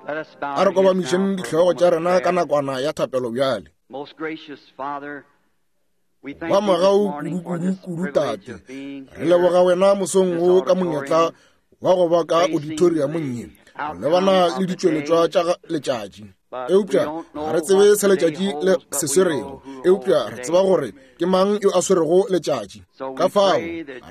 A re kobamišeng dihlogo tša rena ka nakwana ya thapelo bjale. Ba mogau kudu-kudu-kudu Tate, re leboga wena mosong wo ka monyetla wa go ba ka auditoriamong ye go lebana le ditšweletšwa tša letšatši. Eupša ga re tsebe se letšatši le se swerego, eupša re tseba gore ke mang yo a swerego letšatši. Ka fao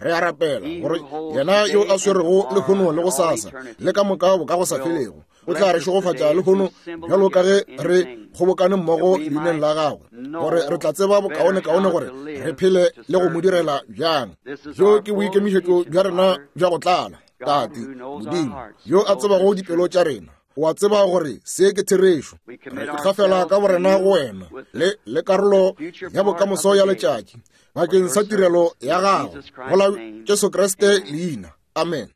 re a rapela gore yena yo a swerego lehono le gosasa le ka moka bo ka go sa felego o tla re šegofatša lehono bjalo ka ge re kgobokane mmogo leineng la gagwe, gore re tla tseba bokaonekaone gore re phele le go mo direla bjang. Bjo ke boikemišetšo bja rena bja go tlala. Tate Modimo yo a tsebago dipelo tša rena, o a tseba gore se ke therešo. Re ikgafela ka borena go wena le le karolo ya bokamoso ya letšatši bakeng sa tirelo ya gago go la Jesu Kriste leina. Amen.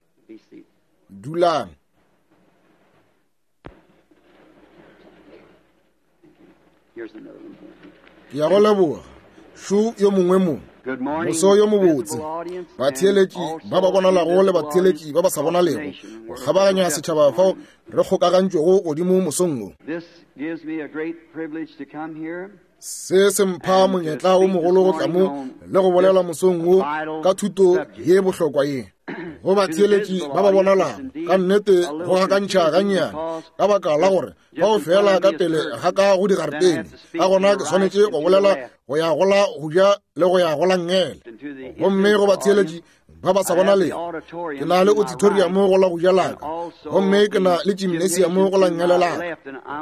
Dulang. Ke ya go leboga. Šo yo mongwe mo. Moso yo mobotse. Batheeletši ba ba bonalago le batheeletši ba ba sa bonalego go kgabaganya setšhaba fao re kgokagantšwego godimo mosong wo. Se se mpha monyetla o mogolo go tla mo le go bolela mosong wo ka thuto ye bohlokwa ye go batheeletši ba ba bonalago. Ka nnete go gakantšha gannyane ka baka la gore bao fela ka pele ga ka go digaretene, ka gona ke swanetše go bolela go ya go la go ja le go ya go la nngele. Gomme go batheeletši ba ba sa bonalego, ke na le auditorium go la go ja laka, gomme ke na le gymnasium go la nngele laka,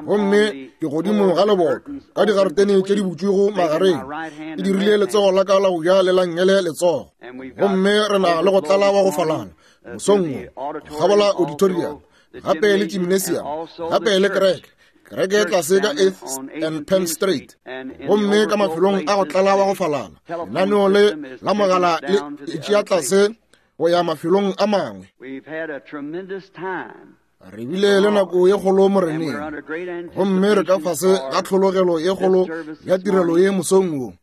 gomme ke godimo ga leboto ka digaretene tše di butšwego magareng. Ke dirile letsogo la ka la go ja le la nngele letsogo, gomme re na le go tlala wa go falana mosong wo gabola auditorium, gape le gymnasium, gape le kereke, kereke tlase ka 8th and Penn Street, gomme ka mafelong a go tlala wa go falana. Lenaneo le la mogala le tšea tlase go ya mafelong a mangwe. Re bile le nako ye kgolo Moreneng, gomme re ka fase ga tlhologelo ye kgolo ya tirelo ye mosong wo.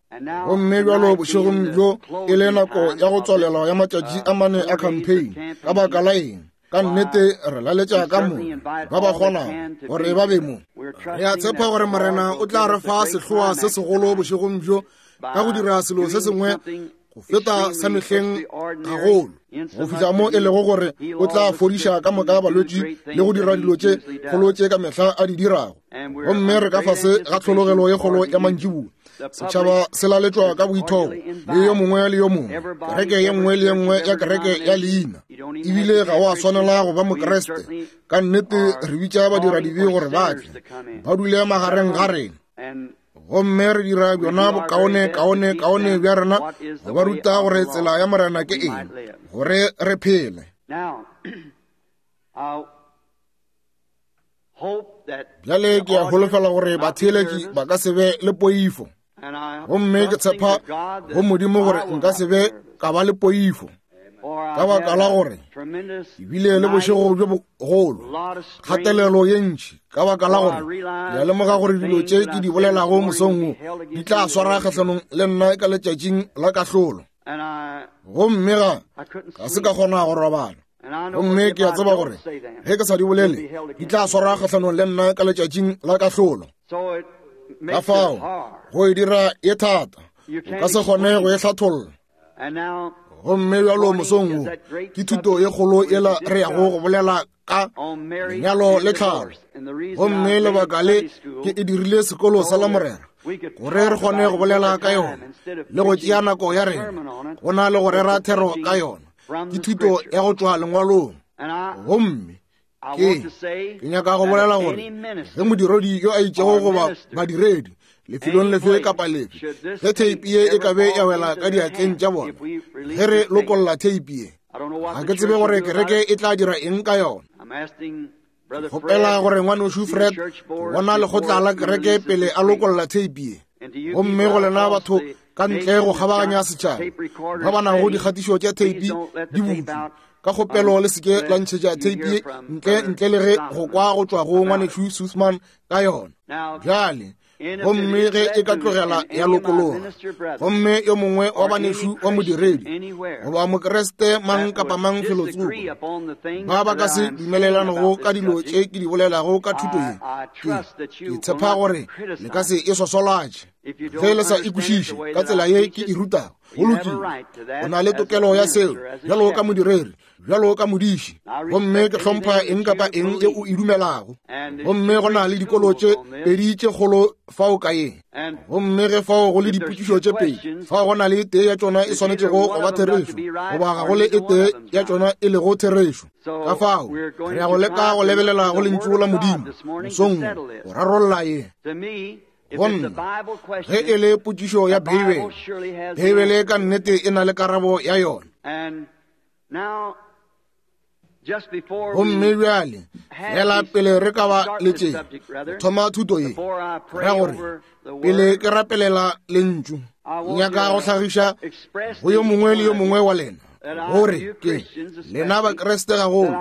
Gomme bjalo bošegong bjo e le nako ya go tswalelwa ya matšatši a mane a campaign. Ka baka la eng? Ka nnete re laletša ka mo ba ba kgonago gore ba be mo. Re a tshepa gore Morena o tla re fa sehloa se segolo bošegong bjo ka go dira selo se sengwe go feta sa mehleng gagolo, go fihla mo e lego gore o tla fodiša ka moka balwetši le go dira dilo tše kgolo tše ka mehla a di dirago. Gomme re ka fase ga tlhologelo ye kgolo ya mantšiboa. Setšhaba se laletšwa ka boithobo le yo mongwe le yo mongwe, kereke ye nngwe le ye nngwe ya kereke ya leina. Ebile ga o a swanela go ba Mokreste. Ka nnete re bitša badiradibe gore ba tle ba dule magareng ga rena, gomme re dira bjona bokaone kaone kaone bja rena go ba ruta gore tsela ya Morena ke eng, gore re phele. Bjale ke a holofela gore batheeletši ba ka se be le poifo, gomme ke tshepa go Modimo gore nka se be ka ba le poifo, ka baka la gore ke bile le bošego bjo bogolo, kgatelelo ye ntši, ka baka la gore ke a lemoga gore dilo tše ke di bolelago mosong wo di tla swara kgahlanong le nna ka letšatšing la kahlolo. Gomme ga se ka kgona go robala. Gomme ke a tseba gore ge ke sa di bolele di tla swara kgahlanong le nna ka letšatšing la kahlolo. Ka fao go e dira e thata, o ka se kgone go e hlatholla. Gomme bjalo mosong wo ke thuto ye kgolo yela re yago go bolela ka lenyalo le tlhalo. Gomme lebaka le ke e dirile sekolo sa Lamorena gore re kgone go bolela ka yona le go tšea nako ya rena go na le go rera thero ka yona. Ke thuto ya go tšwa lengwalong. Gomme ke nyaka go bolela gore ge modiredi yo a itšego goba badiredi lefelong lefe kapa lefe, ge theipi ye e ka be ya wela ka diatleng tša bona, ge re lokolla theipi ye, ga ke tsebe gore kereke e tla dira eng ka yona. Kgopela gore ngwanešu Fred bona lekgotla la kereke pele a lokolla theipi ye. Gomme go lena batho ka ntle go kgabaganya setšhaba ba ba nago dikgatišo tša theipi di butšwe, ka kgopelo le seke la ntšhetša theipi ye ntle, ntle le ge go kwa go tšwa go ngwanešu Sussman ka yona. Bjale Gomme ge e ka tlogela ya lokologa, gomme yo mongwe wa banešu wa modiredi goba Mokriste mang kapa mang felotsoko ba ba ka se dumelelanego ka dilo tše ke di bolelago ka thuto ye, ke, ke tshepa gore le ka se e swaswalatše. Ge le sa e kwešiše ka tsela ye ke e rutago, go lokile, o na le tokelo ya seo bjalo ka modiredi, bjalo ka modiši, gomme ke hlompha eng kapa eng ye o e dumelago. Gomme go na le dikolo tše pedi tše kgolo fao ka ye, gomme ge fao go le dipotšišo tše pedi, fao go na le e tee ya tšona e swanetšego go ba therešo, goba ga go le e tee ya tšona e lego therešo. Ka fao re ya go leka go lebelela go Lentšu la Modimo mosong wo go rarolla ye. Go nna, ge e le potšišo ya Beibele, Beibele ka nnete e na le karabo ya yona. Gomme bjale, fela pele re ka ba le tše, thoma thuto ye, ra gore pele ke rapelela lentšu, nyaka go hlagiša go yo mongwe le yo mongwe wa lena gore ke lena Bakriste gagolo,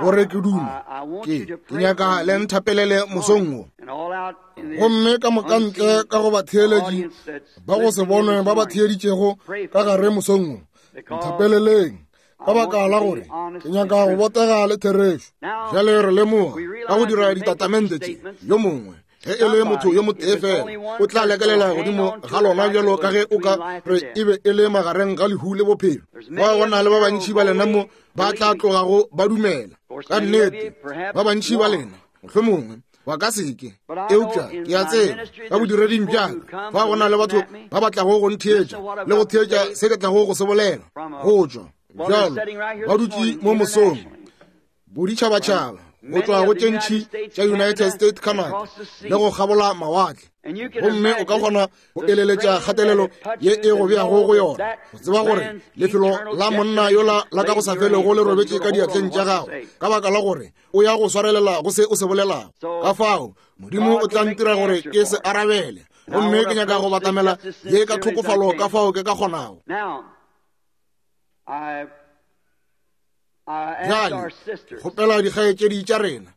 gore ke duma ke nyaka le nthapelele mosong wo. Gomme ka moka ntle ka go batheeletši ba go se bonwe ba ba theeditšego ka gare mosong wo, nthapeleleng ka baka la gore ke nyaka go botega le therešo. Bjale re lemoga ka go dira ditatamente tše, yo mongwe ge e le motho yo motee fela o tla lekelela godimo ga lona bjalo ka ge o ka re e be e le magareng ga lehu le bophelo. Ba go na le ba bantši ba lena mo ba tla tlogago ba dumela ka nnete, ba bantši ba lena mohlomongwe ba ka seke, eupša ke a tseba ka bodireding bja ka fa go na le batho ba ba tlago go ntheetša le go theetša se ke tlago go se bolela go tšwa bjalo ba dutše mo mosong boditšhabatšhaba go tšwa go tše ntši tša United States, Canada le go kgabola mawatle, gomme o ka kgona go eleletša kgatelelo ye e go beago go yona, go tseba gore lefelo la monna yola la ka go sa felego le robetše ka diatleng tša gago, ka baka la gore o ya go swarelela go se o se bolelago. Ka fao Modimo o tla ntira gore ke se arabele, gomme ke nyaka go batamela ye ka tlhokofalo ka fao ke ka kgonago. Bjale kgopela dikgaetšedi tša rena,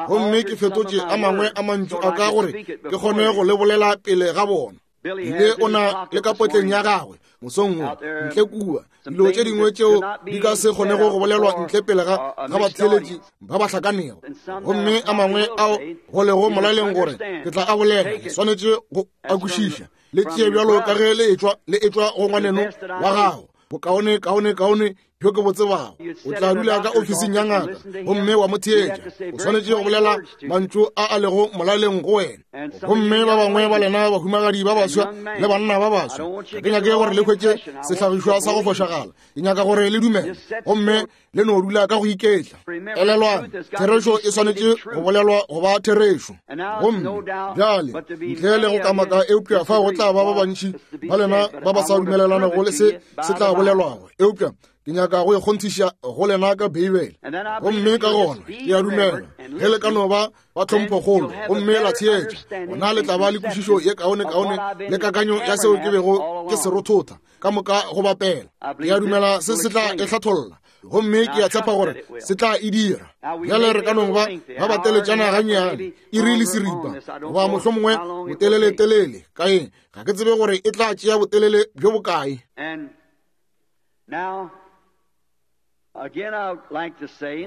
gomme ke fetotše a mangwe a mantšu a ka gore ke kgone go le bolela pele ga bona. Ile o na le ka potleng ya gagwe mosong wo ntle kua dilo tše dingwe tšeo di ka se kgonego go bolelwa ntle pele ga ga batheeletši ba ba hlakanego, gomme a mangwe ao go lego molaleng gore ke tla a bolela, le swanetše go a kwešiša. Le tšee bjalo ka ge le etšwa, le etšwa go ngwaneno wa gago, bokaone kaone kaone bjo ke bo tsebago. O tla dula ka ofising ya ngaka gomme wa mo theetša. O swanetše go bolela mantšu a a lego molaleng go wena. Gomme ba bangwe ba lena bahumagadi ba baswa le banna ba baswa, ga ke nyake gore le hwetše sehlagišwa sa go fošagala. Ke nyaka gore le dumele gomme le no dula ka go iketla. Elelwang, therešo e swanetše go bolelwa go ba therešo. Gomme bjale, ntle le go kamaka, eupša fa go tla ba ba bantši ba lena ba ba sa dumelelanego le se se tla bolelwago, eupša ke nyaka go ikgonthiša go lena ka Beibele. Gomme ka gona ke a dumela ge le ka no ba ba tlhomphokgolo gomme la theetša, gona le tla ba le kwešišo ye kaonekaone le kakanyo ya seo ke bego ke se rothotha ka moka go bapela. Ke a dumela se se tla e hlatholla, gomme ke a tshepa gore se tla e dira. Bjale re ka no ba ba bateletšana gannyane, iri le seripa goba mohlomongwe boteleletelele ka eng, ga ke tsebe gore e tla tšea botelele bjo bokae.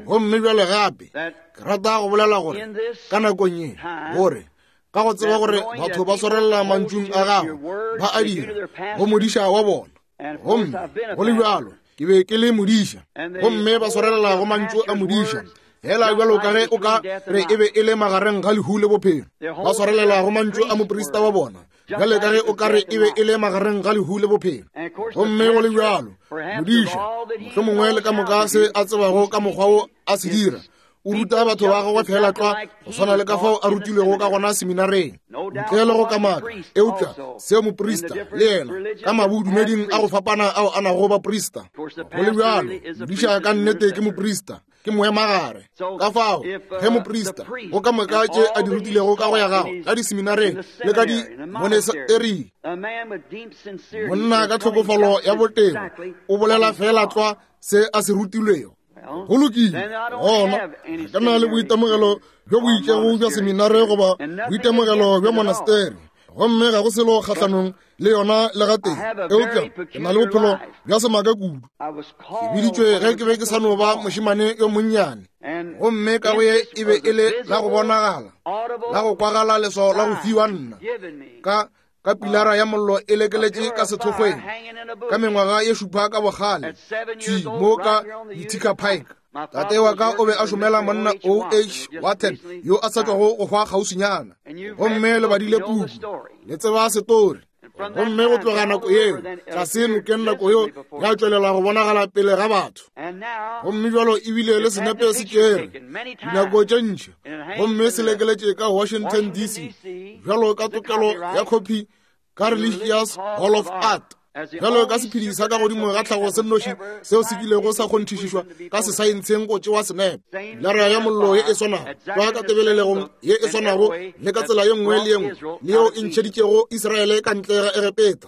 Gomme bjale gape ke rata go bolela gore ka nakong ye, gore ka go tseba gore batho ba swarelela mantšung a gago, ba a dira go modiša wa bona, gomme go le bjalo ke be ke le modiša, gomme ba swarelela go mantšu a modiša fela bjalo ka ge o ka re e be e le magareng ga lehu le bophelo. Ba swarelela go mantšu a moprista wa bona bjale ka ge o ka re e be e le magareng ga lehu le bophelo. Gomme go le bjalo modiša, mohlomongwe le ka moka se a tsebago ka mokgwa wo a se dira, o ruta batho ba gagwe fela tlwa go swana le ka fao a rutilwego ka gona seminareng, ntle le go kamaka. Eupša seo moprista le yena ka mabodumeding a go fapana ao a nago baprista, go le bjalo modiša ka nnete ke moprista, ke moemagare. Ka fao ge moprista go ka moka tše a di rutilego ka go ya gago ka diseminareng le ka dimonesering, monna ka tlhokofalo ya botebo o bolela fela tlwa se a se rutilwego. Go lokile, gona ga ke na le boitemogelo bjo bo itšego bja seminare goba boitemogelo bja monasteri. Gomme ga go selo kgahlanong le yona le gatee, eupša ke na le bophelo bja semaka kudu. Ke biditšwe ge ke be ke sa no ba mošemane yo monnyane, gomme ka go ye e be e le la go bonagala, la go kwagala leswao la go fiwa nna ka ka pilara ya mollo e lekeletše ka sethokgweng ka mengwaga ye šupa ka bogale thwi mo ka Utica Pike. Tate wa ka o be a šomela monna O H Wathen yo a sa tšwago go hwa kgauswinyana, gomme le badile puku, le tseba setori. Gomme go tloga nako yeo tlase nokeng nako yeo ya tšwelela go bonagala pele ga batho, gomme bjalo ebile le senepe se tšere dinako tše ntši, gomme se lekeletše ka Washington DC bjalo ka tokelo ya khophi ka Religious Hall of Art, bjalo ka sephedi sa ka godimo ga tlhago se nnoši seo se kilego sa kgonthišišwa ka sesaentsheng go tšewa senepe. Pilara ya mollo ye e swanago tlwa ka tebelelegong ye e swanago le ka tsela ye nngwe le ye nngwe le yeo e ntšheditšego Israele ka ntle ga Egepeta.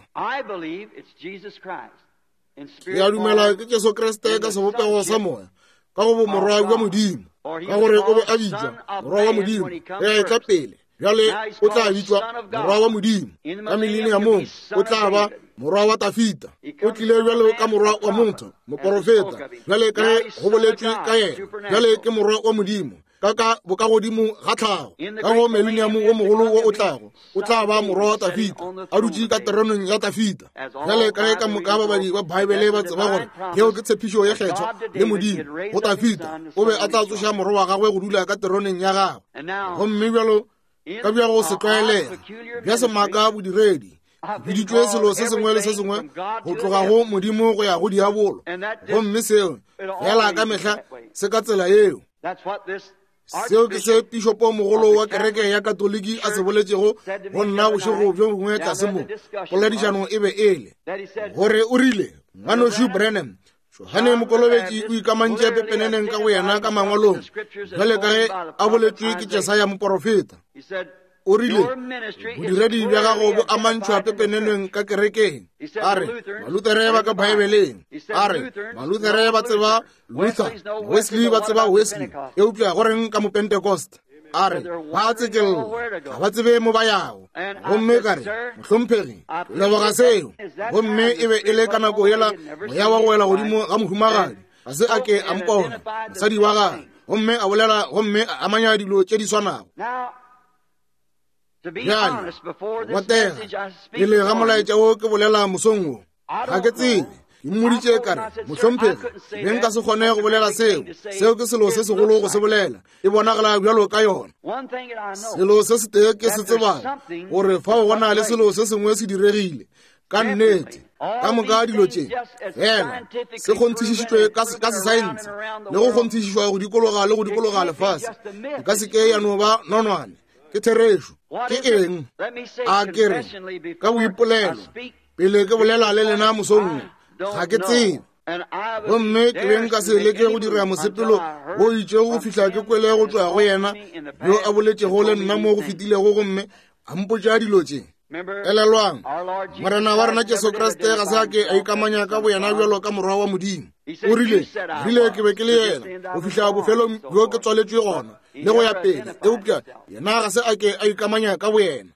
Ke a dumela ke Jesu Kriste ka sebopego sa moya, ka go bomorwa bja Modimo, ka gore o be a bitšwa morwa wa Modimo ge a etla pele. Bjale o tla bitšwa morwa wa Modimo. Ka mileniamong o tla ba morwa wa Tafita. O tlile bjalo ka morwa wa motho, moporofeta, bjale ka ge go boletšwe ka yena. Bjale ke morwa wa Modimo ka ka bokagodimo ga tlhago. Ka go mileniamo wo mogolo wo o tlago, o tla ba morwa wa Tafita, a dutše ka teroneng ya Tafita. Bjale ka ge ka moka babadi ba Baebele ba tseba gore yeo ke tshepišo ye kgethwa le Modimo go Tafita, o be a tla tsoša morwa wa gagwe go dula ka teroneng ya gagwe. Gomme bjalo ka bja go se tlwaelega bja semaka bodiredi, biditšwe selo se sengwe le se sengwe go tloga go Modimo go ya go diabolo, gomme seo fela ka mehla se ka tsela yeo. Seo ke se pišopomogolo wa kereke ya Katoliki a se boletšego go nna bošego bjo bongwe tlase mo. Poledišano e be e le gore o rile, Ngwanešu Branham, Johane Mokolobetši o ikamantše pepeneneng ka boyena ka mangwalong, bjale ka ge a boletšwe ke Jesaya moporofeta. O rile, Bodiredi bja gago bo amantšhwa pepeneneng ka kerekeng. A re, Malutere ba ka Baebeleng. A re, Malutere ba tseba Luther, Wesley ba tseba Wesley, eupša go reng ka Mopentecost? A re, ba a tsekella, ga ba tsebe mo ba yago. Gomme ka re, Mohlomphegi, ke leboga seo. Gomme e be e le ka nako yela moya wa go wela godimo ga mohumagadi, ga se a ke a mpona, mosadi wa gagwe, gomme a bolela gomme a amanya dilo tše di swanago. Bjale, botega, pele ga molaetša wo ke bolela mosong wo, ga ke tsebe. Ke mmoditše ka re, Mohlomphegi, be nka se kgone go bolela seo. Seo ke selo se segolo go se bolela. E bonagala bjalo ka yona. Selo se setee ke se tsebago, gore fao go na le selo se sengwe se diregile. Ka nnete, ka moka dilo tše fela se kgonthišišitšwe ka sesaense le go kgonthišišwa go dikologa le go dikologa lefase, e ka se ke ya no ba nonwane. Ke therešo. Ke eng? A ke re ka boipolelo, pele ke bolela le lena mosong wo, ga ke tsebe. Gomme ke be nka se leke go dira mosepelo wo itšego go fihla ke kwele go tšwa go yena yo a boletšego le nna mo go fetilego gomme a mpotša dilo tše. Elelwang, Morena wa rena Jesu Kriste ga se a ke a ikamanya ka boyena bjalo ka morwa wa Modimo. O rile, rile ke be ke le yena go fihla bofelong bjo ke tswaletšwe gona le go ya pele, eupša yena ga se a ke a ikamanya ka boyena.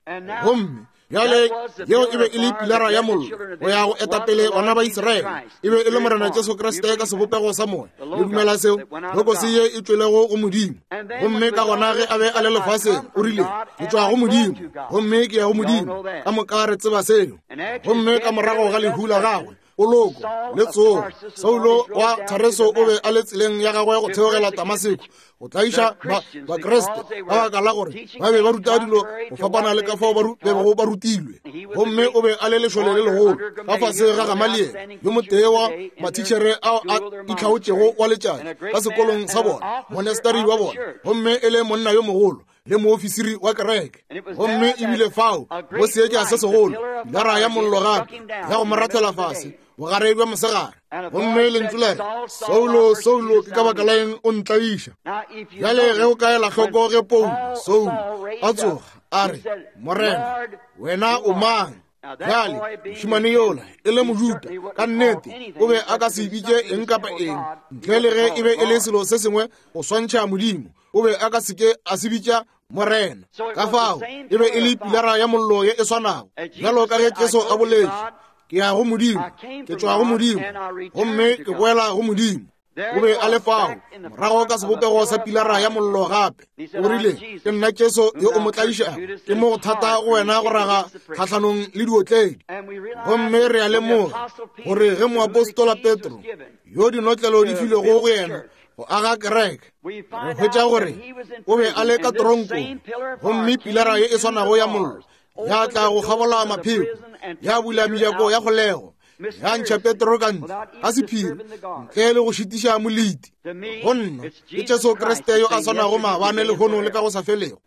Gomme bjale yeo e be e le pilara ya mollo go ya go etapele bana ba Israele, e be e le Morena Jesu Kriste ka sebopego sa moya. Le dumela seo? Logos ye e tšwelego go Modimo. Gomme ka gona ge a be a le lefaseng, o rile, Ke tšwa go Modimo, gomme ke ya go Modimo. Ka moka re tseba seo. Gomme ka morago ga lehu la gagwe, poloko le tsogo, Saulo wa Tareso o be a le tseleng ya gagwe go theogela Damaseko go tlaiša Bakriste ka baka la gore ba be ba ruta dilo go fapana le ka fao ba bego ba rutilwe. Gomme o be a le lešole le legolo ka fase ga Gamaliele, yo motee wa mathišere ao a itlhaotšego wa letšatši ka sekolong sa bona, monasteri wa bona, gomme e le monna yo mogolo le moofisiri wa kereke. Gomme ebile fao go seetša se segolo, pilara ya mollo gape ya go mo rathela fase bogare bja mosegare. Gomme lentšu la re, Saulo, Saulo, ke ka baka la eng o ntlaiša? Bjale ge o ka ela hloko ge Paulo, Saulo, a tsoga, a re, Morena, wena o mang? Bjale mošemane yola e le Mojuda, ka nnete o be a ka se bitše eng kapa eng ntle le ge e be e le selo se sengwe go swantšha Modimo. O be a ka se ke a se bitša Morena. Ka fao e be e le pilara ya mollo ye e swanago, bjalo ka ge Jesu a boletše, Ke ya go Modimo, ke tšwa go Modimo, gomme ke boela go Modimo. O be a le fao morago ka sebopego sa pilara ya mollo gape. O rile, Ke nna Jesu yo o mo tlaišago. Ke mo go thata go wena go raga kgahlanong le diotledi. Gomme re a lemoga gore ge moapostola Petro, yo dinotlelo di filwego go yena go aga kereke, re hwetša gore o be a le ka toronkong, gomme pilara ye e swanago ya mollo ya tla go kgabola mapheko, ya bula mejako ya kgolego, ya ntšha Petro ka ntle ka sephiri ntle le go šitiša moleti. Go nna ke Jesu Kriste yo a swanago maabane, lehono le ka go sa felego.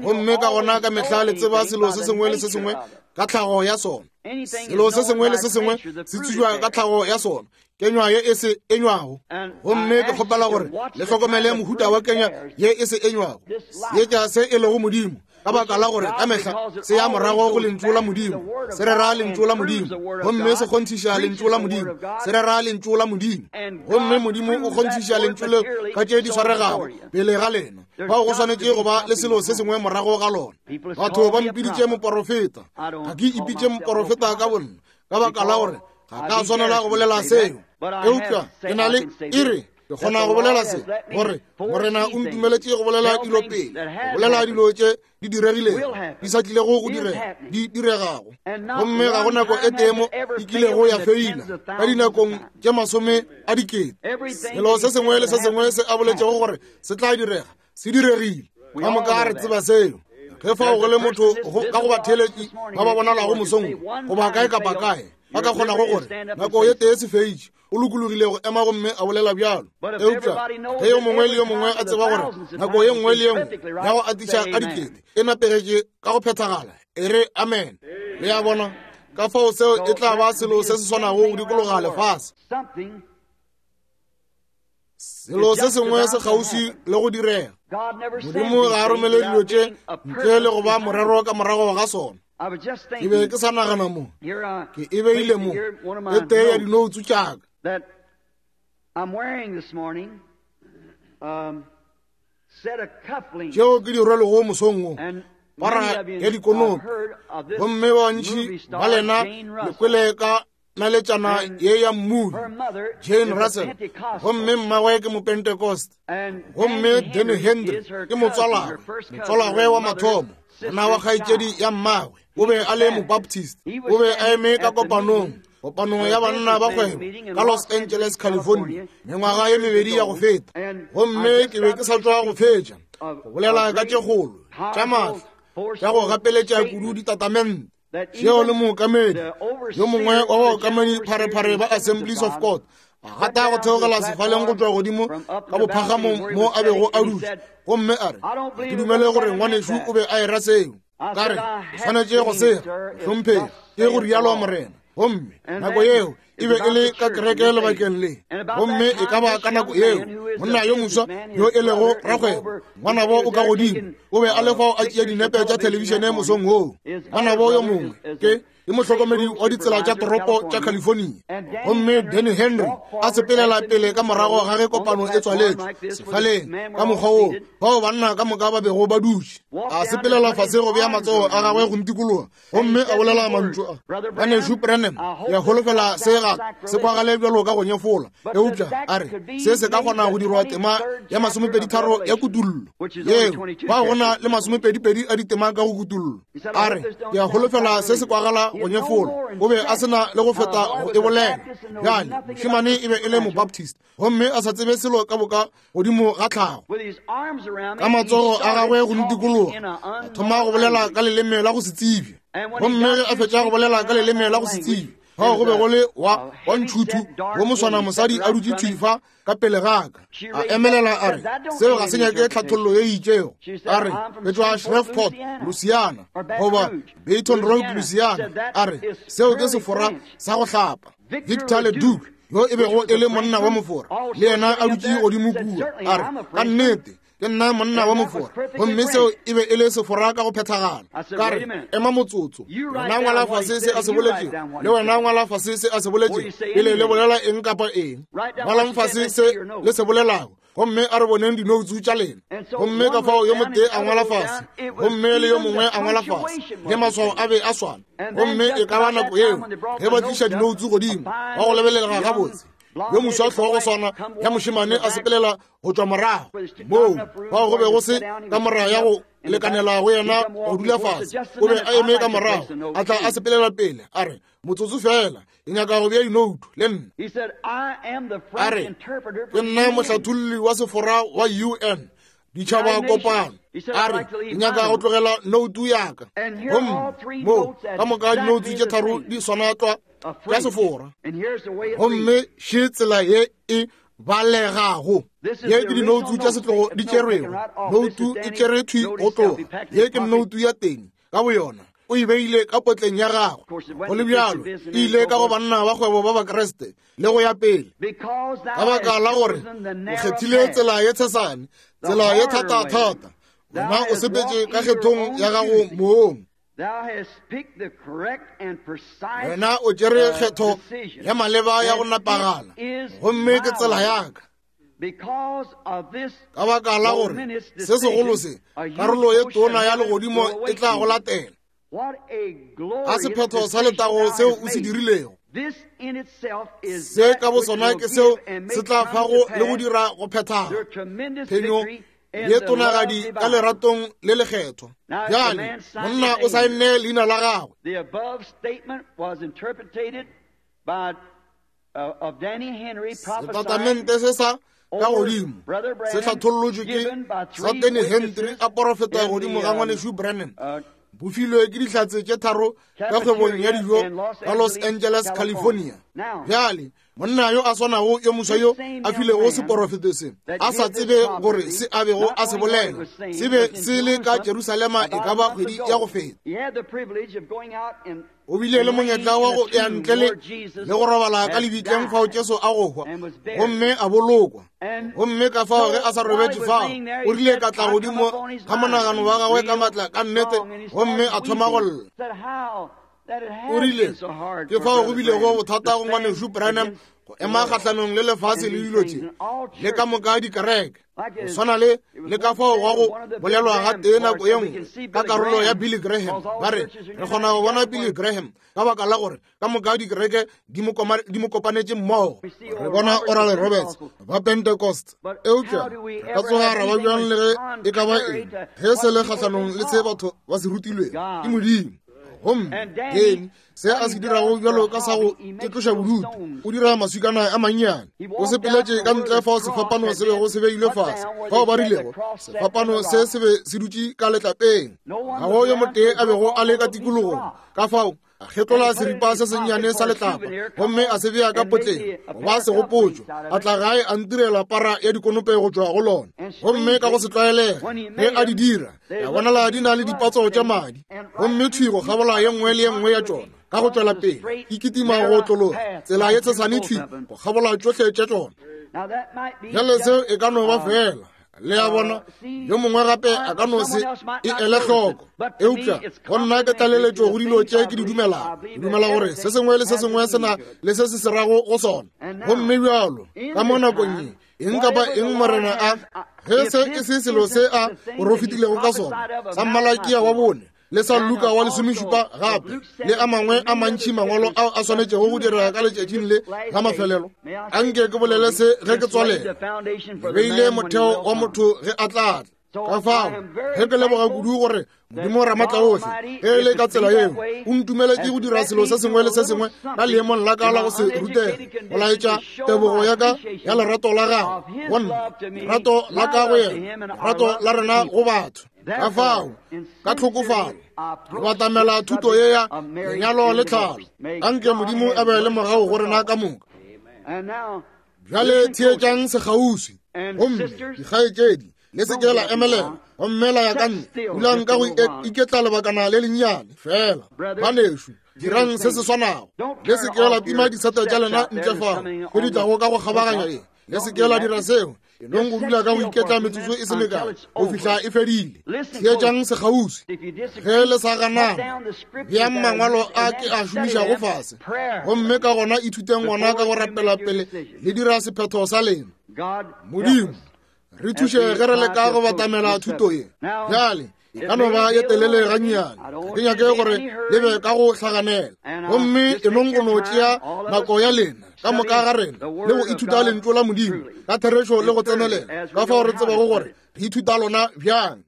Gomme ka gona ka mehla le tseba selo se sengwe le se sengwe ka tlhago ya sona. Selo se sengwe le se sengwe se tsejwa ka tlhago ya sona, kenywa ye e se enywago. Gomme ke kgopela gore le hlokomele mohuta wa kenywa ye e se enywago, seetša se e lego Modimo, ka baka la gore ka mehla se ya morago go lentšu la Modimo, se rera lentšu la Modimo, gomme se kgonthiša lentšu la Modimo, se rera lentšu la Modimo, gomme Modimo o kgonthiša lentšu leo ka tše di swaregago pele ga lena. Fao go swanetše go ba le selo se sengwe morago ga lona. Batho ba mpiditše moporofeta, ga ke ipitše moporofeta ka bonna, ka baka la gore ga ka swanela go bolela seo, eupša ke na le iri ke kgona go bolela se, gore Morena o ntumeletše go bolela dilo pele, go bolela dilo tše di diregilego, di sa tlilego go direga, di diregago. Gomme ga go nako e tee mo e kilego ya feila ka dinakong tše masome a dikete. Selo se sengwe le se sengwe se a boletšego gore se tla direga, se diregile. Ka moka re tseba seo. Ge fao go le motho ka go batheeletši ba ba bonalago mosong goba kae kapa kae, ba ka kgonago gore nako ye tee se feitše, o lokologile go ema gomme a bolela bjalo. Eupša ge yo mongwe le yo mongwe a tseba gore nako ye nngwe le ye nngwe ya go atiša ka dikete e napegetše ka go phethagala, e re amen. Le a bona? Ka fao seo e tla ba selo se se swanago go dikologa lefase. Selo se sengwe se kgauswi le go direga. Modimo ga a romele dilo tše ntle le go ba morero ka morago ga sona. Ke be ke sa nagana mo, ke e beile mo, e tee ya dinoutsu tšaka. Tšeo ke di rwelego mosong wo, para ya dikonopi. Gomme ba bantši ba lena le kwele ka naletšana ye ya mmudi, Jane Russell, gomme mmagwe ke Mopentecost, gomme Danny Henry ke motswalagwe, motswalagwe wa mathomo, monna wa kgaetšedi ya mmagwe, o be a le Mobaptist, o be a eme ka kopanong, kopanong ya banna ba kgwebo ka Los Angeles, California, mengwaga ye mebedi ya go feta, gomme ke be ke sa tšwa go fetša go bolela ka tše kgolo tša maatla tša go gapeletša kudu ditatamente tšeo le mookamedi yo mongwe wa baokamedi pharephare ba Assemblies of God a gata go theogela sefaleng go tšwa godimo ka bophagamong mo a bego a dutše, gomme a re, Ke dumele gore ngwanešu o be a era seo. Ka re, O swanetše go sega, mohlomphegi, ke go rialo Morena. Gomme nako yeo e be e le ka kereke lebakeng le, gomme e ka ba ka nako yeo monna yo moswa yo e lego rakgwebo, ngwanabo o ka godimo, o be a le fao a tšea dinepe tša thelebišene mosong woo. Ngwanabo yo mongwe ke ke mohlokomedi wa ditsela tša toropo tša California. Gomme Danny Henry a sepelela pele ka morago ga ge kopano e tswaletšwe sefaleng ka mokgwa woo bao banna ka moka ba bego ba dutše, a sepelela fase go bea matsogo a gagwe go ntikologa, gomme a bolela mantšu a, Ngwanešu Branham, ke a holofela se ga se kwagale bjalo ka go nyefola, eupša a re se se ka kgona go dirwa tema ya masomepeditharo ya kutullo yeo ba go na le masomepedipedi a ditema ka go kutullo. A re ke a holofela se se kwagala go nyefola. O be a se na le go feta go e bolela. Bjale mošemane e be e le Mobaptist gomme a sa tsebe selo ka boka godimo ga tlhago. Ka matsogo a gagwe go ntikologa, a thoma go bolela ka leleme la go se tsebje. Gomme ge a fetša go bolela ka leleme la go se tsebje, fao go be go le wa ntšhuthu wo moswana mosadi a dutše thwi fa ka pele ga ka. A emelela a re, seo ga se nyake tlhathollo ye e itšego. A re, ke tšwa Shreveport, Louisiana, goba Baton Rouge, Louisiana. A re, seo ke Sefora sa go hlapa. Victor Le Duc, yo e bego e le monna wa Mofora, le yena a dutše godimo kua. A re, ka nnete, Ke nna monna wa Mofora. Gomme seo e be e le Sefora ka go phethagala. Ka re, Ema motsotso. Wena ngwala fase se a se boletšego, le wena ngwala fase se a se boletšego, pele le bolela eng kapa eng. Ngwalang fase se le se bolelago, gomme a re boneng dinoutsu tša lena. Gomme ka fao yo motee a ngwala fase, gomme le yo mongwe a ngwala fase, le maswao a be a swana. Gomme e ka ba nako yeo ge ba tliša dinoutsu godimo, wa go lebelelega gabotse, yo moswa hlogo swana ya mošemane a sepelela go tšwa morago moo fao go be go se ka mora ya go lekanela go yena go dula fase, o be a eme ka morago, a tla a sepelela pele, a re, Motsotso fela, ke nyaka go bea dinoutu le nna. A re, Ke nna mohlatholli wa Sefora wa UN, Ditšhaba Kopano. A re, Ke nyaka go tlogela noutu ya ka. Gomme mo ka moka dinoutu tše tharo di swana tlwa tša Sefora. Gomme še tsela ye e balegago. Ye ke dinoutu tša setlogo di tšerwego. Noutu e tšere thwi go tloga. Ye ke noutu ya teng ka boyona, o e beile ka potleng ya gagwe. Go le bjalo, e ile ka go banna ba kgwebo ba Bakriste le go ya pele, ka baka la gore o kgethile tsela ye tshesane, tsela ye thatathata. Wena o sepetše ka kgethong ya gago mong. Wena o tšere kgetho ya maleba ya go nepagala, gomme ke tsela ya ka. Ka baka la gore se segolo se, karolo ye tona ya legodimo e tla go latela. Ga sephetho sa letago seo o se dirilego, se ka bo sona ke seo se tla fago le go dira go phethaga phenyo ye tonagadi ka leratong le lekgethwa. Bjale monna o saenne leina la gagwe. Setatamente se sa ka godimo se hlathollotšwe ke sa Danny Henry a porofeta godimo ga ngwanešu Branham, bo filwe ke dihlatse tše tharo ka kgwebong ya dijo ka Los Angeles, California. Bjale monna yo a swanago yo moswa yo a filego seporofeto se, a sa tsebe gore se a bego a se bolela se be se le ka Jerusalema e ka ba kgwedi ya go feta. O bile le monyetla wa go ya ntle le le go robala ka lebitleng fao Jesu a go hwa gomme a bolokwa. Gomme ka fao ge a sa robetše fao, o rile ka tla godimo ga monagano wa gagwe ka matla ka nnete, gomme a thoma go lla. O rile, Ke fao go bilego bothata go ngwanešu Branham go ema kgahlanong le lefase le dilo tše le ka moka dikereke, go swana le le ka fao gwa go bolelwa ga tee nako ye nngwe ka karolo ya Billy Graham. Ba re, re kgona go bona Billy Graham ka baka la gore ka moka dikereke di mo kopanetše mmogo. Re bona Oral Roberts ba Pentecost. Eupša re ka tsoga ra ba bjang le ge e ka ba eng ge se le kgahlanong le se batho ba se rutilwego ke Modimo? Gomme Danny, se a se dirago bjalo ka sa go itloša bodutu, o dira maswikana a mannyane. O sepeletše ka ntle fao sefapano se bego se beilwe fase, fao ba rilego sefapano se se be se dutše ka letlapeng, ga go yo motee a bego a le ka tikologong. Ka fao a kgetlola seripa se sennyane sa letlapa gomme a se bea ka potleng go ba segopotšo. A tla gae a ntirela para ya dikonope go tšwa go lona, gomme ka go se tlwaelege ge a di dira, ya bonala di na le dipatso tša madi, gomme thwi go kgabola ye nngwe le ye nngwe ya tšona ka go tšwela pele e kitima go otlologa tsela ye tshesane thwi go kgabola tšohle tša tšona. Bjale seo e ka no ba fela, le a bona, yo mongwe gape a ka no se e ele hloko, eupša go nna ke tlaleletšo go dilo tše ke di dumelago. Ke dumela gore se sengwe le se sengwe se na le se se se rago go sona. Gomme bjalo ka mo nakong ye, eng kapa eng Morena a, ge se e se selo se a porofetilego ka sona, sa Malakia wa bone le sa Luka wa lesomešupa gape le a mangwe a mantši mangwalo ao a swanetšego go direga ka letšatšing le la mafelelo, a nke ke bolele se ge ke tswalela. Ke beile motheo wa motho ge a tla tla. Ka fao ge ke leboga kudu gore Modimo Ramatlaohle, ge e le ka tsela yeo, o ntumeletše go dira selo se sengwe le se sengwe ka leemong la ka la go se rutege, go laetša tebogo ya ka ya lerato la gagwe go nna, lerato la ka go yena, lerato la rena go batho. Ka fao ka tlhokofalo re batamela thuto ye ya lenyalo le tlhalo. Anke Modimo a be le mogau go rena ka moka. Bjale theetšang sekgauswi, gomme dikgaetšedi, le se ke la emelela gomme la ya ka ntle. Dulang ka go iketla lebakana le lennyane fela. Banešu, dirang se se swanago. Le se ke la tima disete tša lena ntle fao go di tlago ka go kgabaganya ye. Le se ke la dira seo. E nong go dula ka go iketla metsotso e se mekae go fihla e fedile. Theetšang sekgauswi. Ge le sa ganana, beang mangwalo a ke a šomišago fase, gomme ka gona ithuteng gona ka go rapela pele le dira sephetho sa lena. Modimo, re thuše ge re leka go batamela thuto ye. Bjale, e ka no ba ye telele gannyane, ga ke nyake gore le be ka go hlaganela. Gomme e nong go no tšea nako ya lena ka moka ga rena le go ithuta lentšu la Modimo ka therešo le go tsenelela, ka fao re tsebago gore re ithuta lona bjang.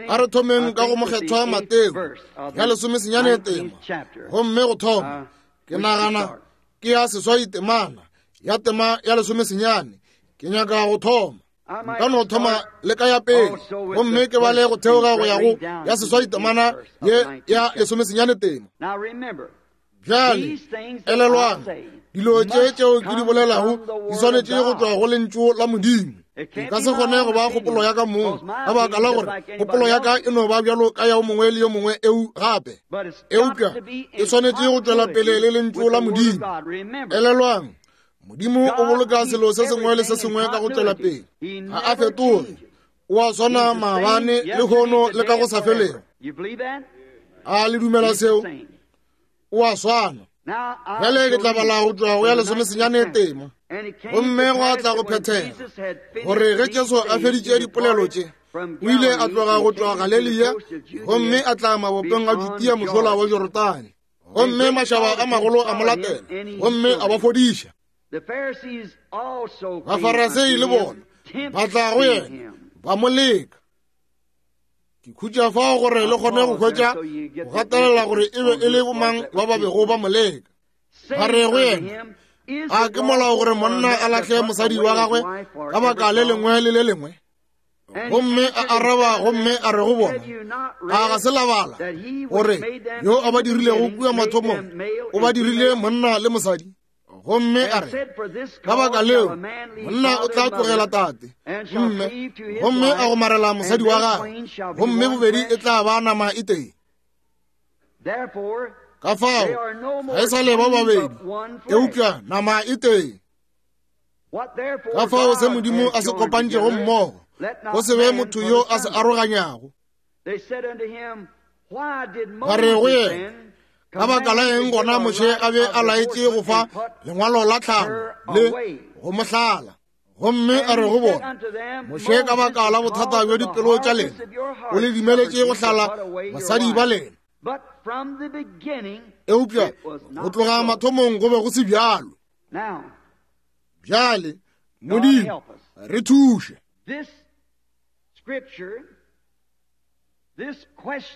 A re thomeng ka go Mokgethwa Mateo ya lesomesenyane tema, gomme go thoma ke nagana ke ya seswai temana ya tema ya lesomesenyane. Ke nyaka go thoma, nka no thoma le ka ya pele, gomme ke bale go theoga go ya go ya seswai temana ye ya lesomesenyane tema. Bjale elelwang, dilo tše tšeo ke di bolelago di swanetše go tšwa go lentšu la Modimo. E ka se kgone go ba kgopolo ya ka mong, ka baka la gore kgopolo ya ka e no ba bjalo ka ya o mongwe le yo mongwe eu gape, eupša e swanetše go tšwela pele le lentšu la Modimo. Elelwang, Modimo o boloka selo se sengwe le se sengwe ka go tšwela pele, ga a fetoge, o a swana maabane, lehono le ka go sa felego. A le dumela seo? O a swana. Bjale ke tla bala go tšwa go ya lesomesenyane tema. Gomme gwa tla go phethega gore ge Jesu a feditše dipolelo tše, o ile a tloga go tšwa Galelia gomme a tla mabopeng a Judea mošola wa Jorodane. Gomme mašaba a magolo a mo latela gomme a ba fodiša. Bafarasei le bona ba tla go yena ba mo leka. Ke khutša fao gore le kgone go hwetša go gatelela gore e be e le bomang ba ba bego ba mo leka. Ba re go yena, a ke molao gore monna a lahle mosadi wa gagwe ka baka le lengwe le le lengwe? Gomme a araba gomme a re go bona, a ga se la bala gore yo a ba dirilego kua mathomong o ba dirile monna le mosadi? Gomme a re, ka baka leo monna o tla tlogela tate mme gomme a gomarela mosadi wa gagwe, gomme bobedi e tla ba nama e tee. Ka fao ga e sa le ba babedi, eupša nama e tee. Ka fao se Modimo a se kopantšego mmogo, go se be motho yo a se aroganyago. Ba re go yena, ka baka la eng gona Moshe a be a laetše go fa lengwalo la tlhalo le go mo hlala? Gomme a re go bona, Moshe ka baka la bothata bja dipelo tša lena o le dumeletše go hlala basadi ba lena, eupša go tloga mathomong go be go se bjalo. Bjale Modimo re thuše.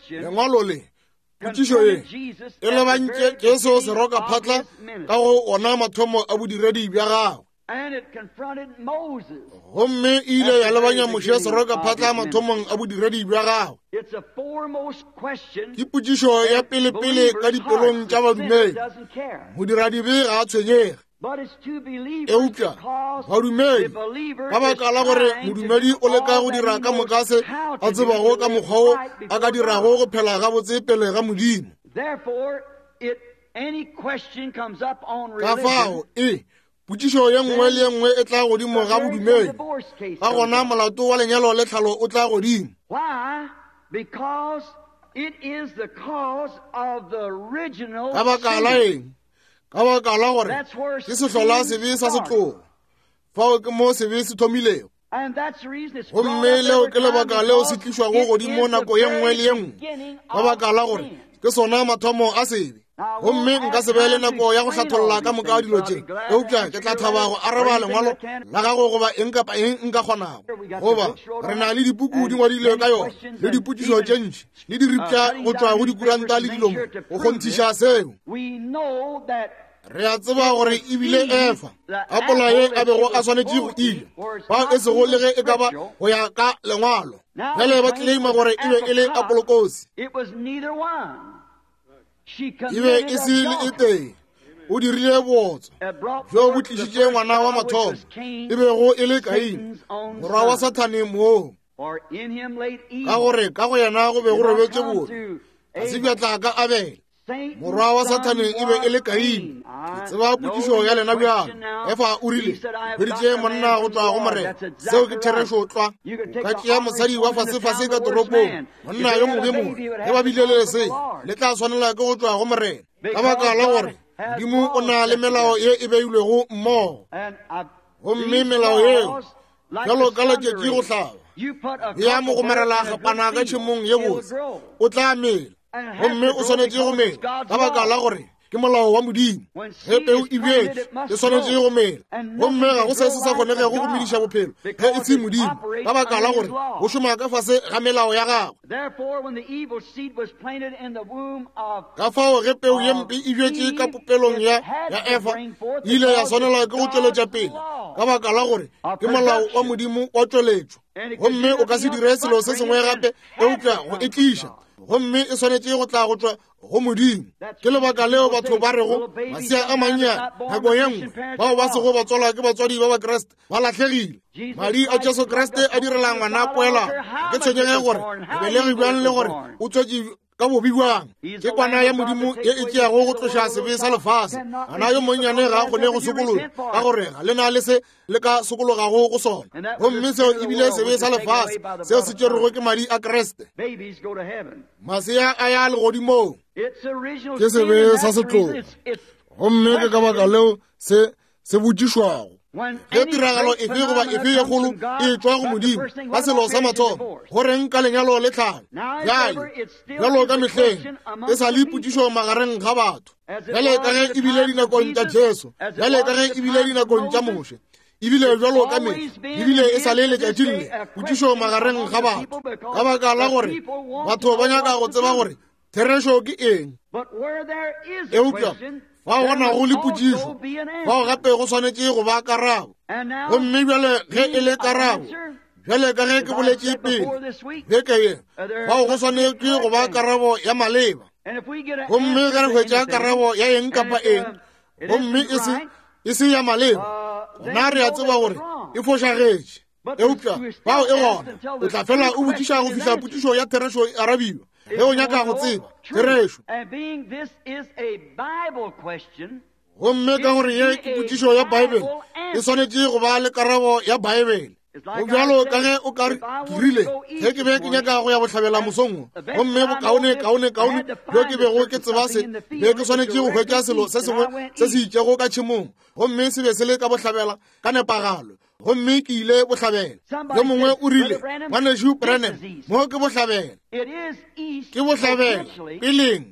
Lengwalo le, potšišo ye e lebantše Jesu serokaphatla ka go ona mathomo a bodiredi bja gagwe. Gomme e ile ya lebanya Moshe serokaphatla mathomong a bodiredi bja gagwe. Ke potšišo ya pelepele ka dipelong tša badumedi. Modiradibe ga a tshwenyege, eupša badumedi, ka baka la gore modumedi o leka go dira ka moka se a tsebago ka mokgwa wo a ka dirago go phela gabotse pele ga Modimo. Ka fao e potšišo ye nngwe le ye nngwe e tla godimo ga bodumedi, ka gona molato wa lenyalo le tlhalo o tla godimo. Ka baka la eng? Ka baka la gore ke sehlola sebe sa setlogo. Fao ke mo sebe se thomilego. Gomme leo ke lebaka leo se tlišwago godimo nako ye nngwe le ye nngwe, ka baka la gore ke sona mathomo a sebe. Gomme nka se be le nako ya go hlatholla ka moka dilo tše, eupša ke tla thaba go araba lengwalo la gago goba eng kapa eng nka kgonago. Goba re na le dipuku di ngwadilwe ka yona, le dipotšišo tše ntši, le diripša go tšwa go dikuranta le dilo mo go kgonthiša seo. Re a tseba gore e bile Efa apola ye a bego a swanetše go ile, bao e sego le ge e ka ba go ya ka lengwalo. Bjale ba tleleima gore e be e le apolokosi. E be e se le e tee. O dirile bootswa bjo bo tlišitše ngwana wa mathomo, e bego e le Kaine, morwa wa Sathane moo, ka gore ka go yena go be go robetše bobe, ga se bja tla ka Abele. Morwa wa Sathane e be e le Kaine. Ke tseba potšišo ya lena bjalo. Efa o rile, hweditše monna go tšwa go Morena. Seo ke therešo tlwa. O ka tšea mosadi wa fasefase ka toropong, monna yo mobe mobe, ge ba bile le lesea, le tla swanela ke go tšwa go Morena. Ka baka la gore Modimo o na le melao ye e beilwego mmogo. Gomme melao yeo bjalo ka letšatši go hlaba ya mo gomarela gapana ka tšhemong ye botse o tla mela gomme o swanetše go mela ka baka la gore ke molao wa modimo ge peu e bjetše e swanetše go mela gomme ga go se se sa kgonegego go mediša bophelo ge e se modimo ka baka la gore go šoma ka fase ga melao ya gagwe ka fao ge peu ye mpe e bjetše ka popelong ya ya efa e ile ya swanelwa ke go tšweletša pele ka baka la gore ke molao wa modimo wa tšweletšo gomme o ka se dire selo se sengwe gape eupša go e tliša gomme e swanetše go tla go tšwa go modimo ke lebaka leo batho ba rego masea a mannyane nako ye nngwe bao ba sego ba tswalwa ke batswadi ba bakriste ba lahlegile madi a jesu kriste a direla ngwana poelano ke tshwenyege gore o belegi bjang le gore o tswetše ka bobi bjang ke kwana ya modimo ye e tšeago go tloša sebe sa lefase ngwana yo monnyane ga a kgone go sokologa ka gore ga le na le se le ka sokologago go sona gomme seo e bile sebe sa lefase seo se tšerwego ke madi a kriste masea a ya legodimong ke sebe sa setlogo gomme ke ka baka leo se se botšišwago ge tiragalo efe goba efe ye kgolo e tšwa go modimo ka selo sa mathomo go reng ka lenyalo le tlhalo bjale bjalo ka mehleng e sa le potšišo magareng ga batho bjale ka ge e bile dinakong tša jesu bjale ka ge e bile dinakong tša moshe ebile bjalo ka mehla ebile e sa le letšatšing le potšišo magareng ga batho ka baka la gore batho ba nyaka go tseba gore therešo ke eng eupša fao go nago le potšišo fao gape go swanetše go ba karabo gomme bjale ge e le karabo bjale ka ge ke boletše pele beke ye fao go swanetše go ba karabo ya maleba gomme ge re hwetša karabo ya eng kapa eng gomme e se e se ya maleba gona re a tseba gore e fošagetše eupša bao e gona o tla fela o botšiša go fihla potšišo ya therešo e arabiwa ge o nyaka go tseba therešo gomme ka gore ye ke potšišo ya baebele e swanetše go ba le karabo ya baebele go bjalo ka ge o ka re ke rile ge ke be ke nyaka go ya bohlabela mosong wo gomme bokaone kaone kaone bjo ke bego ke tseba se be ke swanetše go hwetša selo se sengwe se se itšego ka tšhemong gomme se be se le ka bohlabela ka nepagalo gomme ke ile bohlabela yo mongwe o rile ngwanešu Branham mo ke bohlabela ke bohlabela peleng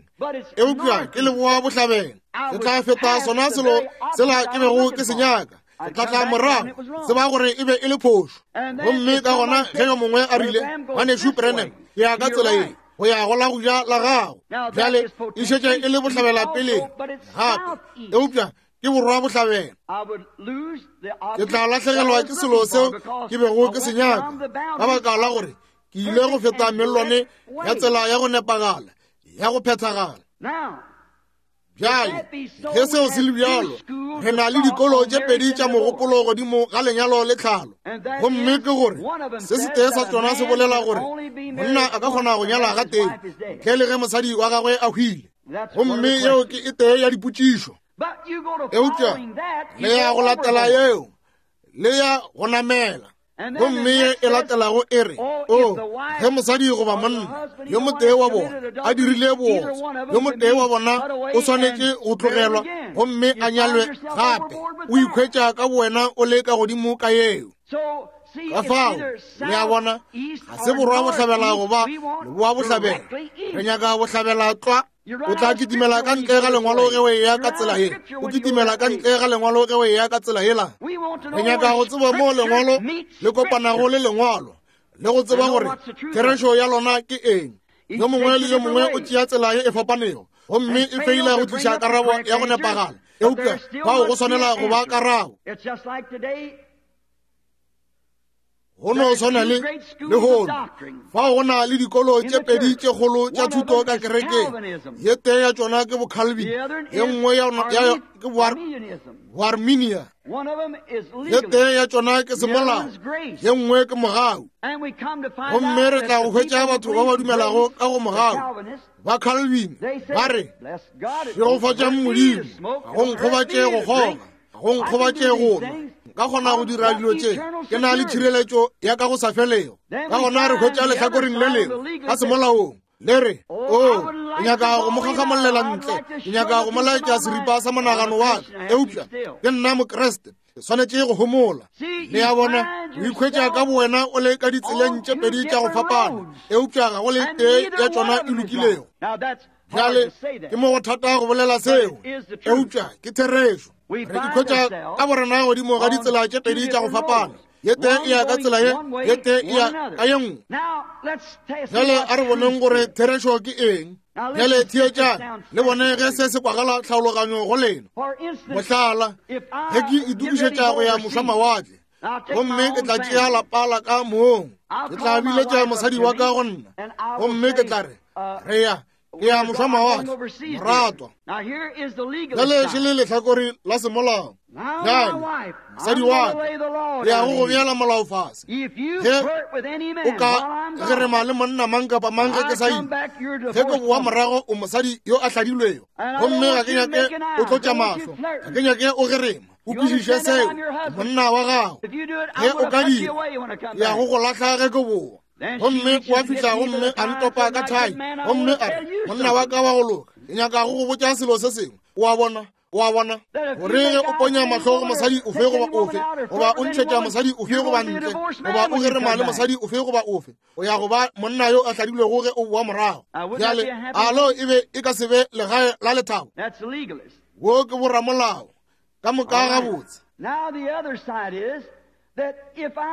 eupša ke leboa bohlabela ke tla feta sona selo sela ke bego ke se nyaka ke tla tla morago tseba gore e be e le phošo gomme ka gona ge yo mongwe a rile ngwanešu Branham ke ya ka tsela ye go ya go la go ja la gago bjale e šetše e le bohlabela peleng gape eupša ke borwa bohlabela ke tla lahlegelwa ke selo seo ke bego ke se nyaka ka baka la gore ke ile go feta mellwane ya tsela ya go nepagala ya go phethagala bjale ge seo se le bjalo re na le dikolo tše pedi tša mogopolo godimo ga lenyalo le tlhalo gomme ke gore se setee sa tsona se bolela gore monna a ka kgona go nyala ga tee ntle le ge mosadi wa gagwe a hwile gomme yeo ke e tee ya dipotšišo eupša le ya go latela yeo le ya go namela gomme ye e latelago e re o oh, ge mosadi goba monna yo motee wa bona a dirile bootswa yo motee wa bona o swanetše go tlogelwa gomme a nyalwe gape o ikhwetša ka bowena o le ka godimo ka yeo ka fao le a bona ga se borwa bohlabela goba leboa bohlabela re nyaka bohlabela tlwa o tla kitimela ka ntle ga lengwalo ge o eya ka tsela ye o kitimela ka ntle ga lengwalo ge o eya ka tsela yela re nyaka go tseba moo lengwalo le kopanago le lengwalo le go tseba gore therešo ya lona ke eng yo mongwe le yo mongwe o tšea tsela ye e fapanego gomme e feila go tliša karabo ya go nepagala eupša fao go swanela go ba karabo. Go no swana le lehono, fao go na le dikolo tše pedi tše kgolo tša thuto ka kerekeng. Ye tee ya tšona ke Bocalvin, ye nngwe ya ke Boarminia. Ye tee ya tšona ke semolao, ye nngwe ke mogau. Gomme re tla go hwetša batho ba ba dumelago ka go mogau, ba Calvin, ba re, Šegofatšang Modimo, ga go nkgobatše go kgoga. Go nkgobatše go nwa. Nka kgona go dira dilo tše. Ke na le tšhireletšo ya ka go sa felego. Ka gona re hwetša lehlakoreng le lengwe ka semolaong le re, O, ke nyaka go mo gagamolela ntle. Ke nyaka go mo laetša seripa sa monagano wa ka. Eupša ke nna Mokriste. Ke swanetše go homola. Le a bona, o ikhwetša ka bowena o le ka ditseleng tše pedi tša go fapana, eupša ga go le tee ya tšona e lokilego. Bjale, ke mo go thata go bolela seo, eupša ke therešo. Re ikhwetša ka borena godimo ga ditsela tše pedi tša go fapana. Ye tee e ya ka tsela ye, ye tee e ya ka ye nngwe. Bjale a re boneng gore therešo ke eng. Bjale theetšang le bone ge se se kwagala tlhaologanyo go lena. Mohlala, ge ke itokišetša go ya mošwamawatle, gomme ke tla tšea lapa la ka mong, ke tla biletša mosadi wa ka go nna, gomme ke tla re, re ya ke ya mošwamawatle, moratwa. Bjale še le lehlakore la semolao. Bjale, mosadi wa ka, ke ya go go beela molao fase. Ge o ka gerema le monna mang kapa mang ge ke sa ile, ge ke boa morago o mosadi yo a hladilwego, gomme ga ke nyake o tlotša mahlo, ga ke nyake o gerema. O kwešiše seo, ke monna wa gago. Ge o ka dira, ke ya go go lahla ge ke boa. Gomme wa fihla gomme a ntopa ka thai, gomme a re, monna wa ka wa go loka, ke nyaka go go botša selo se sengwe. O a bona? O a bona? Gore ge o ponya mahlo go mosadi ofe goba ofe, goba o ntšhetša mosadi ofe goba ntle, goba o gerema le mosadi ofe goba ofe, o ya go ba monna yo a hladilwego ge o boa morago. Bjale, a leo e be e ka se be legae la lethabo? Wo ke boramolao. Ka moka gabotse.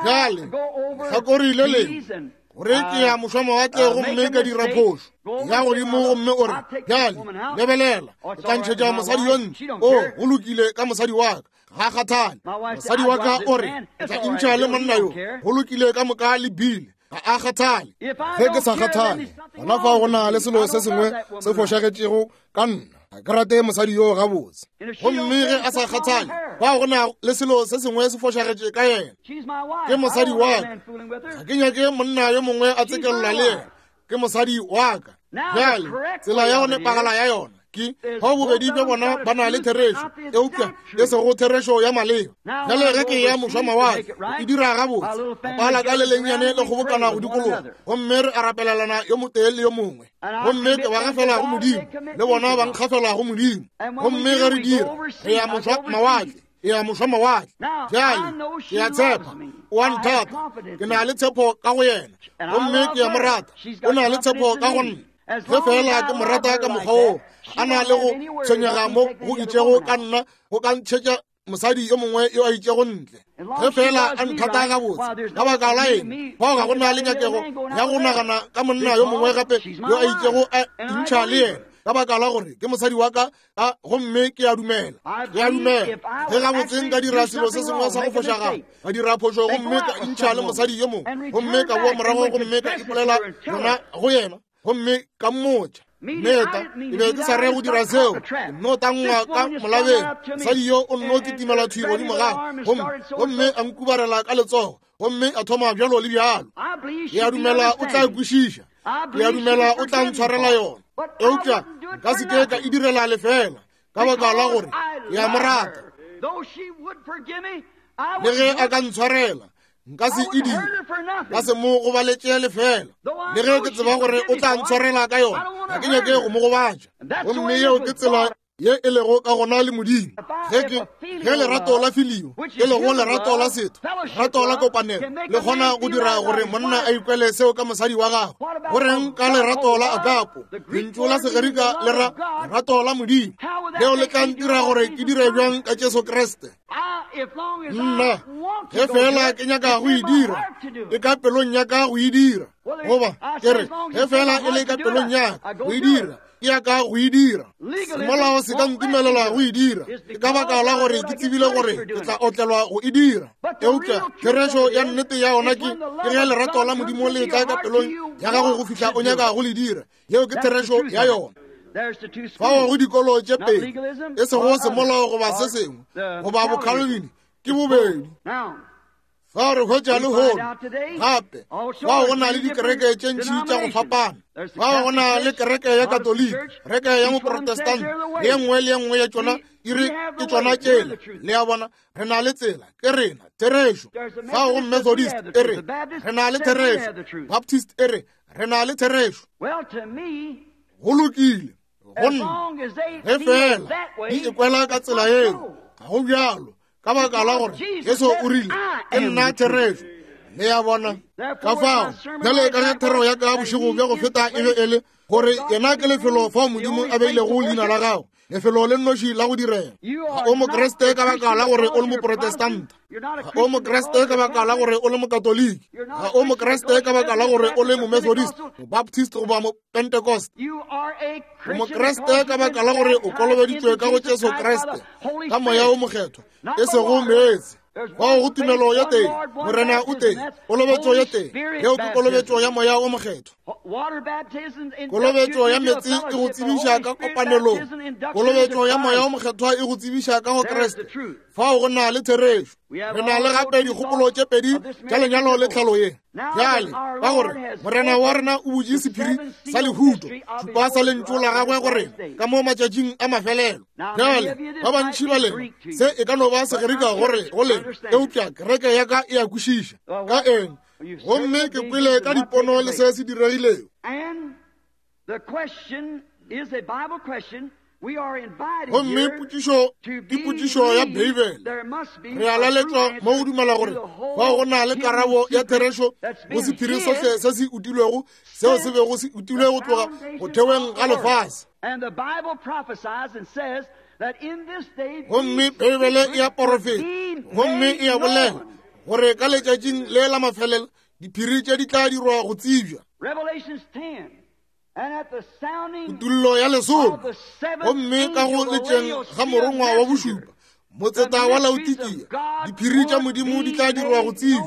Bjale, lehlakore le lengwe, gore ke ya mošwamawatle gomme ka dira phošo ya godimo, gomme o re, Bjale, lebelela, ke tla ntšhetša mosadi yo ntle. O, go lokile ka mosadi wa ka, ga kgathale. Mosadi wa ka o re, ke tla intšha le monna yo, go lokile ka moka le Bill, ga a kgathale. Ge ke sa kgathale, gona fao go na le selo se sengwe se fošagetšego ka nna. Ga ke rate mosadi yoo gabotse. Gomme ge a sa kgathale, fao go na le selo se sengwe se fošagetše ka yena. Ke mosadi wa ka. Ga ke nyake monna yo mongwe a tsekelela le yena. Ke mosadi wa ka. Bjale, tsela ya go nepagala ya yona ke bao bobedi bja bona ba na le therešo, eupša e sego therešo ya maleba. Bjale ge ke ya mošwamawatle, e dira gabotse, lapa la ka le lennyane le kgobokana go dikologa, gomme re a rapelelana yo motee le yo mongwe. Gomme ke ba gafela go Modimo, le bona ba nkgafela go Modimo. Gomme ge re dira, re ya mošwamawatle, e ya mošwamawatle. Bjale ke a tshepa o a nthata, ke na le tshepo ka go yena, gomme ke a mo rata, o na le tshepo ka go nna. Ge feela ke mo rata ka mokgwa woo, a na le go tshwenyega mo go itšego ka nna, go ka ntšhetša mosadi yo mongwe yo a itšego ntle. Ge feela a nthata gabotse, ka baka la eng, fao ga go na le nyakego ya go nagana ka monna yo mongwe gape yo a itšego a intšha le yena, ka baka la gore ke mosadi wa ka, a gomme ke a dumela, ke a dumela. Ge gabotse nka dira selo se sengwe sa go fošagala, ka dira phošo gomme ka intšha le mosadi yo mongwe, gomme ka boa morago gomme ka ipolela yona go yena, gomme ka mmotša, Meta, ke be ke sa re go dira seo, ke nno tangwa ka molabeng. Mosadi yo o nno kitimela thwi godimo ga gomme, gomme a nkubarela ka letsogo, gomme a thoma bjalo le bjalo. Ke a dumela o tla kwešiša, ke a dumela o tla ntshwarela yona, eupša nka se ke ka e direla lefela, ka baka la gore ke a mo rata. Le ge a ka ntshwarela, nka se e dire, nka se mo gobaletše lefela. Le ge ke tseba gore o tla ntshwarela ka yona, ga ke nyake go mo gobatša. Gomme yeo ke tsela ye e lego ka gona le Modimo. Ge ke, ge lerato la filio, e lego lerato la setho, lerato la kopanelo, le kgona go dira gore monna a ikwele seo ka mosadi wa gagwe, go reng ka lerato la agapo, lentšu la Segerika le ra lerato la Modimo, leo le tla ntira gore ke dire bjang ka Jesu Kriste? Nna, ge feela ke nyaka go e dira, e ka pelong ya ka go e dira. Goba, ke re, ge feela e le ka pelong ya ka go e dira, Ke ya ka go e dira. Semolao se ka ntumelela go e dira. Ke ka baka la gore ke tsebile gore ke tla otlelwa go e dira. Eupša therešo ya nnete ya ona ke ke ge lerato la Modimo le tla ka pelong ya gago go fihla o nyaka go le dira. Yeo ke therešo ya yona. Fao go dikolo tše pedi, e sego semolao goba se sengwe, goba boCalvin, ke bobedi. Fa re hwetša lehono gape fao go na le dikereke tše ntši tša go fapana. Fao go na le kereke ya Katoliki, kereke ya Moprotestant, le ye nngwe le ye nngwe ya tšona e re ke tšona tšela. Le a bona, re na le tsela, ke rena, therešo. Fao go Methodist e re re na le therešo, Baptist e re re na le therešo. Go lokile, go nna ge fela di ikwela ka tsela yeo, ga go bjalo. Ka baka la gore Jesu o rile, ke nna therešo. Le ya bona? Ka fao, bjale ka ge thero ya ka bošego bja go feta e be e le gore yena ke lefelo fao Modimo a beilego leina la gago, lefelo le nnoši la go direla. Ga o Mokriste ka baka la gore o le Moprotestanta. Ga o Mokriste ka baka la gore o le Mokatoliki. Ga o Mokriste ka baka la gore o le Momethodist, Mobaptist goba Pentecost. O Mokriste ka baka la gore o kolobeditšwe ka go Jesu Kriste ka Moya o Mokgethwa, e sego meetse. Fao go tumelo ya teng, Morena o teng, kolobetšo ya teng, yeo ke kolobetšo ya Moya o Mokgethwa. Kolobetšo ya meetse e go tsebiša ka kopanelong, kolobetšo ya Moya o Mokgethwa e go tsebiša ka go Kriste. Fao go na le therešo. Re na le gape dikgopolo tše pedi tša lenyalo le tlhalo ye. Bjale, ka gore Morena wa rena o butše sephiri sa lehuto, šupa sa lentšu la gagwe go rena ka mo matšatšing a mafelelo. Bjale, ba bantši ba lena, se e ka no ba Segerika gore go lena, eupša kereke ya ka e a kwešiša. Ka eng? Gomme ke kwele ka dipono le se se diregilego. Gomme potšišo ke potšišo ya Beibele. Re a laletšwa mo go dumela gore fao go na le karabo ya therešo go sephiri sohle se se utilwego seo se bego se utilwe go tloga go theweng ga lefase. Gomme Beibele e a porofeta gomme e a bolela gore ka letšatšing le la mafelelo diphiri tše di tla dirwa go tsebja. Kutullo ya lesome, gomme ka go letšeng ga morongwa wa bošupa, motseta wa Laodikia, diphiri tša Modimo di tla dirwa go tsebja,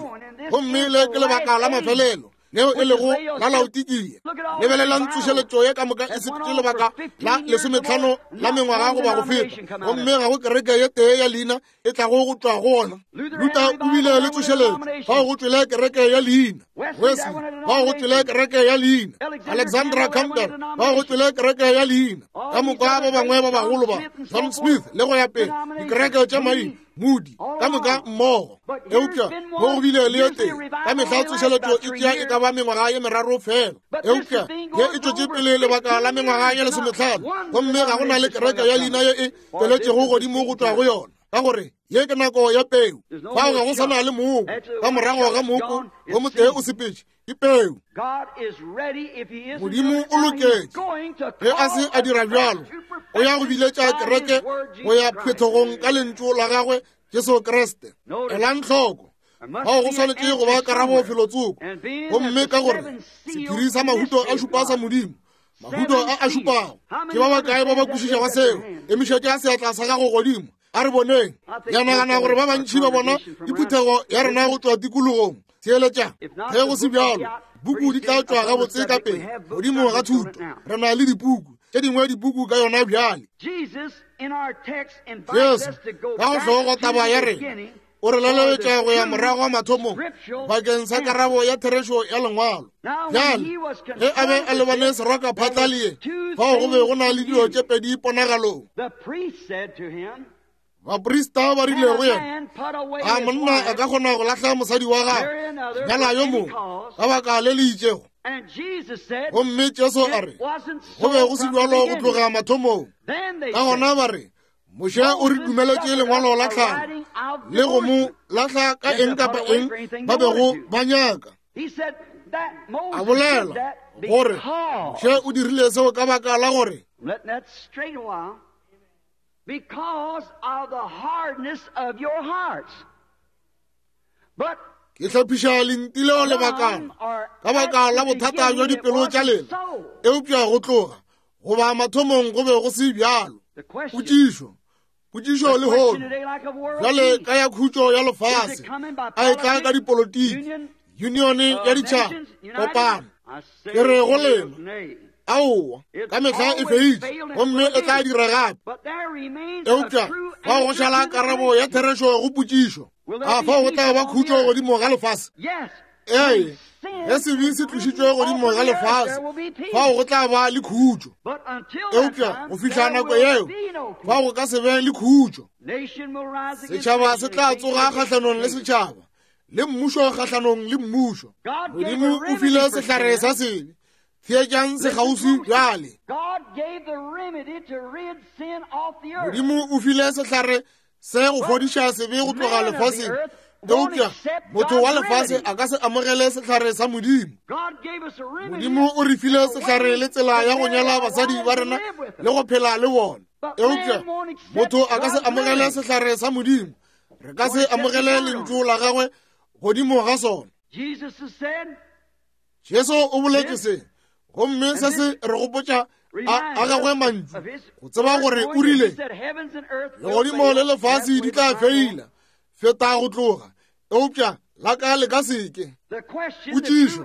gomme le ke lebaka la mafelelo leo e lego la Laodikia. Lebelelang tsošeletšo ye ka moka e sepetše lebaka la lesometlhano la mengwaga goba go feta, gomme ga go kereke ye tee ya leina e tlago go tšwa go ona. Luther o bile le tsošeletšo, fao go tšwele kereke ya leina. Wesley, fao go tšwele kereke ya leina. Alexandra Campbell, fao go tšwele kereke ya leina. Ka moka ba bangwe ba bagolo ba, John Smith le go ya pele, dikereke tša maina, Moody, ka moka mmogo. Eupša mo go bile le ye tee, ka mehla tsošeletšo e tšea e ka ba mengwaga ye meraro fela. Eupša ye e tšwetše pele lebaka la mengwaga ye lesometlhano, gomme ga go na le kereke ya leina ye e tšweletšego godimo go tšwa go yona, ka gore ye ke nako ya peu. Fao ga go sa na le mooko. Ka morago ga mooko wo motee o sepetše, ke peu. Modimo o loketše. Ge a se a dira bjalo, o ya go biletša kereke go ya phethegong ka lentšu la gagwe Jesu Kriste. Elang hloko, fao go swanetše go ba karabo felotsoko. Gomme ka gore sephiri sa mahuto a šupa sa Modimo, mahuto a a šupago, ke ba bakae ba ba kwešišago seo? Emišetša seatla sa gago godimo, a re boneng. Ya nagana gore ba bantši ba bona diphuthego ya rena go tšwa tikologong. Theeletša, ge go se bjalo, buku di tla tšwa gabotse ka pele godimo ga thuto. Re na le dipuku tše dingwe, dipuku ka yona bjale. Jesu, ka go hlogo taba ya rena, o re laleletša go ya morago mathomong bakeng sa karabo ya therešo ya lengwalo. Bjale, ge a be a lebane seraka phatla le ye, fao go be go na le dilo tše pedi ponagalong. Baprista ba rile go yena, a monna a ka kgona go lahla mosadi wa gagwe, nyala yo mongwe ka baka le le itšego? Gomme Jesu a re, go be go se bjalo go tloga mathomong. Ka gona ba re, Moshe o re dumeletše lengwalo la tlhalo le go mo lahla ka eng kapa eng ba bego ba nyaka. A bolela gore Moshe o dirile seo ka baka la gore because of the hardness of your hearts. But ke hlophiša lenti leo lebakana ka baka la bothata bja dipelo tša lena, eupša go tloga Goba mathomong go be go se bjalo. Potšišo, potšišo lehono, bjale ka ya khutšo ya lefase, a e tla ka dipolotiki, unione ya ditšhaba, kopano? Ke re go lena, aowa, ka mehla e feitše, gomme e tla dira gape. Eupša fao go šala karabo ya therešo go potšišo. A fao go tla ba khutšo godimo ga lefase? Ee, ge sebe se tlošitšwe godimo ga lefase, fao go tla ba le khutšo. Eupša go fihla nako yeo, fao go ka se be le khutšo. Setšhaba se tla tsoga kgahlanong le setšhaba, le mmušo kgahlanong le mmušo. Modimo o file sehlare sa sebe. Theetšang sekgauswi bjale. Modimo o file sehlare se go fodiša sebe go tloga lefaseng, eupša motho wa lefase a ka se amogele sehlare sa Modimo. Modimo o re file sehlare le tsela ya go nyala basadi ba rena le go phela le bona, eupša motho a ka se amogele sehlare sa Modimo. Re ka se amogele lentšu la gagwe godimo ga sona. Jesu o boletše se, gomme se se re gopotša a gagwe mantšu, go tseba gore o rile, Legodimo le lefase di tla feila feta go tloga, eupša la ka le ka seke. Potšišo,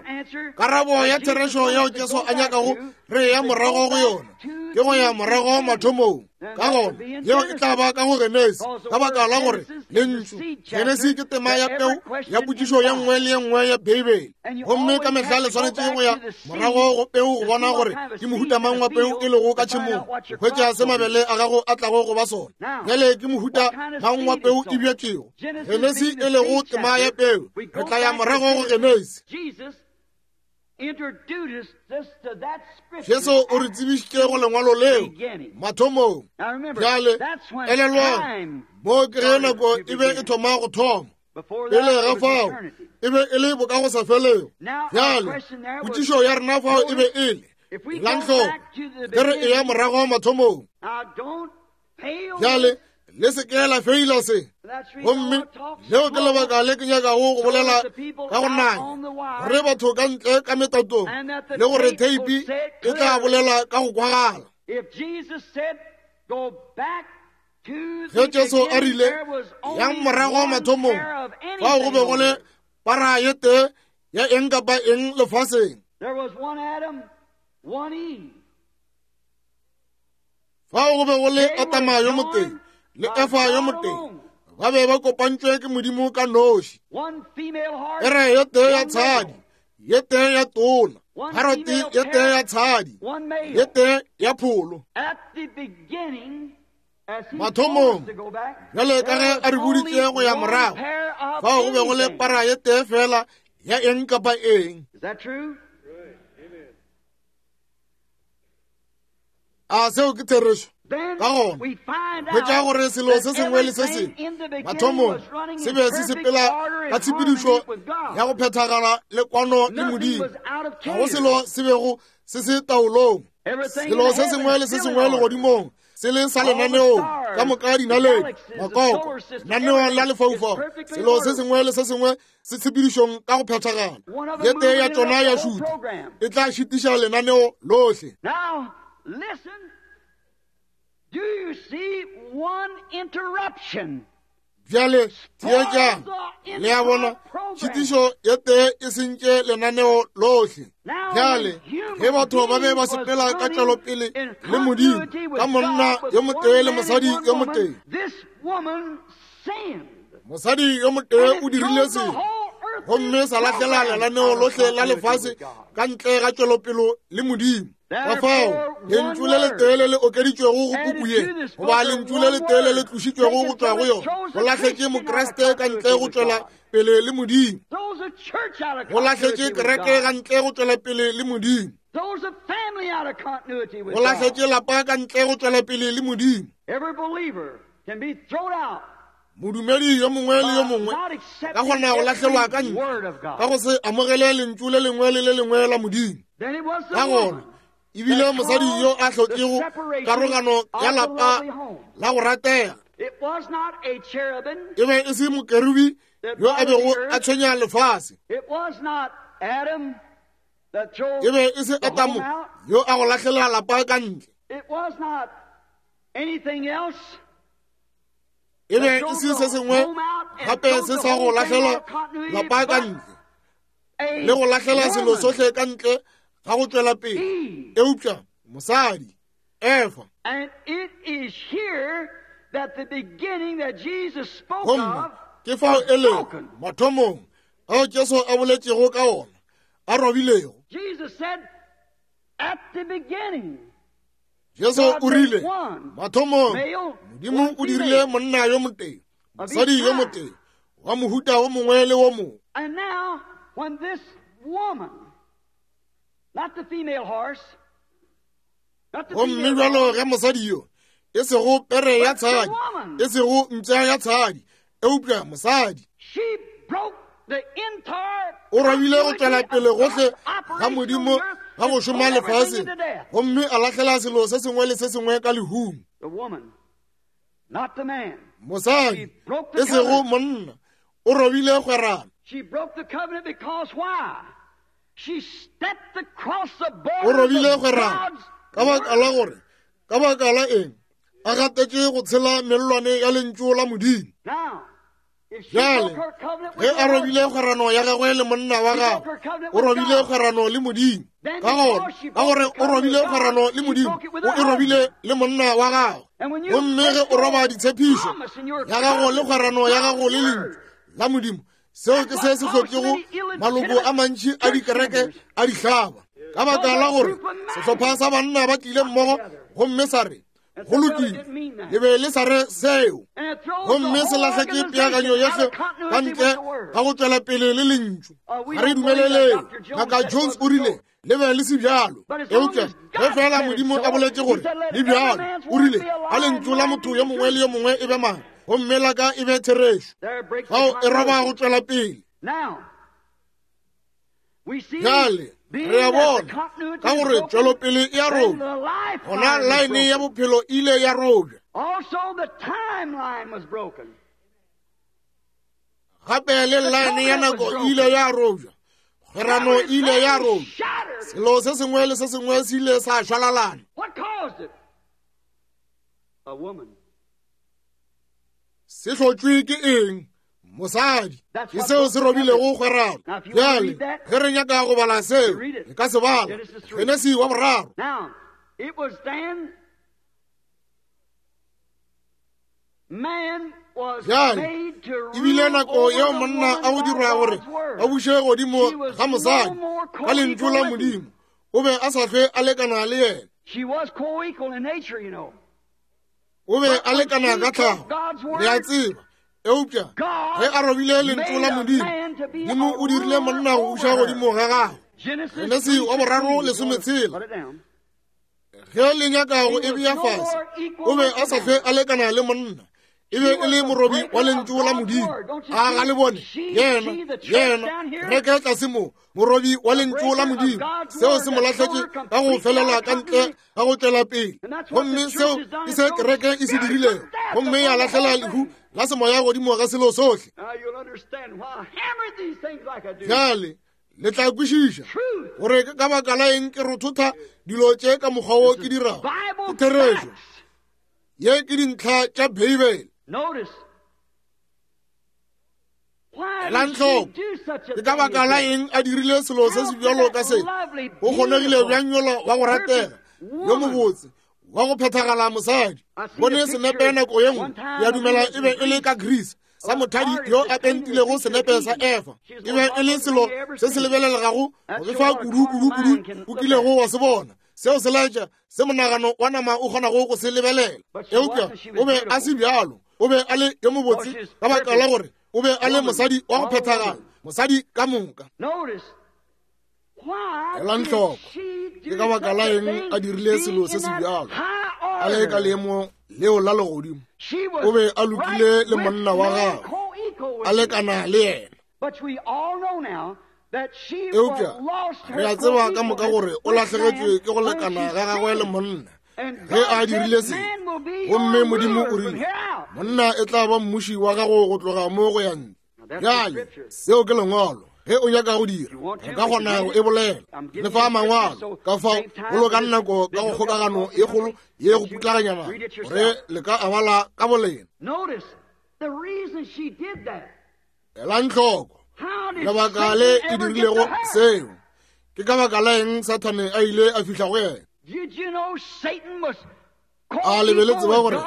karabo ya therešo yeo Jesu a nyakago re ya morago go yona ke go ya morago mathomong. Ka gona yeo e tla ba ka go Genesi, ka baka la gore lentšu Genesi ke tema ya peu ya potšišo ye nngwe le ye nngwe ya Beibele, gomme ka mehla le swanetše go ya morago go peu go bona gore ke mohuta mang wa peu e lego ka tšhemong, go hwetša se mabele a gago a tlago go ba sona. Bjale ke mohuta mang wa peu e bjetšego? Genesi e lego tema ya peu, re tla ya morago go Genesi. Jesu o re tsebišitše go lengwalo leo mathomong. Bjale elelwang, moo ke ge nako e be e thoma go thoma. Pele ga fao e be e le bokagosafelego. Bjale potšišo ya rena fao e be e le, elang hloko, ge re eya morago mathomong. Bjale le se ke la feila se, gomme leo ke lebaka le ke nyakago go bolela ka go nanya, gore batho ka ntle ka metatong, le gore theipi e tla bolela ka go kwagala. Ge Jesu a rile, yang morago mathomong, fao go be go le para ye tee ya eng kapa eng lefaseng. Fao go be go le Adama yo motee le Efa yo motee, ba be ba kopantšwe ke Modimo ka noši. Pere ye tee ya tshadi, ye tee ya tona, paroti ye tee ya tshadi, ye tee ya pholo. Mathomong, bjale ka ge a re boditše go ya morago, fao go be go le para ye tee fela ya eng kapa eng. A seo ke therešo? Ka gona hwetša gore selo se sengwe le se sengwe mathomong se be se sepela ka tshepedišo ya go phethagala le kwano le Modimo. Ga go selo se bego se se taolong. Selo se sengwe le se sengwe legodimong se le sa lenaneong, ka moka dinaledi, makoko, lenaneo la lefaufau, selo se sengwe le se sengwe se tshepedišong ka go phethagala. Ye tee ya tšona ya šutha e tla šitiša lenaneo lohle. Bjale theetšang, le a bona, tšhitišo ye tee e sentše lenaneo lohle. Bjale ge batho ba be ba sepela ka tšwelopele le Modimo ka monna yo motee le mosadi yo motee, mosadi yo motee o dirile sebe gomme sa lahlela lenaneo lohle la lefase ka ntle ga tšwelopelo le Modimo. Ka fao lentšu le letee le le okeditšwego go puku ye, goba lentšu le letee le le tlošitšwego go tšwa go yona, go lahletše Mokriste ka ntle go tšwela pele le Modimo. Go lahletše kereke ka ntle go tšwela pele le Modimo. Go lahletše lapa ka ntle go tšwela pele le Modimo. Modumedi yo mongwe le yo mongwe ka kgona go lahlelwa ka ntle ka go se amogele lentšu le lengwe le le lengwe la Modimo. Ka gona ebile mosadi yo a hlotšego karogano ya lapa la go ratega e be e se mokerubi yo a bego a tshwenya lefase. E be e se Adamo yo a go lahlela lapa ka ntle. E be e se se sengwe gape se sa go lahlela lapa ka ntle le go lahlela selo sohle ka ntle ga go tšwela pele, eupša mosadi Efa. Gomme ke fao e lego mathomong ao Jesu a boletšego ka ona, a robilego. Jesu o rile, mathomong Modimo o dirile monna yo motee, mosadi yo motee, wa mohuta wo mongwe le wo mongwe. Gomme bjalo ge mosadi yo, e sego pere ya tshadi, e sego mpša ya tshadi, eupša mosadi, o robile go tšwela pele gohle ga Modimo ga go šoma lefaseng, gomme a lahlela selo se sengwe le se sengwe ka lehung. Mosadi, e sego monna, o robile kgwerano. O robile kgwerano ka baka la gore, ka baka la eng? A gatetše go tshela mellwane ya lentšu la Modimo. Bjale, ge a robile kgwerano ya gagwe le monna wa gagwe, o robile kgwerano le Modimo. Ka gona, ka gore o robile kgwerano le Modimo, o e robile le monna wa gagwe. Gomme ge o roba ditshepišo ya gago le kgwerano ya gago le lentšu la Modimo, seo ke se se hlotšego maloko a mantši a dikereke a dihlaba, ka baka la gore sehlopha sa banna ba tlile mmogo gomme sa re, go lokile, le be le sa re seo, gomme se lahletše peakanyo yohle ka ntle ga go tšwela pele le lentšu. Ga re dumeleleng. Ngaka Jones o rile le be le se bjalo, eupša ge fela Modimo a boletše gore le bjalo, o rile a lentšu la motho yo mongwe le yo mongwe e be mang, gomme la ka e be therešo. Fao e roba go tšwela pele. Bjale re a bona ka gore tšwelopele e a robja, gona laene ya bophelo e ile ya robja. Gape le laene ya nako e ile ya robja, kgwerano e ile ya robja, selo se sengwe le se sengwe se ile sa šwalalana. Se hlotšwe ke eng? Mosadi. Ke seo se robilego kgwerano. Bjale ge re nyaka go bala seo, re ka se bala. Genesi wa boraro. Bjale e bile nako yeo monna a go dirwa gore a buše godimo ga mosadi ka lentšu la Modimo. O be a sa hlwe a lekana le yena. O be a lekana ka tlhago, le a tseba. Eupša ge a robile lentšu la Modimo, Modimo o dirile monna go buša godimo ga gagwe. Genesi wa boraro lesometshela. Ge le nyaka go e bea fase, o be a sa hlwe a lekana le monna. E be e le morobi wa lentšu la Modimo. A ga le bone? Yena, yena, reke tlase mo, morobi wa lentšu la Modimo. Seo se mo lahletše ka go felela ka ntle ga go tšwela pele. Gomme seo ke se kereke e se dirilego, gomme ya lahlela lehu la semoya godimo ga selo sohle. Bjale le tla kwešiša gore ke ka baka la eng ke rothotha dilo tše ka mokgwa wo ke dirago. Ke therešo. Ye ke dintlha tša Beibele. Elang hloko, ke ka baka la eng a dirile selo se se bjalo ka se? O kgonegile bjang yola wa go ratega, yo mobotse, wa go phethagala mosadi? Bone senepe nako ye nngwe, ke a dumela e be e le ka Greece, sa mothadi yo a pentilego senepe sa Efa. E be e le selo se se lebelelegago go befa kudu, kudu, kudu o kilego wa se bona. Seo se laetša se monagano wa nama o kgonago go se lebelela. Eupša o be a se bjalo. O be a le yo mobotse ka baka la gore o be a le mosadi wa go phethagala, mosadi ka moka. Elang hloko, ke ka baka la eng a dirile selo se se bjalo, a le ka leemo leo la legodimo? O be a lokile le monna wa gagwe, a lekana le yena. Eupša re a tseba ka moka gore o lahlegetšwe ke go lekana ga gagwe le monna ge a dirile se. Gomme Modimo o rile, monna e tla ba mmuši wa gago go tloga mo go ya ntle. Bjale, seo ke Lengwalo. Ge o nyaka go dira, re ka kgona go e bolela. Le fa mangwalo, ka fao bolokang nako ka go kgokagano ye kgolo ye go putlaganyana gore le ka a bala ka bolena. Elang hloko lebaka le e dirilego seo. Ke ka baka la eng Sathane a ile a fihla go yena? A le be le tseba gore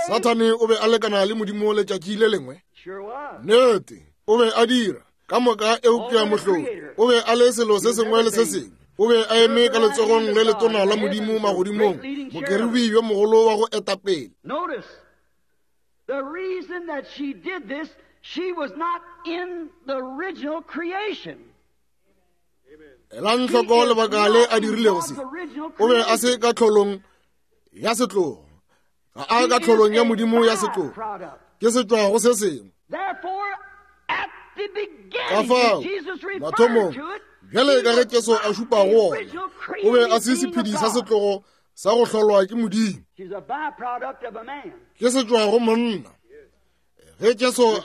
Sathane o be a lekana le Modimo letšatši le lengwe? Nnete, o be a dira ka moka, eupša mohlodi o be a le selo se sengwe le se sengwe. O be a eme ka letsogong le letona la Modimo magodimong, mokerubi yo mogolo wa go eta pele. The reason that she did this, she was not in the original creation. Elang hloko lebaka le a dirilego se. O be a se ka tlholong ya setlogo. Ga a ka tlholong ya Modimo ya setlogo. Ke setšwa go se sengwe. Ka fao, mathomong, bjale ka ge Jesu a šupa go ona, o be a se sephedi sa setlogo sa go hlolwa ke Modimo. Ke setšwa go monna. Ge Jesu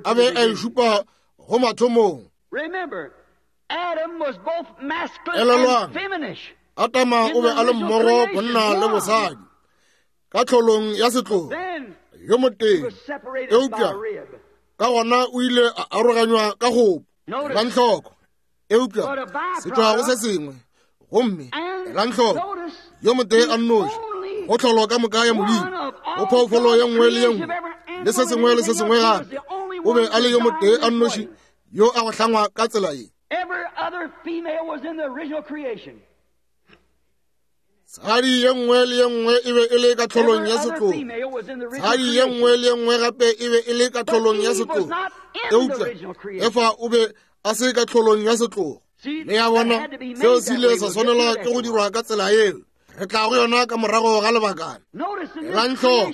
a be a e šupa go mathomong, Elelwang, Adama o be a le mmogo bonna le bosadi ka tlholong ya setlogo yo motee, eupša ka gona o ile a aroganywa ka gopo. Elang hloko, eupša se tšwa go se sengwe. Gomme elang hloko, yo motee a nnoši go tlholo ka moka ya Modimo, go phoofolo ye nngwe le ye nngwe le se sengwe le se sengwe gape, o be a le yo motee a nnoši yo a go hlangwa ka tsela ye. Tshadi ye nngwe le ye nngwe e be e le ka tlholong ya setlogo. Tshadi ye nngwe le ye nngwe gape e be e le ka tlholong ya setlogo. Eupša Efa o be a se ka tlholong ya setlogo. Le ya bona, seo se ile sa swanelwa ke go dirwa ka tsela yeo. Re tla go yona ka morago ga lebakana. Elang hloko,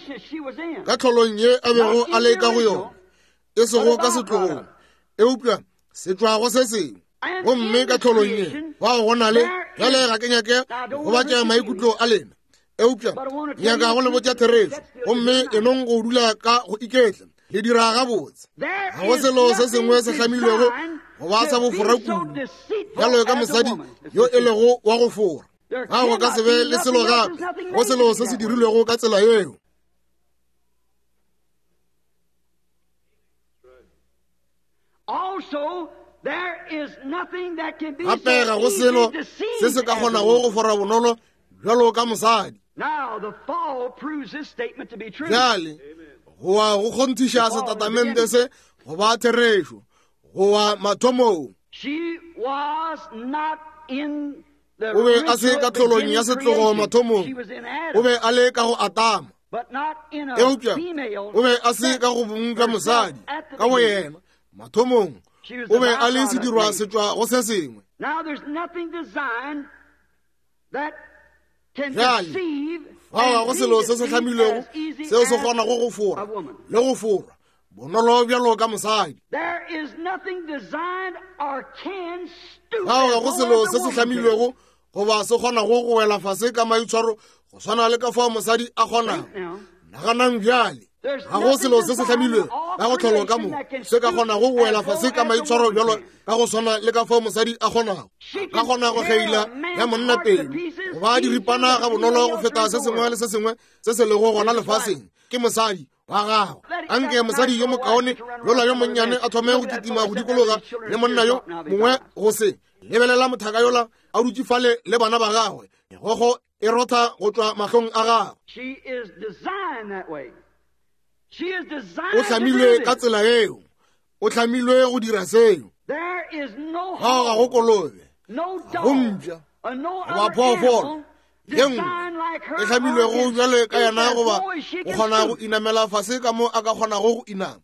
ka tlholong ye a bego a le ka go yona, e sego ka setlogong, eupša se tšwa go se sengwe. Gomme ka tlholong ye bao go na le bjale, ga ke nyake go batša maikutlo a lena, eupša nyaka go le botša therešo. Gomme enong go dula ka go iketla, le dira gabotse. Ga go selo se sengwe se hlamilwego go ba sa bofora kudu bjalo ka mosadi yo e lego wa go fora. Ga go ka se be le selo gape go selo se se dirilwego ka tsela yeo. Gape ga go selo se se ka kgonago go fora bonolo bjalo ka mosadi. Bjale go wa go kgonthiša setatamente se go ba therešo, go wa mathomong. O be a se ka tlholong ya setlogo mathomong, o be a le ka go Adama, eupša o be a se ka go bong bja mosadi ka go yena mathomong. O be a le sedirwa setšwa go se sengwe. Bjale fao ga go selo se se hlamilwego seo se kgonago go fora le go forwa bonolo bjalo ka mosadi. Fao ga go selo se se hlamilwego goba se kgonago go wela fase ka maitshwaro go swana le ka fao mosadi a kgonago. Naganang bjale, ga go selo se se hlamilwego ka go tlholo ka mo se ka kgonago go wela fase ka maitshwaro bjalo ka go swana le ka fao mosadi a kgonago. Ka kgona go kgeila ya monna pelo goba diripana ga bonolo go feta se sengwe le se sengwe se se lego gona lefaseng ke mosadi wa gagwe. Anke mosadi yo mokaone yola yo monnyane a thome go kitima go dikologa le monna yo mongwe go se lebelela mothaka yola a dutše fale le bana ba gagwe, megogo e rotha go tšwa mahlong a gagwe. O hlamilwe ka tsela yeo, o hlamilwe go dira seo. Fao ga go kolobe, ga go mpša goba phoofolo ye nngwe e hlamilwego bjale ka yena goba go kgona go inamela fase ka mo a ka kgonago go inama.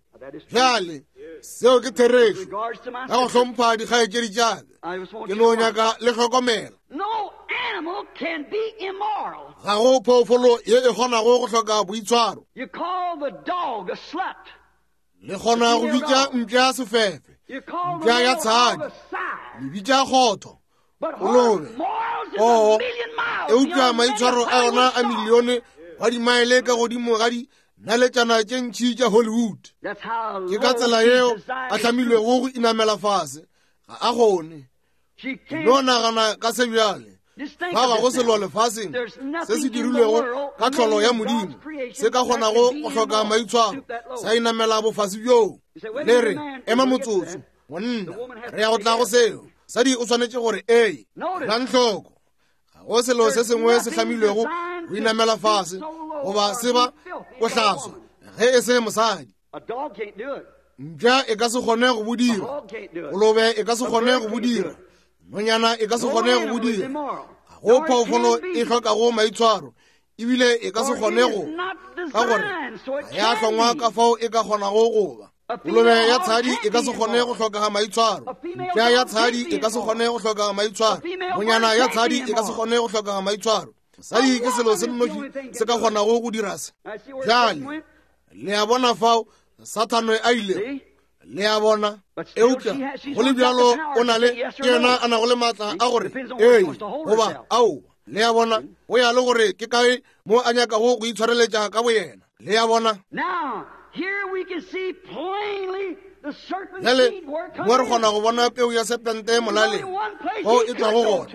Bjale seo ke therešo. Ka go hlompha dikgaetšedi tša ka, ke no nyaka le hlokomela. Ga go phoofolo ye e kgonago go hloka boitshwaro. Le kgona go bitša mpša sefefe, mpša ya tshadi, le bitša kgotho, kolobe, oo, eupša maitshwaro a yona a milione wa dimaele ka godimo ga dinaletšana tše ntši tša Hollywood. Ke ka tsela yeo a hlamilwego go inamela fase. Ga a kgone. No nagana ka se bjale. Fa ga go selo lefaseng se se dirilwego ka tlholo ya Modimo se ka kgonago go hloka maitshwaro sa inamela bofase bjoo. Le re, ema motsotso, monna, re ya go tla go seo. Sadi o swanetše gore ee. Elang hloko, ga go selo se sengwe se hlamilwego go inamela fase goba se ba bohlaswa ge e se mosadi. Mpša e ka se kgone go bo dira, kolobe e ka se kgone go bo dira, nonyana e ka se kgone go bo dira. Ga go phoofolo e hlokago maitshwaro ebile e ka se kgone go, ka gore ga ya hlongwa ka fao e ka kgonago go ba. Kolobe ya tshadi e ka se kgone go hlokaga maitshwaro, mpša ya tshadi e ka se kgone go hlokaga maitshwaro, nonyana ya tshadi e ka se kgone go hlokaga maitshwaro. Mosadi ke selo se nnoši se ka kgonago go dira se. Bjale le a bona fao Sathane a ilego, le a bona. Eupša go le bjalo o na le, ke yena a nago le maatla a gore ee goba aowa. Le a bona, go ya le gore ke kae mo a nyakago go itshwareletša ka boyena. Le a bona. Bjale mo re kgona go bona peu ya sepente molaleng fao e tšwago gona.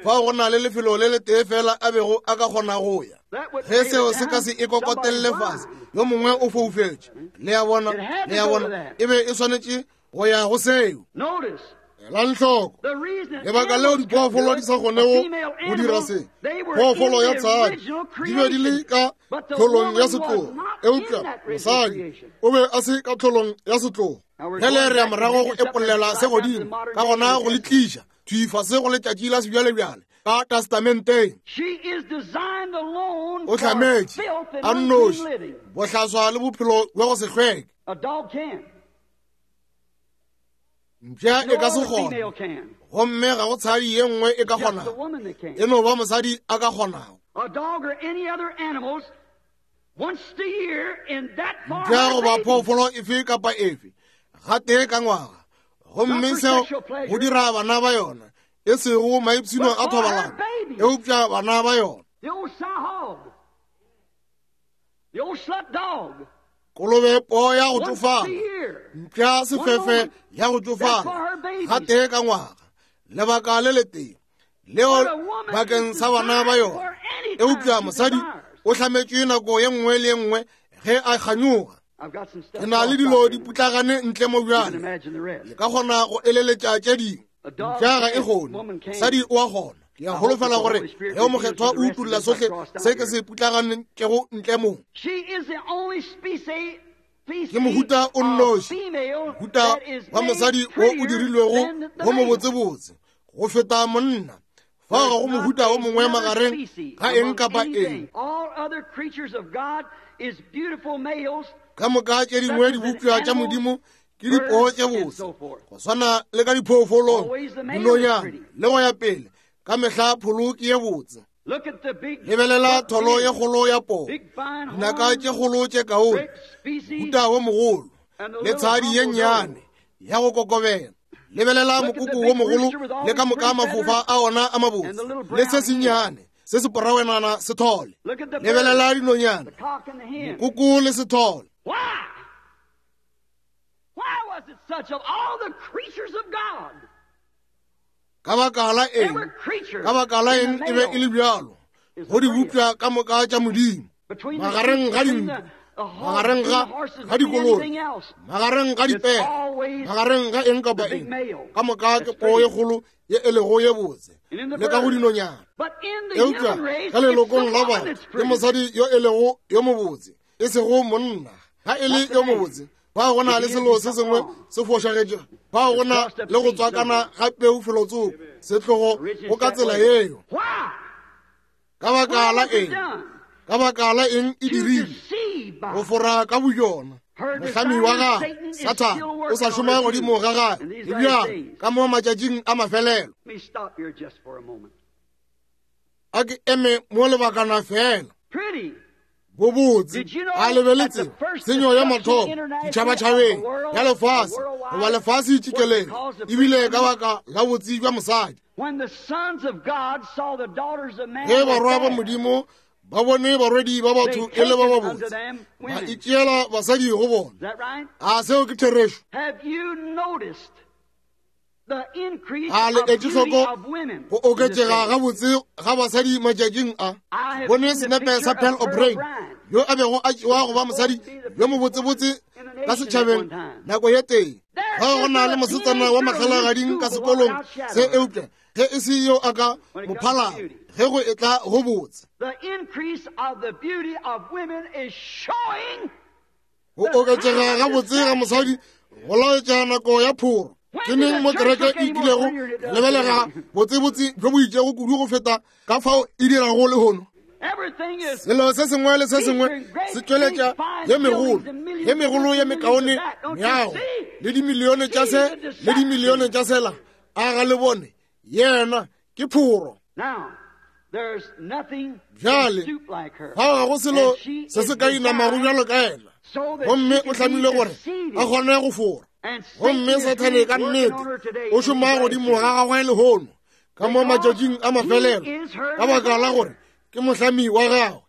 Fao go na le lefelo le letee fela a bego a ka kgona go ya. Ge seo se ka se e kokotelle fase, yo mongwe o foufetše. Le a bona, le a bona, e be e swanetše go ya go seo. Elang hloko lebaka leo diphoofolo di sa kgonego go dira se. Phoofolo ya tshadi di be di le ka tlholong ya setlogo, eupša mosadi o be a se ka tlholong ya setlogo. Bjale re ya morago go epollela se godimo, ka gona go le tliša thwi fase go letšatši la sebjalebjale ka testamenteng. O hlametše a nnoši bohlaswa le bophelo bja go se hlweke. Mpša e ka se kgone, gomme ga go tshadi ye nngwe e ka kgonago, e no ba mosadi a ka kgonago. Mpša goba phoofolo efe kapa efe gatee ka ngwaga, gomme seo go dira bana ba yona, e sego maipshino a thobalano, eupša bana ba yona. Kolobe poo ya go tšofala, mpša sefefe ya go tšofala, gatee ka ngwaga, lebaka le letee leo bakeng sa bana ba yona. Eupša mosadi o hlametšwe nako ye nngwe le ye nngwe ge a kganyoga. Ke na le dilo di putlagane ntle mo bjale, le ka kgona go eleletša tše dingwe. Mpša ga e kgone, mosadi o a kgona. Ke a holofela gore ge o Mokgethwa o utolla sohle se ke se putlaganetšego ntle mo. Ke mohuta o nnoši, mohuta wa mosadi wo o dirilwego wo mobotsebotse go feta monna. Fao ga go mohuta o mongwe magareng ga eng kapa eng. Ka moka tše dingwe dibopša tša Modimo ke dipoo tše botse, go swana le ka diphoofolong, dinonyana le go ya pele. Ka mehla pholo ke ye botse. Lebelela tholo ye kgolo ya poo, dinaka tše kgolo tše kaone, mohuta wo mogolo, le tshadi ye nnyane ya go kokobela. Lebelela mokoko wo mogolo le ka moka mafofa a ona a mabotse, le se sennyane se se porawenana sethole. Lebelela dinonyana, mokoko le sethole. Ka baka la eng? Ka baka la eng e be e le bjalo go dibopša ka moka tša Modimo, magareng ga dinku, magareng ga ga dikoloi, magareng ga dipere, magareng ga eng kapa eng, ka moka ke poo ye kgolo ye e lego ye botse, le ka go dinonyana. Eupša ka lelokong la batho ke mosadi yo e lego yo mobotse, e sego monna. Ga e le yo mobotse, fao go na le selo se sengwe se fošagetšego, fao go na le go tswakana ga peu felotsoko, setlogo go ka tsela yeo. Ka baka la eng? Ka baka la eng e dirile? Go fora ka boyona. Mohlami wa gagwe, Sathane, o sa šoma godimo ga gagwe le bjalo ka mo matšatšing a mafelelo. A ke eme mo lebakana fela. Bobotse, a le be le tseba tshenyo ya mathomo ditšhabatšhabeng ya lefase goba lefase tšikelele ebile ka baka la botse bja mosadi. Ge barwa ba Modimo ba bone barwedi ba batho e le ba babotse, ba itšeela basadi go bona. A seo ke therešo? A le etše hloko go oketšega gabotse ga basadi matšatšing a? Bone senepe sa Pearl O'Brien, yo a bego a tšewa go ba mosadi yo mobotsebotse ka setšhabeng nako ye tee. Ga go na le mosetsana wa mahlalagading ka sekolong se, eupša ge e se yo a ka mo phalago ge go etla go botse. Go oketšega gabotse ga mosadi go laetša nako ya phoro. Ke neng mo kereke e kilego lebelega botsebotse bjo bo itšego kudu go feta ka fao e dirago lehono? Selo se sengwe le se sengwe se tšweletša ye megolo, ye megolo ye mekaone meago, le dimilione tša se le dimilione tša sela. A ga le bone? Yena ke phoro. Bjale, fao ga go selo se se ka inamago bjalo ka yena, gomme o hlamile gore a kgone go fora. Gomme Sathane ka nnete o šoma godimo ga gagwe lehono ka mo matšatšing a mafelelo, ka baka la gore ke mohlami wa gagwe.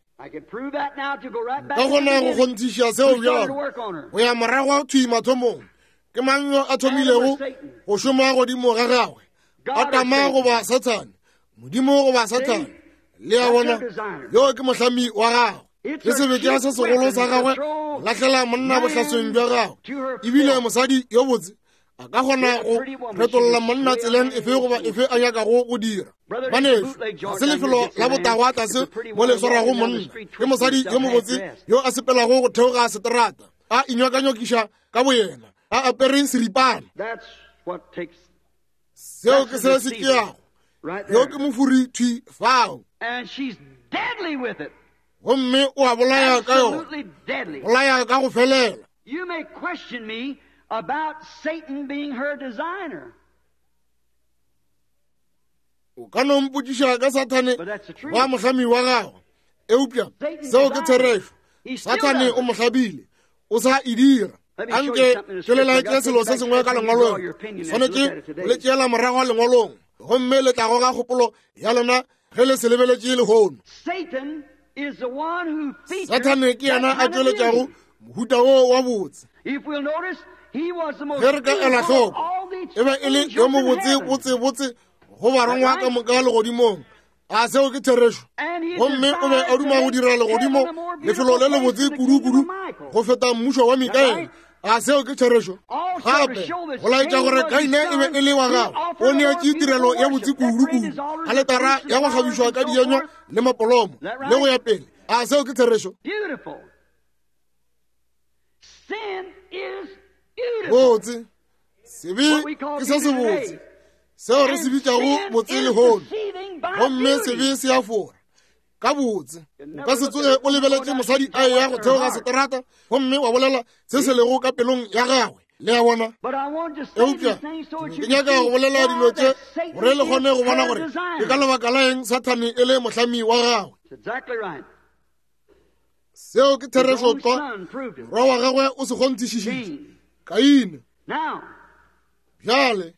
Ka gona go kgonthiša seo bjalo go ya morago thwi mathomong, ke mang yo a thomilego go šoma godimo ga gagwe, Adama goba Sathane? Modimo goba Sathane? Le a bona, yo ke mohlami wa gagwe. Ke sebetša se segolo sa gagwe lahlela monna bohlasweng bja gagwe. Ebile mosadi yo botse a ka kgona go retolla monna tseleng efe goba efe a nyakago go dira. Banešu, ga se lefelo la botagwa tlase mo le swarago monna. Ke mosadi yo mobotse yo a sepelago go theoga seterata, a inywakanyokiša ka boyena, a apere seripana. Seo ke se se tšeago. Yo ke mofuri thwi fao. Gomme o a bolaya ka yona, bolaya ka go felela. You may question me about Satan being her designer. O ka no mpotšiša ka Sathane wa mohlami wa gagwe, eupša seo ke therešo. Sathane o mo hlabile, o sa e dira. Anke ke le laetše selo se sengwe ka lengwalong. Swanetše go le tšeela morago lengwalong, gomme le tla goga kgopolo ya lena ge le se lebeletše lehono. Sathane ke yena a tšweletšago mohuta wo wa botse. Ge re ka ela hloko, e be e le yo mobotse botse botse go barongwa ka moka legodimong. A seo ke therešo? Gomme o be a duma go dira legodimo lefelo le lebotse kudu-kudu go feta mmušo wa Mikaele. A seo ke therešo? Gape go laetša gore Kaine e be e le wa gagwe, o neetše tirelo ya botse kudu-kudu, aletara ya go kgabišwa ka dienywa le mapolomo le go ya pele. A seo ke therešo? Botse, sebe ke se sebotse, seo re se bitšago botse lehono, gomme sebe se a fora ka botse. O ka se tsoge o lebeletše mosadi a eya go theoga seterata gomme wa bolela se se lego ka pelong ya gagwe. Le a bona? Eupša ke nyaka go bolela dilo tše gore le kgone go bona gore ke ka lebaka la eng Sathane e le mohlami wa gagwe. Seo ke therešo tlwa. Morwa wa gagwe o se kgonthišišitše, Kaine. Bjale,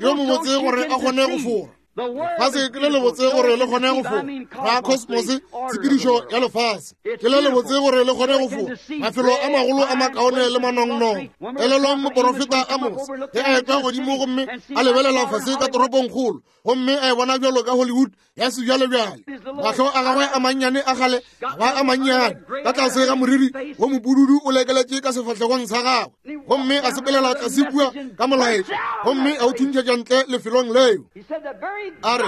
yo mobotse gore a kgone go fora. Lefase ke le lebotse gore le kgone go fora. Ra kosmose, tshepedišo ya lefase ke le lebotse gore le kgone go fora. Mafelo a magolo a makaone le manongnong. Elelwang moporofeta Amos ge a etla godimo gomme a lebelela fase ka toropongkgolo, gomme a e bona bjalo ka Hollywood ya sebjalebjale. Mahlo a gagwe a mannyane a gale a ba a mannyane ka tlase ga moriri wo mopududu o lekeletše ka sefahlegong sa gagwe, gomme a sepelela tlase kua ka molaetša gomme a o thuntšhetša ntle lefelong leo. A re,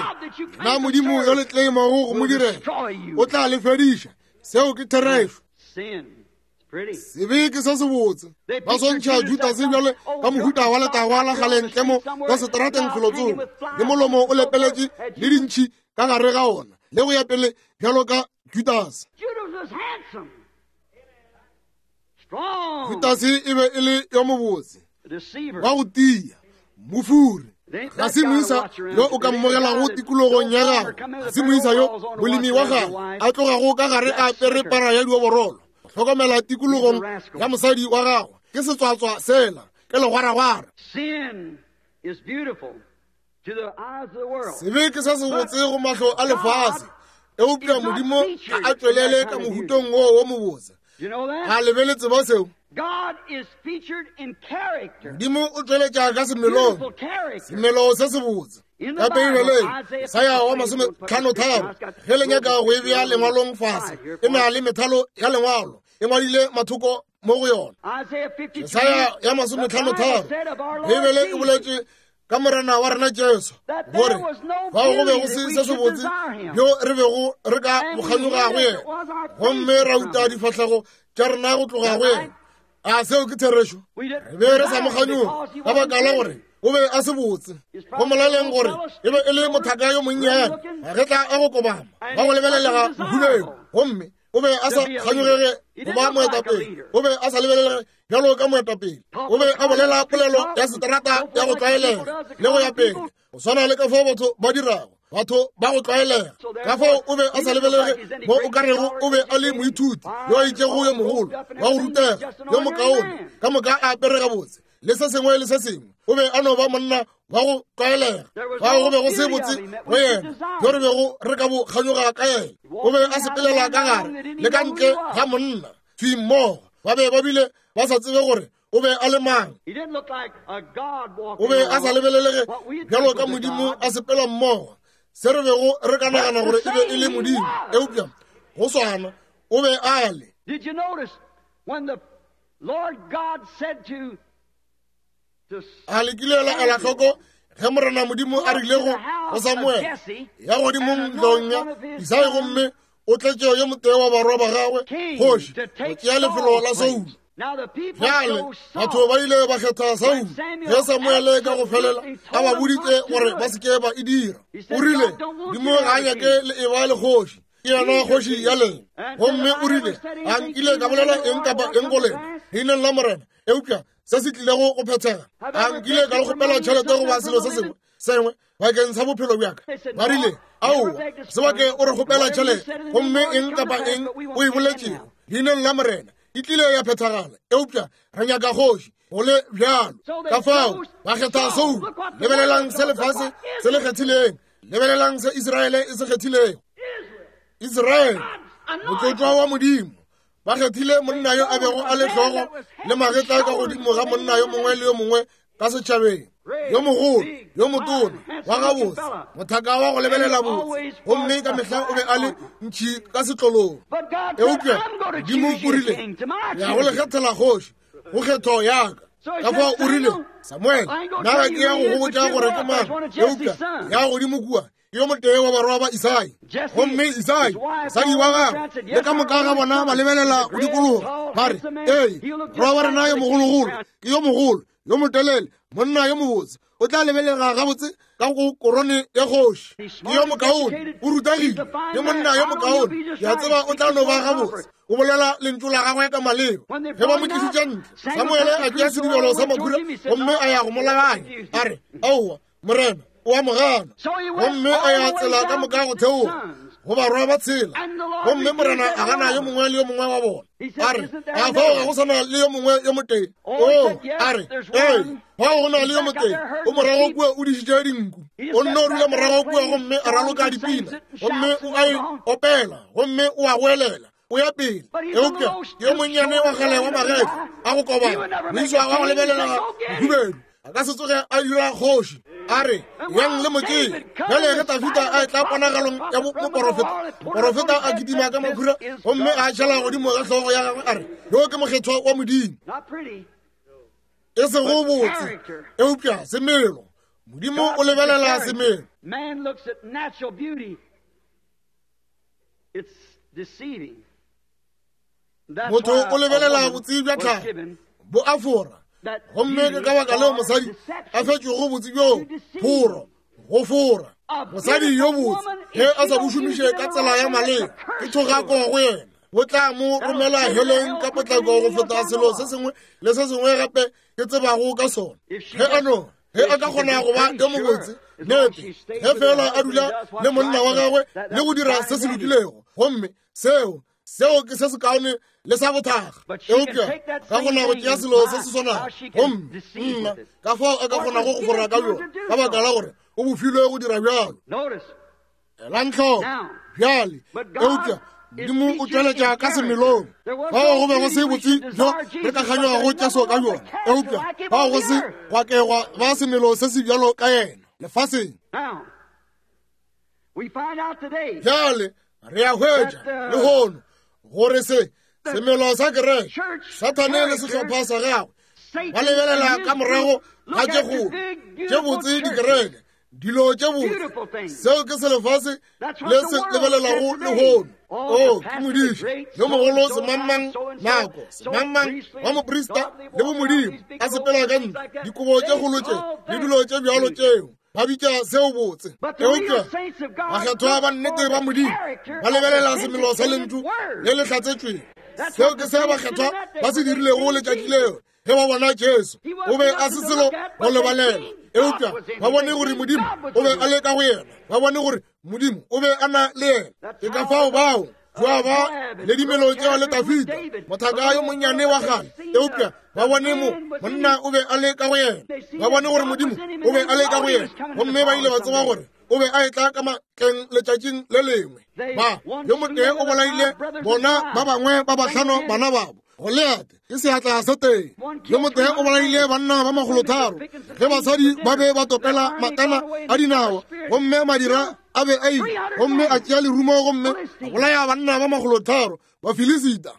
Na Modimo yo le tleimago go mo direla o tla le fediša? Seo ke therešo. Sebe ke se sebotse. Ba swantšha Judase bjale ka mohuta wa letagwa la kgale ntle mo ka seterateng felotsoko, le molomo o lepeletše le dintšhi ka gare ga ona, le go ya pele bjalo ka Judase. Judase e be e le yo mobotse, wa go tia, mofuri. Ga se moisa yo o ka mmogelago tikologong ya gago, ga se moisa yo molemi wa gago a tlogago ka gare a apere para ya dioborolo. Hlokomela tikologong ya mosadi wa gago, ke setswatswa sela, ke legwaragwara. Sebe ke se sebotse go mahlo a lefase, eupša Modimo ga a tšwelele ka mohutong woo wo mobotse. A le be le tseba seo? Modimo o tšweletša ka semelong, semelo se sebotse. Ka Beibeleng, Isaya wa masometlhanotharo, ge le nyaka go e bea lengwalong fase, e na le methalo ya lengwalo e ngwadile mathoko mo go yona. Isaya ya masometlhanotharo, Beibele e boletše ka Morena wa rena Jesu gore fao go be go se se sebotse bjo re bego re ka bokganyoga go yena, gomme ra uta difahlego tša rena go tloga go yena. A seo ke therešo? Re be re sa mo kganyoga ka baka la gore o be a se botse. Go molaleng gore e be e le mothaka yo monnyane, magetla a go kobama, ba go lebelelega bohubedu, gomme o be a sa kganyogege go ba moetapele. O be a sa lebelelege bjalo ka moetapele. O be a bolela polelo ya seterata ya go tlwaelega le go ya pele, go swana le ka fao batho ba dirago, batho ba go tlwaelega. Ka fao o be a sa lebelege mo o ka rego o be a le moithuti yo a itšego yo mogolo wa go rutega yo mokaone, ka moka a apere gabotse le se sengwe le se sengwe. O be a no ba monna wa go tlwaelega. Fao go be go se botse go yena bjo re bego re ka bo kganyoga ka yena. O be a sepelela ka gare le ka ntle ga monna thwi mmogo. Ba be ba bile ba sa tsebe gore o be a le mang. O be a sa lebelelege bjalo ka Modimo a sepela mmogo, se re bego re ka nagana gore e be e le Modimo, eupša go swana o be a le. Did you notice when the Lord God said to A le kile la ela hloko ge Morena Modimo a rile go go Samuele, ya godimo ntlong ya Isai, gomme o tletše yo motee wa barwa ba gagwe kgoši go tšea lefelo la Saulo? Bjale batho ba ile ba kgetha Saulo ge Samuele ka go felela a ba boditše gore ba se ke ba e dira. O rile, Modimo ga a nyake le eba le kgoši, ke yena kgoši ya lena. Gomme o rile, A nkile ka bolela eng kapa eng go lena leineng la Morena, eupša se se tlilego go phethega? A nkile ka le kgopela tšhelete goba selo se sengwe sengwe bakeng sa bophelo bja ka? Ba rile, Aowa, se bake o re kgopela tšhelete, gomme eng kapa eng o e boletšego leineng la Morena e tlile ya phethagala, eupša re nyaka kgoši go le bjalo. Ka fao ba kgetha Saulo. Lebelelang se lefase se le kgethileng. Lebelelang se Israele e se kgethilego. Israele, motlotšwa wa Modimo, ba kgethile monna yo a bego a le hlogo le magetla ka godimo ga monna yo mongwe le yo mongwe ka setšhabeng, yo mogolo, yo motona, wa gabotse, mothaka wa go lebelela botse, gomme ka mehla o be a le ntšhi ka setlolong. Eupša Modimo o rile, ya go le kgethela kgoši go kgetho ya ka. Ka fao o rile, Samuele, nna ga ke ya go go botša gore ke mang, eupša ya godimo kua yo motee wa barwa ba Isai. Gomme Isai, mosadi wa gagwe, le ka moka ga bona ba lebelela go dikologa, ba re, Ee, morwa wa rena yo mogologolo ke yo mogolo, yo motelele, monna yo mobotse, o tla lebelega gabotse ka go korone ya kgoši. Ke yo mokaone, o rutagile, ke monna yo mokaone, ke a tseba o tla no ba gabotse. O bolela lentšu la gagwe ka maleba. Ge ba mo tlišitše ntle, Samuele a tšea sedibelo sa makhura gomme a ya go mo labanya, a re, Aowa, Morena o a mo gana. Gomme a ya tsela ka moka go theoga go barwa ba tshela, gomme Morena a gana yo mongwe le yo mongwe wa bona. A re, A fao ga go sa na le yo mongwe yo motee? O, a re, ee, fao go na le yo motee, o morago kua o dišitše dinku. O nno dula morago kua gomme a raloka dipina, gomme o a e opela, gomme o a goelela, o ya pele. Eupša yo monnyane wa kgale wa magetla a go kobana, moiswa wa go lebelela bohubedu, a ka se tsoge a dira kgoši. A re, yang le motšee. Bjale ge Dafida a etla ponagalong ya moporofeta, moporofeta a kitima ka makhura gomme a tšhela godimo ga hlogo ya gagwe, a re, yo ke mokgethwa wa Modimo. E sego botse, eupša semelo. Modimo o lebelela semelo. Man looks at natural beauty. It's deceiving. Motho o lebelela botse bja tlhago, bo a fora, gomme ke ka baka leo mosadi a fetšwego botse bjoo phoro, go fora. Mosadi yo botse ge a sa bo šomiše ka tsela ya maleba, ke thogako go yena, bo tla mo romela heleng ka potlako go feta selo se sengwe le se sengwe gape ke tsebago ka sona. Ge a no ge a ka kgona go ba yo mobotse, nnete, ge feela a dula le monna wa gagwe le go dira se se lokilego, gomme seo seo ke se sekaone le sa bothaga. Eupša ka kgona go tšea selo se se swanago, gomme nna ka fao a ka kgonago go fora ka bjona, ka baka la gore o bofilwe go dira bjalo. Elang hloko bjale. Eupša Modimo o tšweletša ka semelong. Fao go be go se botse bjo re ka kganyogago Jesu ka bjona, eupša fao go se gwa ke gwa ba semelo se se bjalo ka yena lefaseng. Bjale re a hwetša lehono gore se semelo sa kereke, Sathane le sehlopha sa gagwe ba lebelela ka morago ga tše kgolo tše botse dikereke, dilo tše botse. Seo ke se lefase le se lebelelago lehono. O ke modiši yo mogolo, semangmang nako, semangmang wa moprista le bomodimo, a sepela ka ntlo, dikobo tše kgolo tše le dilo tše bjalo tšeo ba bitša seo botse. Eupša bakgethwa ba nnete ba Modimo ba lebelela semelo sa lentšu le le hlatsetšwego. Seo ke se bakgethwa ba se dirilego letšatši leo ge ba bona Jesu. O be a se selo go lebalela, eupša ba bone gore Modimo o be a le ka go yena, ba bone gore Modimo o be a na le yena. Ke ka fao bao Joaba le dimelo tšeo le Dafida, mothaka yo monnyane wa kgale, eupša ba bone mo monna o be a le ka go yena, ba bone gore Modimo o be a le ka go yena, gomme ba ile ba tseba gore o be a etla ka matleng letšatšing le lengwe. Ba yo motee o bolaile bona ba bangwe ba bahlano bana babo, Goliate ke seatla se tee. Yo motee o bolaile banna ba makgolotharo ge basadi ba be ba topela matana a dinawa, gomme madira a be a ile, gomme a tšea lerumo gomme a bolaya banna ba makgolotharo ba Filisita.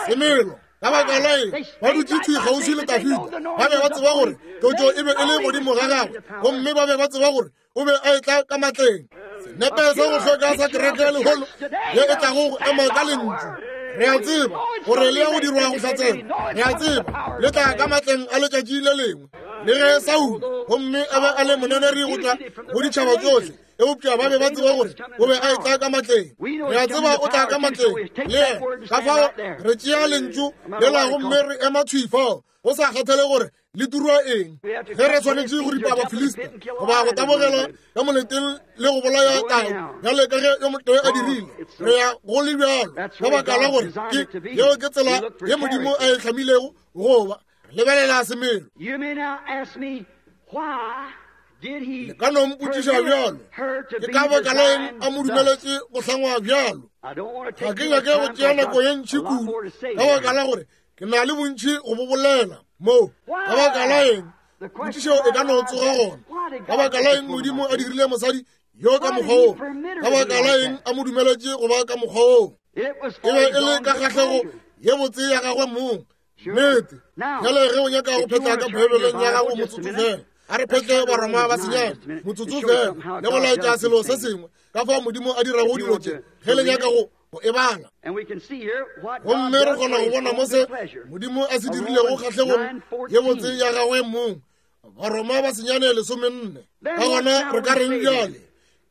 Semelo ka baka la eng ba dutše thwi kgauswi le Dafida? Ba be ba tseba gore tlotšo e be e le godimo ga gagwe, gomme ba be ba tseba gore o be a etla ka matleng. Senepe sa go hloka sa kereke lehono ye e tlago go ema ka lentšu. Re a tseba gore le ya go dirwa go hlatsela. Re a tseba le tla ka matleng a letšatši le lengwe. Le ge Saulo gomme a be a le moneneri go tla go ditšhaba tsohle, eupša ba be ba tseba gore o be a etla ka matleng. Re a tseba o tla ka matleng le yena. Ka fao re tšea lentšu lela gomme re ema thwi fao, go sa kgathale gore le turwa eng. Ge re swanetše go ripa Bafilista goba go tabogela ka moleteng le go bolaya tau bjale ka ge yo motee a dirile, re ya go le bjalo, ka baka la gore ke yeo ke tsela ye Modimo a e hlamilego go ba. Re lebelela semelo. Le ka no mpotšiša bjalo, ke ka baka la eng a mo dumeletše go hlangwa bjalo? Ga ke nyake go tšea nako ye ntši kudu, ka baka la gore ke na le bontši go bo bolela mo. Ka baka la eng? Potšišo e ka no tsoga gona. Ka baka la eng Modimo a dirile mosadi yo ka mokgwa wo? Ka baka la eng a mo dumeletše go ba ka mokgwa wo? E be e le ka kgahlego ye botse ya gagwe mong. Nnete. Bjale ge o nyaka go phetla ka Beibeleng ya gago motsotso fela, a re phetle Baroma ba senyane motsotso fela le go laetša selo se sengwe ka fao Modimo a dirago dilo tše, ge le nyaka go go e bala. Gomme re kgona go bona mo se Modimo a se dirilego kgahlegong ye botse ya gagwe mong, Baroma ba senyane 14. Ka gona re ka reng bjale?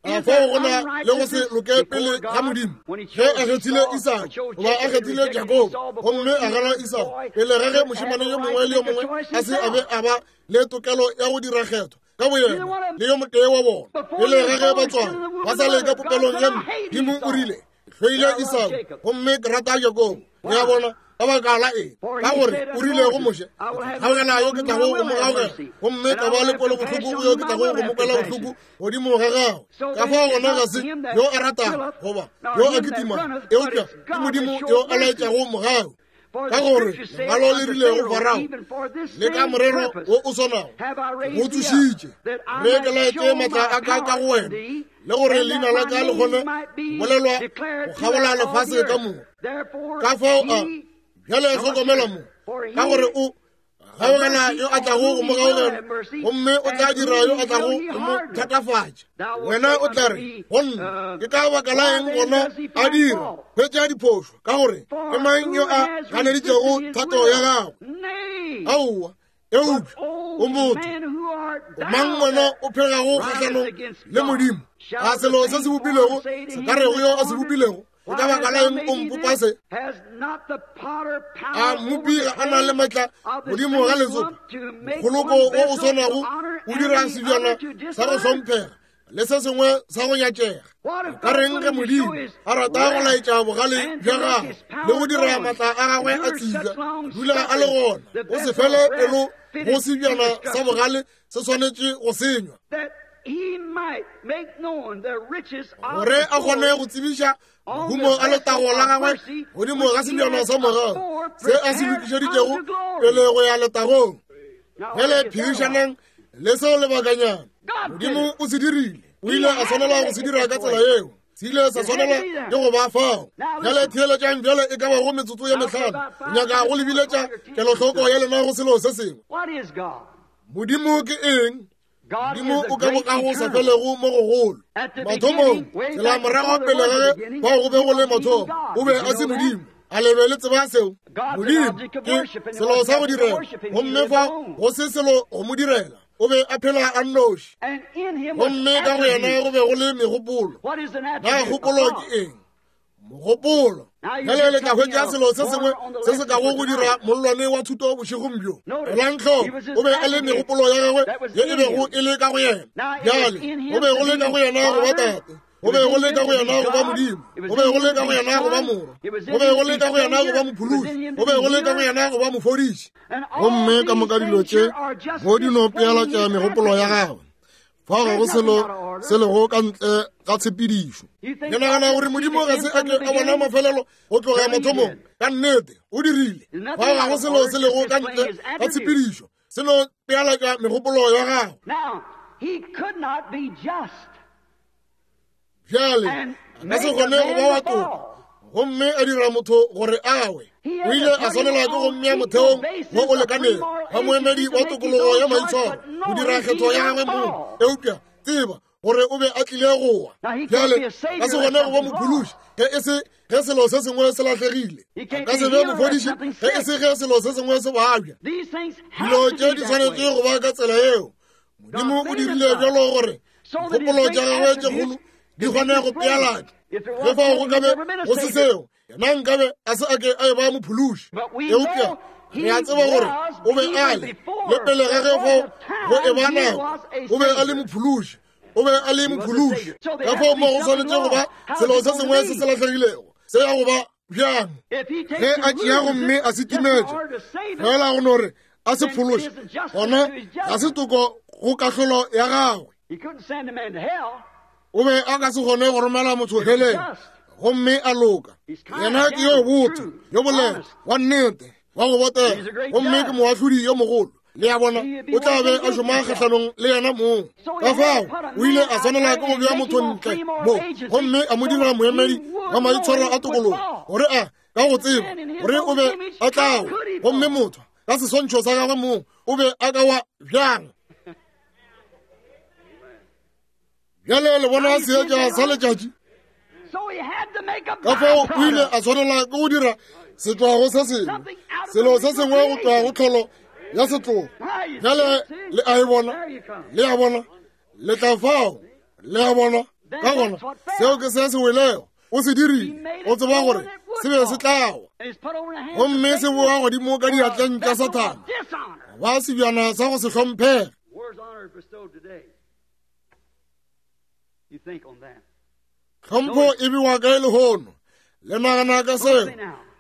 A fao go na le go se loke pele ga Modimo? Ge a kgethile Isaka goba a kgethile Jakobo, gomme a gana Esau pele ga ge mošemane yo mongwe le yo mongwe a se a be a ba le tokelo ya go dira kgetho ka boyena le yo motee wa bona, pele ga ge ba tswalwa ba sa le ka popelong ya Modimo, o rile, Hloile Esau gomme ke rata Jakobo. Le a bona? Ka baka la eng? Ka gore o rile go Moshe, Gaugela yo ke tlago go mo gaugela, gomme ka ba le kwelobohloko go yo ke tlago go mo kwela bohloko godimo ga gagwe. Ka fao gona ga se yo a ratago goba yo a kitimago, eupša ke Modimo yo a laetšago mogau. Ka gore lengwalo le rile go Farao, le ka morero wo o swanago go tsošitše, re ke laetše maatla a ka ka go wena, le gore leina la ka le kgone bolelwa go kgabola lefase ka moka. Ka fao a bjale hlokomela mo, ka gore o gaugela yo a tlago go mo gaugela, gomme o tla dira yo a tlago go mo thatafatša. Wena o tla re go nna, ke ka baka la eng gona a dira hwetša diphošo? Ka gore ke mang yo a ganeditšego thato ya gago? Aowa, eupša o motho, o mang wena o phegago kgahlanong le Modimo? A selo se se bopilwego se ka rego yo a se bopilego, Ke ka baka la eng o mpopa se? A mmopi ga a na le maatla godimo ga letsopa? Mokgoloko wo o swanago o dira sebjana sa go hlomphega le se sengwe sa go nyatšega. Ka reng ge Modimo a rata go laetša bogale bja gagwe le go dira maatla a gagwe a tsebja, dula a le gona, o se fele pelo go sebjana sa bogale se swanetše go senywa. Gore a kgone go tsebiša mahumo a letago la gagwe godimo ga sebjana sa morago se a se lokišeditšego pele go ya letagong. Bjale phedišanang le seo lebakanyana. Modimo o se dirile. O ile a swanela go se dira ka tsela yeo. Se ile sa swanela ke go ba fao. Bjale theeletšang bjale e ka bago metsotso ye mehlano. Nyaka go lebiletša kelohloko ya lena go selo se sengwe. Modimo ke eng? Modimo o ka bokago sa felego mo gogolo. Mathomong, tsela morago pele ga ge fao go be go le mathomo, o be a se Modimo. A le be le tseba seo? Modimo ke selo sa go direla, gomme fa go se selo go mo direla. O be a phela a nnoši, gomme ka go yena go be go le megopolo. Na kgopolo ke eng? Mogopolo. Bjale le tla hwetša selo se sengwe se se kago go dira mollwane wa thuto bošegong bjo. Elang hloko, o be a le megopolo ya gagwe ye e bego e le ka go yena. Bjale, go be go le ka go yena go ba Tate, go be go le ka go yena go ba Modimo, go be go le ka go yena go ba Morwa, go be go le ka go yena go ba Mophološi, go be go le ka go yena go ba Mofodiši. Gomme ka moka dilo tše go di no pealatša megopolo ya gagwe. Fa ga go selo se lego ka ntle ga tshepedišo. Ke nagana gore Modimo ga se a ke a bona mafelelo go tloga mathomong. Ka nnete, o dirile. Fa ga go selo se lego ka ntle ga tshepedišo. Se no pealatša megopolo ya gagwe. Bjale, a ka se kgone go ba wa toka gomme a dira motho gore a we. O ile a swanelwa ke go mmea motheong wo o lekanego wa moemedi wa tokologo ya maitshwaro go dira kgetho ya gagwe mong. Eupša tseba gore o be a tlile go wa. Bjale ka se kgone go ba mophološi ge e se ge selo se sengwe se lahlegile. A ka se be mofodiši ge e se ge selo se sengwe se babja. Dilo tše di swanetše go ba ka tsela yeo. Modimo o dirile bjalo gore dikgopolo tša gagwe tše kgolo di kgone go pealatšwa. Ge fao go ka be go se seo, yena nkabe a se a ke a e ba mophološi. Eupša re a tseba gore o be a le, le pele ga ge fao go e ba nako, o be a le mophološi. O be a le mophološi. Ka fao mo go swanetše go ba selo se sengwe se se lahlegilego, se ya go ba bjang ge a tšea gomme a se timetše fela go no re a se phološe, gona ga se toko go kahlolo ya gagwe. O be a ka se kgone go romela motho heleng gomme a loka. Yena ke yo botho, yo boleta, wa nnete, wa go botega, gomme ke moahlodi yo mogolo. Le a bona, o tla be a šoma kgahlanong le yena mong. Ka fao o ile a swanela ke go bea motho ntle mo gomme a mo dira moemedi wa maitshwaro a tokologo, gore a ka go tseba gore o be a tla wa, gomme motho ka seswantšho sa gagwe mong o be a ka wa bjang. Bjale le bona seetša sa letšatši. Ka fao o ile a swanela ke go dira setšwago se sengwe, selo se sengwe go tšwa go tlholo ya setlogo. Bjale le a e bona, le a bona, le tla fao, le a bona. Ka gona seo ke se se welego. O se dirile, o tseba gore se be se tla wa, gomme se boa godimo ka diatleng tša Sathane, ba sebjana sa go se hlomphege. Tlhompho e bewa kae lehono? Le nagana ka seo?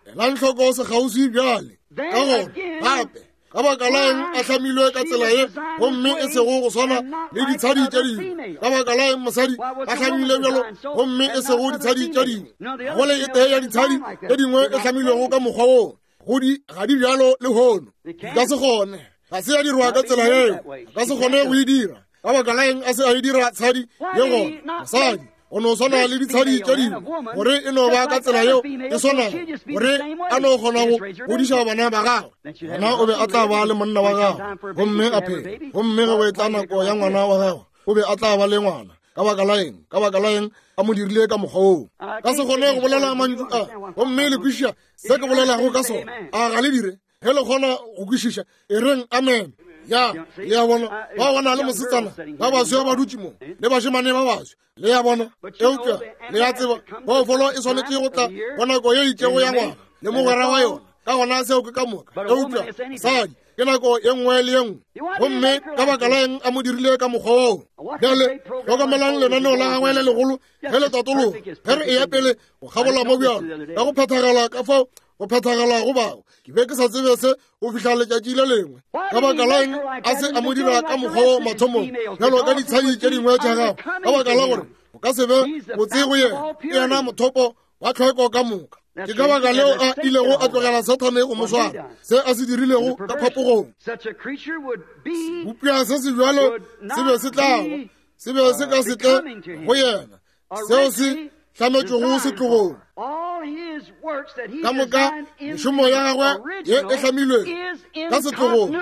Elang hloko sekgauswi bjale. Ka gona gape, ka baka la eng a hlamilwe ka tsela ye gomme e sego go swana le ditshadi tše dingwe? Ka baka la eng mosadi a hlamile bjalo gomme e sego ditshadi tše dingwe? Go le e tee ya ditshadi tše dingwe e hlamilwego ka mokgwa woo, go di ga di bjalo lehono. Di ka se kgone, ga se ya dirwa ka tsela yeo, a ka se kgone go e dira. Ka baka la eng a se a e dira tshadi ye gona? Mosadi o no swana le ditshadi tše dingwe, gore e no ba ka tsela yeo e swanago, gore a no kgona go godiša bana ba gagwe. Gona o be a tla ba le monna wa gagwe gomme a phela, gomme ge go e tla nako ya ngwana wa gagwe, o be a tla ba le ngwana. Ka baka la eng? Ka baka la eng a mo dirile ka mokgwa woo? Ka se kgone go bolela mantšu a, gomme le kwešiša se ke bolelago ka sona. A ga le dire? Ge le kgona go kwešiša, e reng amen. Ya, le a bona, ba bona le mosetsana ba baswa ba dutše mo, le bašemane ba baswa, le a bona. Eupša le a tseba, phoofolo e swanetše go tla go nako ye itšego ya ngwaga le mogwera wa yona. Ka gona seo ke ka moka. Eupša mosadi ke nako ye nngwe le ye nngwe. Gomme ka baka la eng a mo dirile ka mokgwa woo? Bjale hlokomelang lenaneo la gagwe le legolo ge le tatologa, ge re eya pele go kgabola mo bjalo ka go phethagala ka fao go phethagala go bago. Ke be ke sa tsebe se go fihla letšatši le lengwe. Ka baka la eng a se a mo dira ka mokgwa wo mathomong, bjalo ka ditshadi tše dingwe tša gagwe? Ka baka la gore o ka se be botse go yena. Ke yena mothopo wa tlhweko ka moka. Ke ka baka leo a ilego a tlogela Sathane go mo swara, se a se dirilego ka phapogong. Sebopša se se bjalo se be se tla ba, se be se ka se tle go yena, seo se hlametšwego setlogong. Ka moka mešomo ya gagwe ye e hlamilwego ka setlogong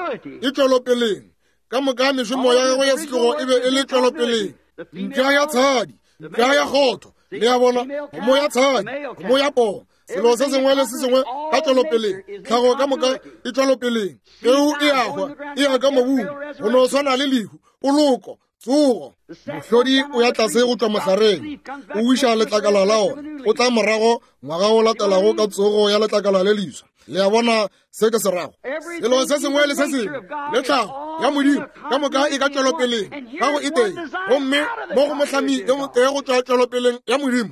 e tšwelopeleng. Ka moka mešomo ya gagwe ya setlogo e be e le tšwelopeleng. Mpša ya tshadi, mpša ya kgotho, le a bona, kgomo ya tshadi, kgomo ya poo, selo se sengwe le se sengwe ka tšwelopeleng. Tlhago ka moka e tšwelopeleng. Peu e a hwa, e ya ka mobung, go no swana le lehu, poloko, tsogo. Mohlodi o ya tlase go tšwa mohlareng, o wiša letlakala la ona, o tla morago ngwaga o latelago ka tsogo ya letlakala le leswa. Le a bona se ke se rago? Selo se sengwe le se sengwe le tlhago ya Modimo ka moka e ka tšwelopeleng ka go e tee, gomme mo go mohlami yo motee go tšwa tšwelopeleng ya Modimo.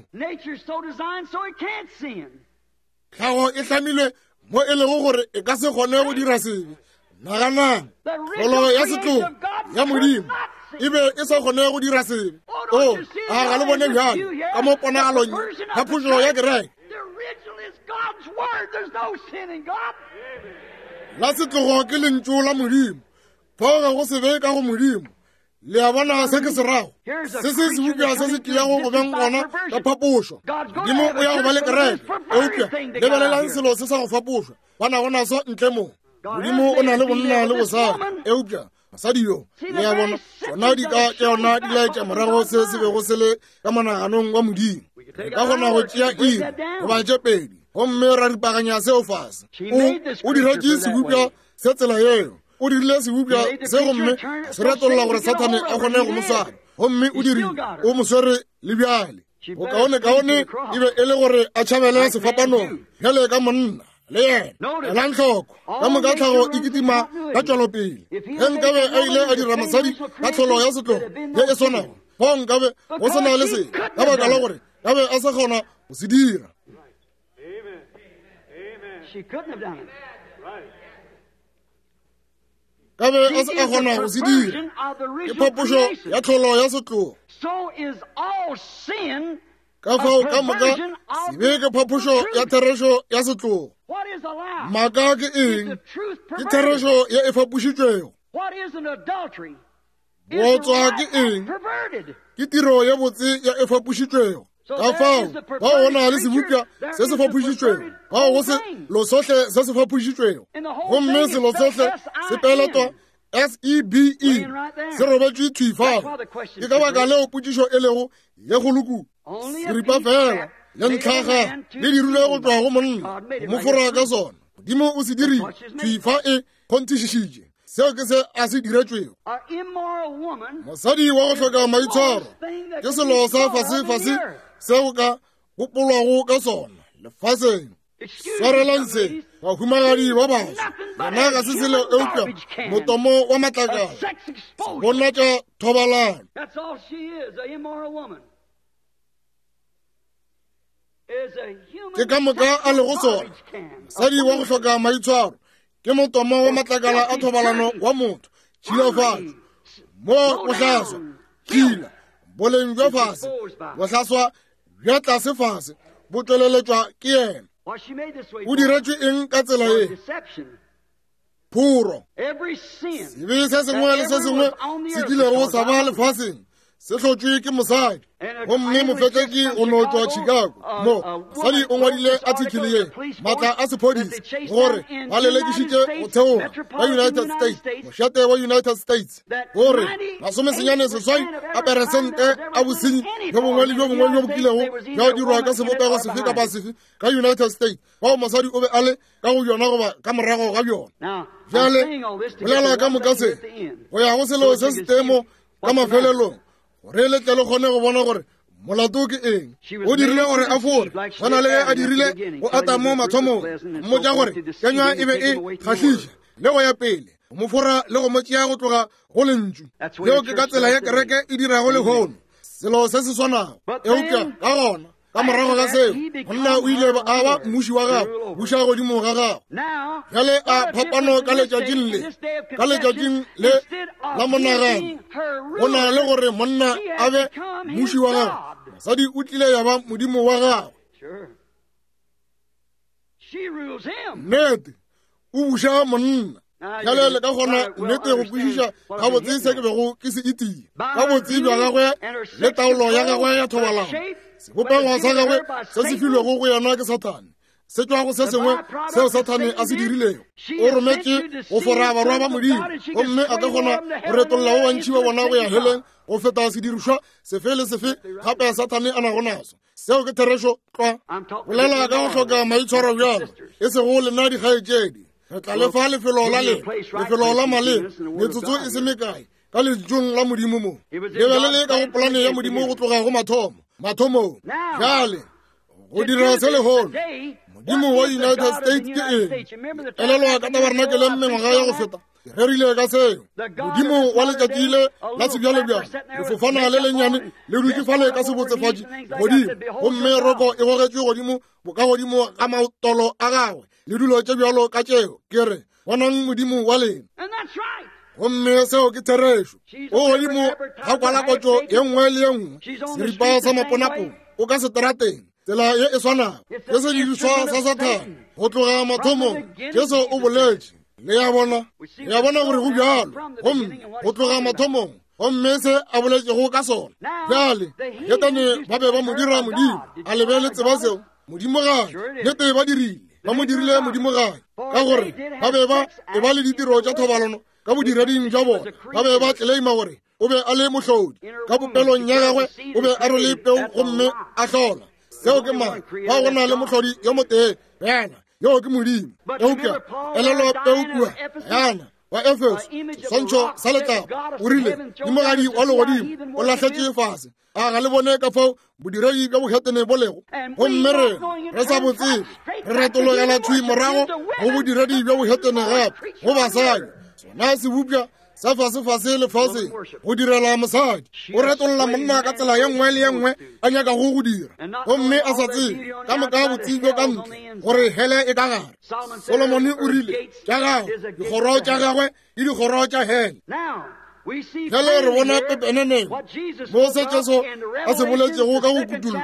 Tlhago e hlamilwe mo e lego gore e ka se kgone go dira sebe. Naganang, tlholo ya setlogo ya Modimo e be e sa kgone go dira sebe. O, a ga le bone bjalo ka mo ponagalong ya phošo ya kereke? La setlogo ke lentšu la Modimo. Fao ga go sebe ka go Modimo. Le a bona se ke se rago? Se se sebopša se se tliago go beng gona ka phapošo. Modimo o ya go ba le kereke, eupša lebelelang selo se sa go fapošwa ba nago naso ntle mo. Modimo o na le bonna le bosadi, eupša mosadi yo, le a bona, tšona di ka tša yona di laetša morago se se bego se le ka monaganong wa Modimo. Re ka kgona go tšea iri goba tše pedi gomme ra ripaganya seo fase. O diretše sebopša se tsela yeo. O dirile sebopša se gomme se retolla gore Sathane a kgone go mo swara, gomme o dirile, o mo swere le bjale. Bokaonekaone e be e le gore a tšhabele sefapanong bjale ka monna le yena. Elang hloko, ka moka tlhago e kitima ka tšwelopele. Ge nkabe a ile a dira mosadi ka tlholo ya setlogo ye e swanago, fao nkabe go se na le se, ka baka la gore kabe a sa kgona go se dira. Ka be a se a kgona go se dira. Ke phapošo ya tlholo ya setlogo. Ka fao ka moka sebe ke phapošo ya therešo ya setlogo. Maaka ke eng? Ke therešo ye e fapošitšwego. Bootswa ke eng? Ke tiro ye botse ya e fapošitšwego. Ka fao bao go na le sebopša se se fapošitšwego, bao go selo sohle se se fapošitšwego, gomme selo sohle se peletwa S-E-B-E, se robetšwe thwi fao. Ke ka baka leo potšišo e lego ye kgolo kudu. Seripa fela le ntlhaga le dirilwe go tšwa go monna, go mo fora ka sona. Modimo o se dirile thwi fa e kgonthišišitše. Seo ke se a se diretšwego. Mosadi wa go hloka maitshwaro ke selo sa fasefase seo ka gopolwago ka sona lefaseng. Swarelang se, bahumagadi ba baso, yena ga se selo eupša motomo wa matlakala, bonatša thobalano. Ke ka moka a lego sona. Mosadi wa go hloka maitshwaro ke motomo wa matlakala a thobalano wa motho, tšhilafatšo mo bohlaswa, tšhila, boleng bja fase, bohlaswa bja tlase fase bo tšweleletšwa ke yena. O diretšwe eng ka tsela ye? Phoro. Sebe se sengwe le se sengwe se kilego sa ba lefaseng se hlotšwe ke mosadi. Gomme mofetleki o no tšwa Chicago mo mosadi o ngwadile article ye, maatla a sephodisa, gore ba lelekišitše go theoga ka United States, mošate wa United States, gore 88 a peresente a bosenyi bjo bongwe le bjo bongwe bjo bo kilego bja dirwa ka sebopego sefe kapa sefe ka United States, fao mosadi o be a le ka go bjona goba ka morago ga bjona. Bjale bolela ka moka se go ya go selo se se tee mo ka mafelelong, gore le tle le kgone go bona gore molato ke eng. O dirile gore a fore, gona le ge a dirile go Adamo mathomong, mmotša gore kenywa e be e kgahliša le go ya pele, go mo fora le go mo tšea go tloga go lentšu. Yeo ke ka tsela ye kereke e dirago lehono, selo se se swanago. Eupša ka gona Ka morago ga seo, monna o ile a ba mmuši wa gagwe, buša godimo ga gagwe. Bjale a phapano ka letšatšing le, ka letšatšing le la monagano, go na le gore monna a be mmuši wa gagwe, mosadi o tlile ya ba modimo wa gagwe. Nnete, o buša monna. Bjale le ka kgona nnete go kwešiša gabotse se ke bego ke se itia ka botse bja gagwe le taolo ya gagwe ya thobalano. Sebopego sa gagwe se se filwego go yena ke Sathane se tšwa go se sengwe seo Sathane a se dirilego. O rometše go fora barwa ba Modimo, gomme a ka kgona go retolla ba bantši ba bona go ya heleng go feta sedirišwa sefe le sefe gape Sathane a nago naso. Seo ke therešo tlwa. Bolela ka go hloka maitshwaro bjalo, e sego lena dikgaetšedi. Re tla le fa lefelo la lena, lefelo la maleba, metsotso e se mekae, ka lentšung la Modimo mo. Le be le le ka go polane ya Modimo go tloga go mathomo, mathomong. Bjale, go dira se lehono, Modimo wa United States ke eng? Elelwa ka tabernakeleng mengwaga ya go feta, ke rerile ka seo. Modimo wa letšatši le la sebjalebjale, lefofana le lennyane le dutše fale ka sebotsefatši godimo, gomme roko e gogetšwe godimo bokagodimo ga maotolo a gagwe le dilo tše bjalo ka tšeo. Ke re, bonang Modimo wa lena. Gomme seo ke therešo. O godimo ga kwalakotšo ye nngwe le ye nngwe, seripa sa maponapona, o ka seterateng, tsela ye e swanago. Ke sedirišwa sa Sathane go tloga mathomong. Jesu o boletše. Le a bona? Le a bona gore go bjalo. Gomme go tloga mathomong, gomme se a boletšego ka sona. Bjale, bahetane ba be ba mo dira modimo. A le be le tseba seo? Modimogadi. Nnete ba dirile. Ba mo dirile modimogadi, ka gore ba be ba e ba le ditiro tša thobalano ka bodireding bja bona. Ba be ba tleleima gore o be a le mohlodi. Ka popelong ya gagwe o be a rwele peu gomme a hlola. Seo ke mang? Fa go na le mohlodi yo motee fela, yoo ke Modimo. Eupša elelwa peu kua Gana wa Efeso, seswantšho sa letlapa, o rile, Modimogadi wa legodimo o lahletše fase. A ga le bone ka fao bodiredi bja bohetene bo lego? Gomme re re sa bo tsebe, re retologela thwi morago go bodiredi bja bohetene gape, go basadi. Sona sebopša sa fasefase lefaseng go direla mosadi. O retolla monna ka tsela ye nngwe le ye nngwe a nyakago go dira, gomme a sa tsebe ka moka botse bjo ka ntle gore hele e ka gare. Solomone o rile, tša gagwe dikgoro tša gagwe ke dikgoro tša hele. Bjale re bona pepeneneng mo se Jesu a se boletšego ka go Kutullo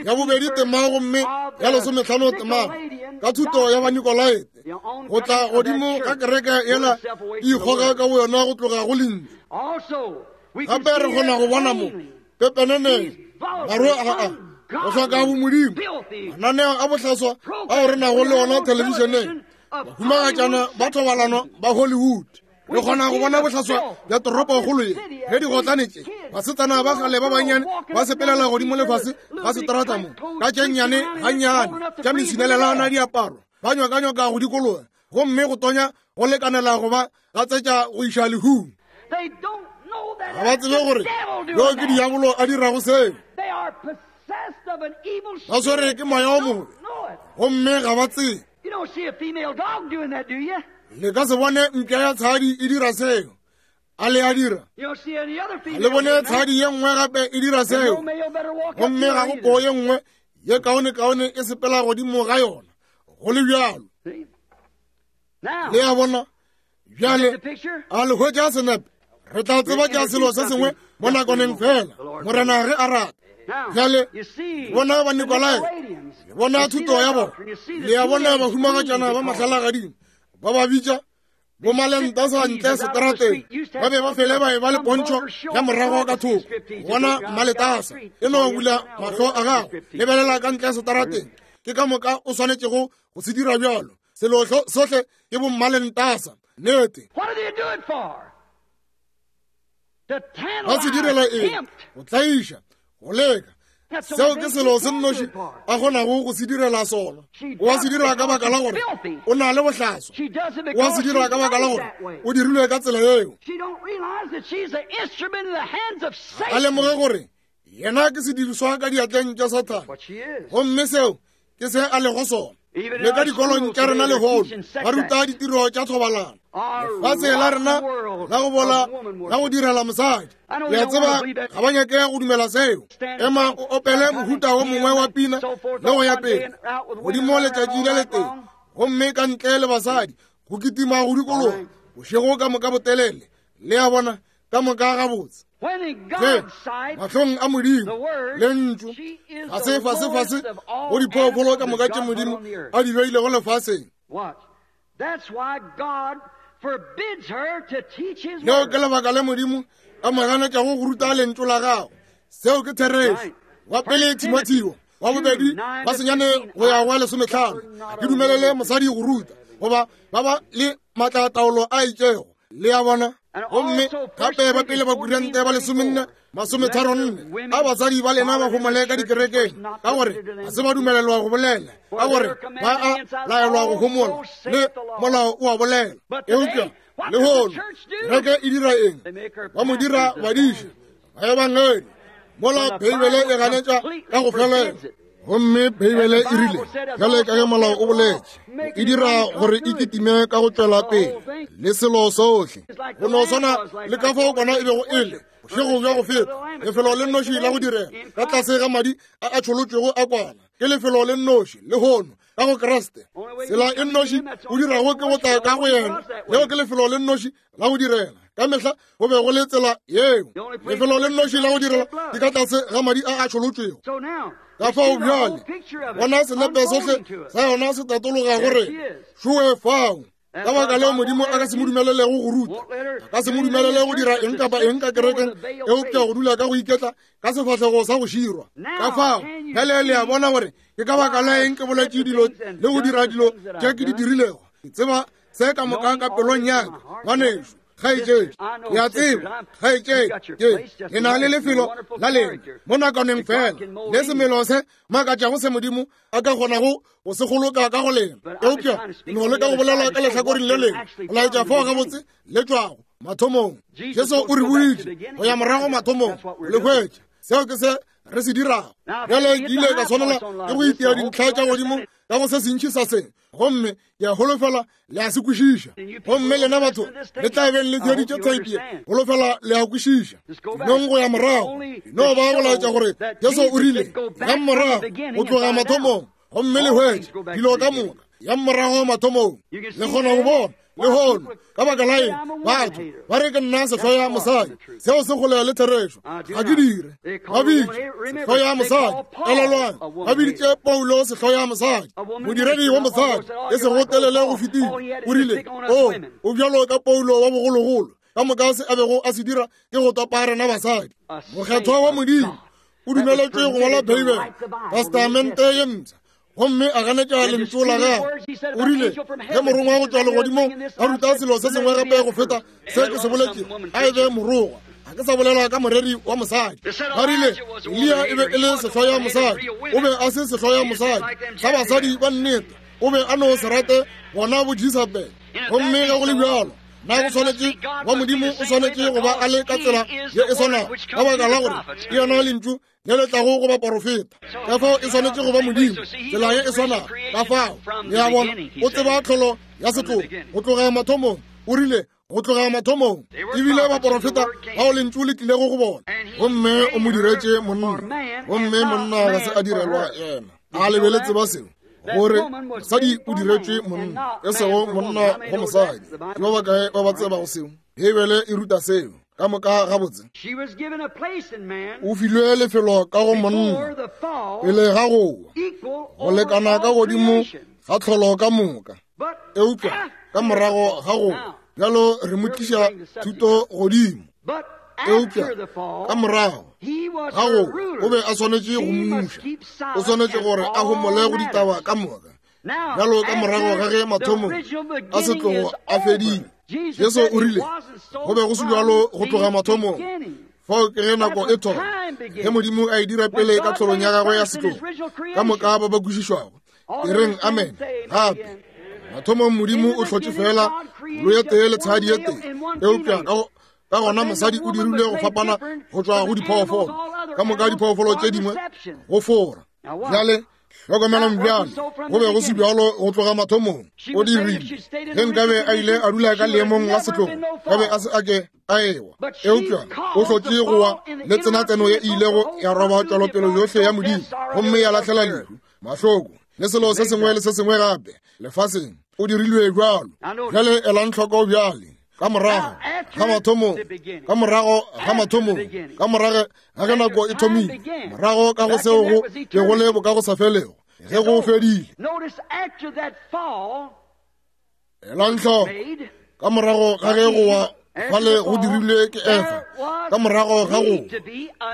ya bobedi tema gomme ya lesometlhano tema ka thuto ya Banikolaete go tla godimo ga kereke yela e ikgoga ka boyona go tloga go lentšu. Gape re kgona go bona mo pepeneneng maro a go hloka bomodimo, mananeo a bohlaswa ao re nago le ona thelebišeneng, bahumagatšana ba thobalano ba Hollywood. Re kgona go bona bohlaswa bja toropokgolo ye ge digotlane tše basetsana ba kgale ba bannyane ba sepelela godimo lefase ga seterata mo ka tše nnyane gannyane tša mesinelelana diaparo, ba nyokanyoka go dikologa gomme go tonya go lekanela go ba gatsetša go iša lehung. Ga ba tsebe gore yo ke diabolo a dirago seo. Ba swere ke moya o mobe gomme ga ba tsebe. Le ka se bone mpša ya tshadi e dira seo. A le a dira? A le bone tshadi ye nngwe gape e dira seo? Gomme ga go poo ye nngwe ye kaonekaone e sepela godimo ga yona. Go le bjalo. Le a bona? Bjale, a le hwetša senepe? Re tla tseba tša selo se sengwe mo nakwaneng fela, Morena ge a rata. Bjale, bona Banikolae, le bona thuto ya bona, le a bona bahumagatšana ba mahlalagading ba ba bitša bomalenta sa ntle seterateng, ba be ba fele ba e ba le pontšho ya morago ka thoko. Bona mmaletasa, e no bula mahlo a gago, lebelela ka ntle seterateng, ke ka moka o swanetšego go se dira bjalo. Selo sohle ke bommalentasa. Nnete. Ba se direla eng? Go tlaiša, go leka. Seo ke selo se nnoši a kgonago go se direla sona. O a se dira ka baka la gore o na le bohlaswa. O a se dira ka baka la gore o dirilwe ka tsela yeo. A lemoge gore yena ke sediriswa ka diatleng tša Sathane, gomme seo ke se a lego sona. Le ka dikolong tša rena lehono ba ruta ditiro tša thobalano. Lefase la rena la go bola la go direla mosadi. Le a tseba ga ba nyake go dumela seo. Ema o opele mohuta wo mongwe wa pina le go ya pele godimo letšatši le letee, gomme ka ntle le basadi go kitima go dikologa bošego ka moka botelele. Le a bona, ka moka gabotse. Ge mahlong a Modimo lentšu ga se fasefase go diphoofolo ka moka tše Modimo a di beilego lefaseng. Leo ke lebaka le Modimo a mo ganetšago go ruta lentšu la gago. Seo ke therešo. Wa pele Timotheo wa bobedi ba senyane go ya go 15, ke dumelele mosadi go ruta goba ba ba le matlataolo a itšego. Le a bona? Gomme gape ba pele ba Korinte ba 14 34, a basadi ba lena ba homole ka dikerekeng, ka gore ga se ba dumelelwa go bolela, ka gore ba a laelwa go homola, le molao o a bolela. Eupša lehono kereke e dira eng? Ba mo dira badiši ba ebangedi, mola Beibele e ganetša ka go felela. Gomme Beibele e rile, bjale ka ge molao o boletše, e dira gore e kitime ka go tšwela pele le selo sohle, go no swana le ka fao kwana e bego e le bošego bja go feta, lefelo le nnoši la go direla ka tlase ga madi a a tšholotšwego a kwana ke lefelo le nnoši lehono ka go Kriste. Tsela e nnoši o dirago ke go tla ka go yena, leo ke lefelo le nnoši la go direla. Ka mehla go be go le tsela yeo. Lefelo le nnoši la go direla ke ka tlase ga madi a a tšholotšwego. Ka fao bjale bona senepe sohle sa yona se tatologa gore šowe fao. Ka baka leo Modimo a ka se mo dumelelego go ruta, a ka se mo dumelele go dira eng kapa eng ka kerekeng, eupša go dula ka go iketla ka sefahlego sa go širwa. Ka fao bjale le a bona gore ke ka baka la eng ke boletše dilo le go dira dilo tše ke di dirilego. Ke tseba se ka moka ka pelong ya ka, ngwanešu, kgaetšedi. Ke a tseba, kgaetšedi, ke le na le lefelo la lena mo nakaneng fela, le semelo se makatšago se Modimo a ka kgonago go se goloka ka go lena. Eupša no leka go bolela ka lehlakoreng le lengwe, go laetša fao gabotse le tšwago mathomong. Jesu o re boditše go ya morago mathomong, le hwetša. Seo ke se re se dirago. Bjale ke ile ka swanela ke go itia dintlha tša godimo ka go se sentši sa se, gomme ke a holofela le a se kwešiša. Gomme lena batho le tla beng le theeditše theipi ye, holofela le a kwešiša. Nong go ya morago, no ba go laetša gore Jesu o rile yang morago go tloga mathomong, gomme le hwetše dilo ka moka. Yang morago mathomong, le kgona go bona lehono ka baka la eng batho ba re ke nna sehloya mosadi. Seo se kgole le therešo. Ga ke dire. Ba bitše sehloya mosadi. Elelwang, ba biditše Paulo sehloya mosadi, modiredi wa mosadi, e sego telele go fetile. O rile, O, o bjalo ka Paulo wa bogologolo. Ka moka se a bego a se dira ke go topa rena basadi. Mokgethwa wa Modimo o dumeletšwe go ngwala Beibele, Testamente ye Mpsha, gomme a ganetša lentšu la gagwe. O rile, ge morongwa go tšwa legodimong a ruta selo se sengwe gape go feta se ke se boletšego, a e be morongwa. Ga ke sa bolela ka moreri wa mosadi. Ba rile Eliya e be e le sehloya mosadi. O be a se sehloya mosadi sa basadi ba nnete. O be a no se rate bona bo Jezebel. Gomme ge go le bjalo, na go swanetše wa Modimo o swanetše go ba a le ka tsela ye e swanago, ka baka la gore ke yona lentšu le le tlago go baporofeta. Ka fao e swanetše go ba Modimo tsela ye e swanago. Ka fao le a bona, o tseba tlholo ya setlogo go tloga mathomong. O rile go tloga mathomong ebile baporofeta bao lentšu le tlilego go bona, gomme o mo diretše monna, gomme monna ga se a direlwa yena. A le be le tseba seo, gore mosadi o diretšwe monna, e sego monna go mosadi? Ke ba bakae ba ba tsebago seo? Beibele e ruta seo ka moka gabotse. O filwe lefelo ka go monna pele ga go wa, go lekana ka godimo ga tlholo ka moka, eupša ka morago ga go bjalo re mo tliša thuto godimo. Eupša ka morago ga go o be a swanetše go mmuša, o swanetše gore a homole go ditaba ka moka. Bjalo ka morago ga ge mathomo a setlogo a fedile, Jesu o rile go be go se bjalo go tloga mathomong. Fao ke ge nako e thoma, ge Modimo a e dira pele ka tlholong ya gagwe ya setlogo, ka moka ba ba kwešišwago e reng amen. Gape mathomong Modimo o hlotše fela lo ye tee le tshadi ye tee, eupša ka gona mosadi o dirile go fapana go tšwa go diphoofolo ka moka, diphoofolo tše dingwe go fora. Bjale Hlokomelang bjale, go be go se bjalo go tloga mathomong. O dirile. Ge nkabe a ile a dula ka leemong la setlogo, ka be a se a ke a ewa. Eupša o hlotše go wa le tsenatseno ye e ilego ya roba tšwelopele yohle ya Modimo, gomme ya lahlela lehu, mahloko, le selo se sengwe le se sengwe gape lefaseng. O dirilwe bjalo. Bjale elang hloko bjale. Ka morago ga mathomong, ka morago ga mathomong, ka morago ga ge nako e thomile, morago ka go seo go be go le bokagosafelego, ge go fedile. Elang hloko, ka morago ga ge go wa fale go dirilwe ke Efa, ka morago ga go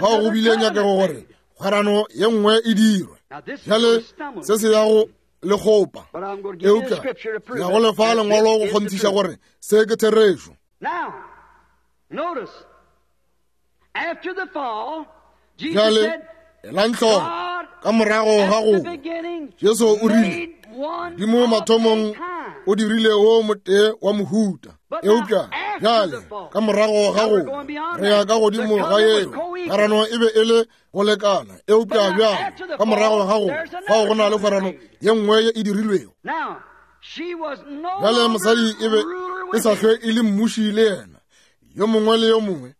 fao go bile nyakego gore kgwerano ye nngwe e dirwe. Bjale se se ya go le kgopa, eupša ya go lefa lengwalo go kgonthiša gore se ke therešo. Bjale elang hloko, ka morago ga go Jesu o rile, Modimo mathomong o dirile wo motee wa mohuta, eupša bjale ka morago ga go re ya ka godimo ga yeo kgwerano e be e le go lekana, eupša bjale ka morago ga go fao go na le kgwerano ye nngwe ye e dirilwego. Bjale mosadi e be e sa hlwe e le mmuši le yena, yo mongwe le yo mongwe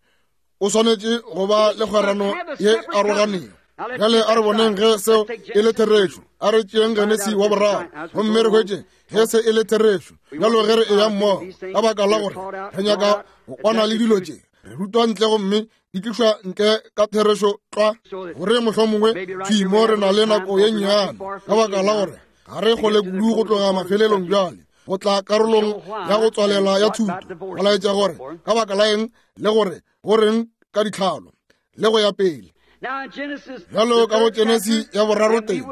o swanetše go ba le kgwerano ye aroganego. Bjale a re boneng ge seo e le therešo. A re tšeeng Genesi wa boraro gomme re hwetše ge se e le therešo. Bjalo ge re eya mmogo, ka baka la gore re nyaka go kwana le dilo tše, re rutwa ntle gomme di tlišwa ntle ka therešo tlwa, gore mohlomongwe thwi mo re na le nako ye nnyane, ka baka la gore ga re kgole kudu go tloga mafelelong bjale go tla karolong ya go tswalela ya thuto, go laetša gore ka baka la eng le gore go reng ka ditlhalo le go ya pele. Bjalo ka go Genesi ya boraro teng,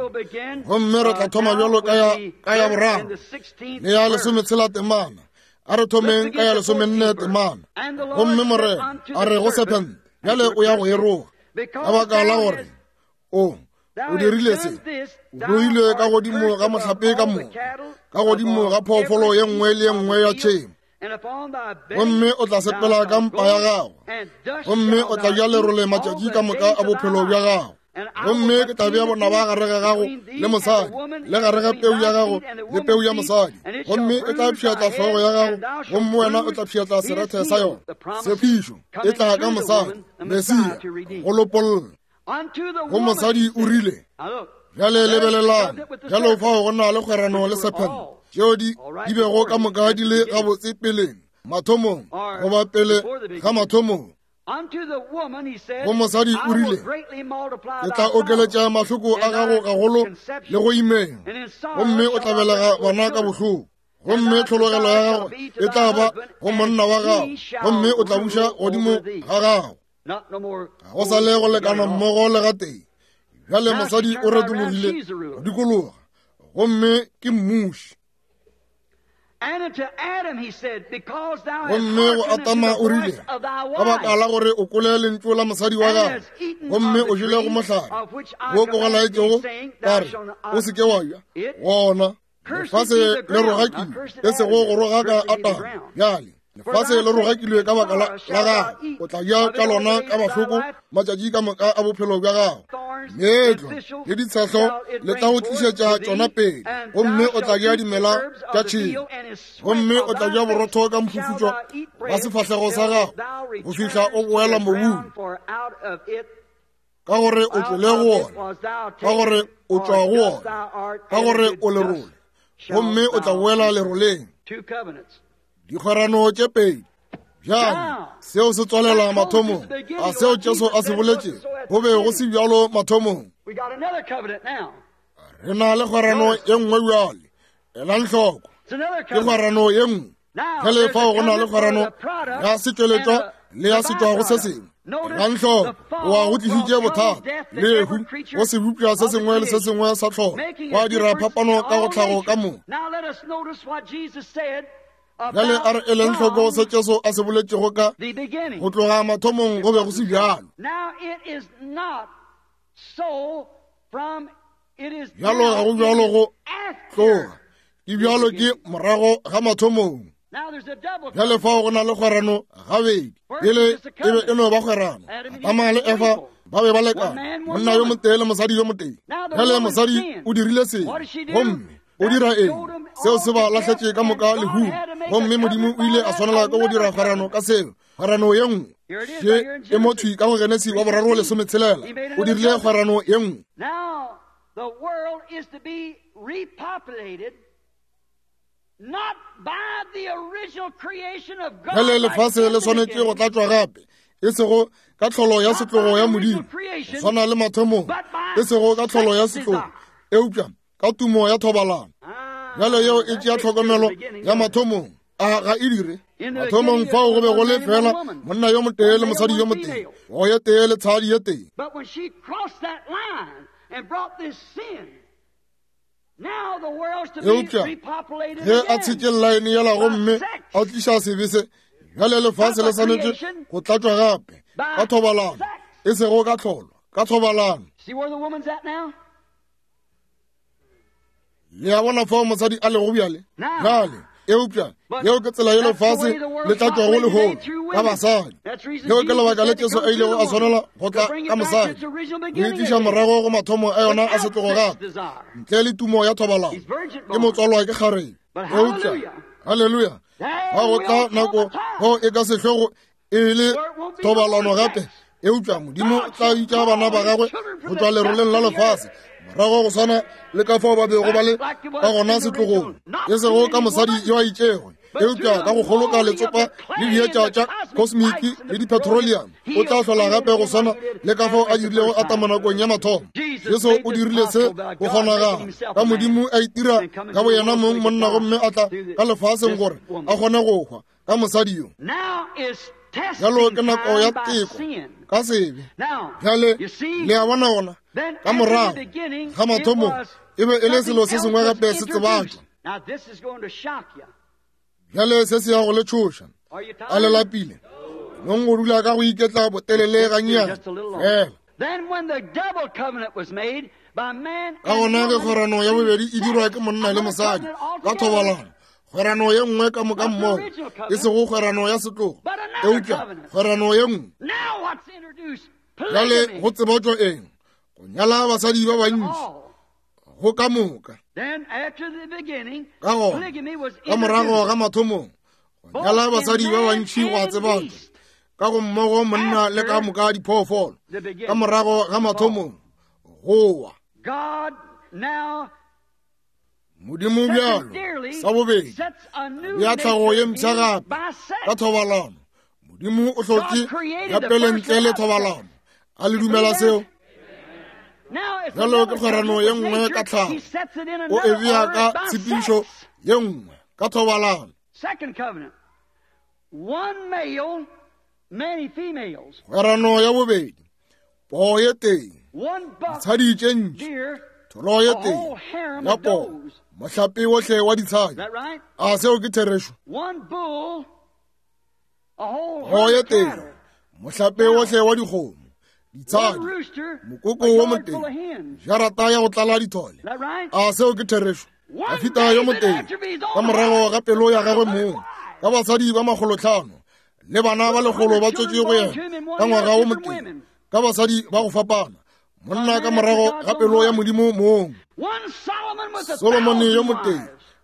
gomme re tla thoma bjalo ka ya boraro le ya lesometshela temana. A re thomeng ka ya lesomenne temana. Gomme Morena a re go sephente, bjale o ya go e roga, ka baka la gore o o dirile se, o roile ka godimo ga mohlape ka moka, ka godimo ga phoofolo ye nngwe le ye nngwe ya tšhemo, gomme o tla sepela ka mpa ya gago, gomme o tla ja lerole matšatši ka moka a bophelo bja gago. Gomme ke tla bea bonaba gare ga gago le mosadi, le gare ga peu ya gago le peu ya mosadi, gomme e tla pšhatla hlogo ya gago, gomme wena o tla pšhatla serethe sa yona. Tshepišo e tla ka mosadi, Mesia, go lopolla. Go mosadi o rile, bjale lebelelang, bjalo fao go na le kgwerano le sephente, tšeo di bego ka moka di le gabotse peleng, mathomong, goba pele ga mathomong. Go mosadi o rile, ke tla okeletša mahloko a gago gagolo le go imeng, gomme o tla belega bana ka bohloko. Gomme tlhologelo ya gago e tla ba go monna wa gago, gomme o tla buša godimo ga gago. Ga go sa le go lekana mmogo le gatee. Bjale mosadi o retologile go dikologa, gomme ke mmuši. Gomme go Adama o rile, ka baka la gore o kwele lentšu la mosadi wa gago, gomme o jele go mohlare wo ke go laetšego ka re, o se ke wa ja gona. Lefase le rogakilwe, e sego go rogaka Adama. Bjale lefase le rogakilwe ka baka la gago, o tla ja ka lona ka mahloko matšatši ka moka a bophelo bja gago. Meetlo le ditshehlo le tla go tlišetša tšona pele, gomme o tla ja dimela tša tšhemo, gomme o tla ja borotho ka mphufutšo wa sefahlego sa gago go fihla o boela mobung, ka gore o tlole go wona, ka gore o tšwa go wona, ka gore o lerole, gomme o tla boela leroleng. Dikgwerano tše pedi. Bjale seo se tswalela mathomong a seo Jesu a se boletšego, go be go se bjalo mathomong. Re na le kgwerano ye nngwe bjale. Elang hloko, ke kgwerano ye nngwe. Bjale fao go na le kgwerano ya setšweletšwa le ya setšwago se sengwe. Elang hloko, goa go tlišitše bothata, lehu go sebopša se sengwe le se sengwe sa tlholo, gwa dira phapano ka go tlhago ka moka. Bjale a re eleng hloko se Jesu a se boletšego ka go tloga mathomong go be go se bjalo. Bjalo ga go bjalo go tloga, ke bjalo ke morago ga mathomong. Bjale fao go na le kgwerano gabedi. Pele e be e no ba kgwerano, Adama le Efa ba be ba lekana, monna yo motee le mosadi yo motee. Bjale mosadi o dirile sebe, gomme o dira eng? Seo se ba lahletše ka moka lehung, gomme Modimo o ile a swanela ke go dira kgwerano ka seo, kgwerano ye nngwe. Še e mo thwi ka go Genesi wa boraro lesometshelela, o dirile kgwerano ye nngwe. Bjale lefase le swanetše go tlatšwa gape, e sego ka tlholo ya setlogo ya Modimo, go swana le mathomong, e sego ka tlholo ya setlogo, eupša ka tumo ya thobalano. Bjale yeo e tšea tlhokomelo ya mathomong, a ga e dire? Mathomong fao go be go le fela monna yo motee le mosadi yo motee, go ye tee le tshadi ye tee. Eupša ge a tshetše llaene yela gomme a tliša sebe se, bjale lefase le swanetše go tlatšwa gape ka thobalano, e sego ka tlholo, ka thobalano. Le a bona fao mosadi a lego bjale? Bjale, eupša yeo ke tsela ye lefase le tlatšwago lehono ka basadi. Leo ke lebaka le Jesu a ilego a swanela go tla ka mosadi, go e tliša morago go mathomo a yona a setlogo gape, ntle le tumo ya thobalano. Ke motswalwa ke kgarebe. Eupša, haleluya, ga go tla nako go e ka sehlogo e le thobalano gape, eupša Modimo o tla bitša bana ba gagwe go tšwa leroleng la lefase morago go swana le ka fao ba bego ba le ka gona setlogong, e sego ka mosadi yo a itšego, eupša ka go kgoloka letsopa le dietša tša kosmiki le dipetroleum. O tla hlola gape go swana le ka fao a dirilego Atama nakong ya mathomo. Jesu o dirile se go kgonagala ka Modimo a itira ka boyena mong monna gomme a tla ka lefaseng gore a kgone go hwa ka mosadi yo. Bjalo ke nako ya teko ka sebe. Bjale le a bona gona ka morago ga mathomong e be e le selo se sengwe gape se tsebatšwa. Bjale se se ya go le tšhoša. A le lapile? Nong go dula ka go iketla botelele gannyane fela. Ka gona ge kgwerano ya bobedi e dirwa ke monna le mosadi ka thobalano, kgwerano ye nngwe ka moka mmogo, e sego kgwerano ya setlogo, eupša kgwerano ye nngwe. Bjale go tsebatšwa eng? Go nyala basadi ba bantši go ka moka. Ka gona ka morago ga mathomong go nyala basadi ba bantši go a tsebatšwa ka go mmogo monna le ka moka diphoofolo. Ka morago ga mathomong go wa Modimo bjalo sa bobedi ya tlhago ye mpsha gape ka thobalano. Modimo o hlotše ya pele ntle le thobalano. A le dumela seo? Bjalo ke kgwerano ye nngwe ka tlhago, o e bea ka tshepedišo ye nngwe ka thobalano. Kgwerano ya bobedi, poo ye tee, ditshadi tše ntši, tholo ye tee ya poo, mohlape wohle wa ditshadi. A seo ke therešo? Poo ye tee, mohlape wohle wa dikgomo, ditshadi, mokoko wo motee, jarata ya go tlala dithole. A seo ke therešo? Dafita yo motee ka morago ga pelo ya gagwe mong, ka basadi ba makgolotlhano le bana ba lekgolo ba tswetše go yena ka ngwaga wo motee, ka basadi ba go fapana, monna ka morago ga pelo ya Modimo mong. Solomone yo motee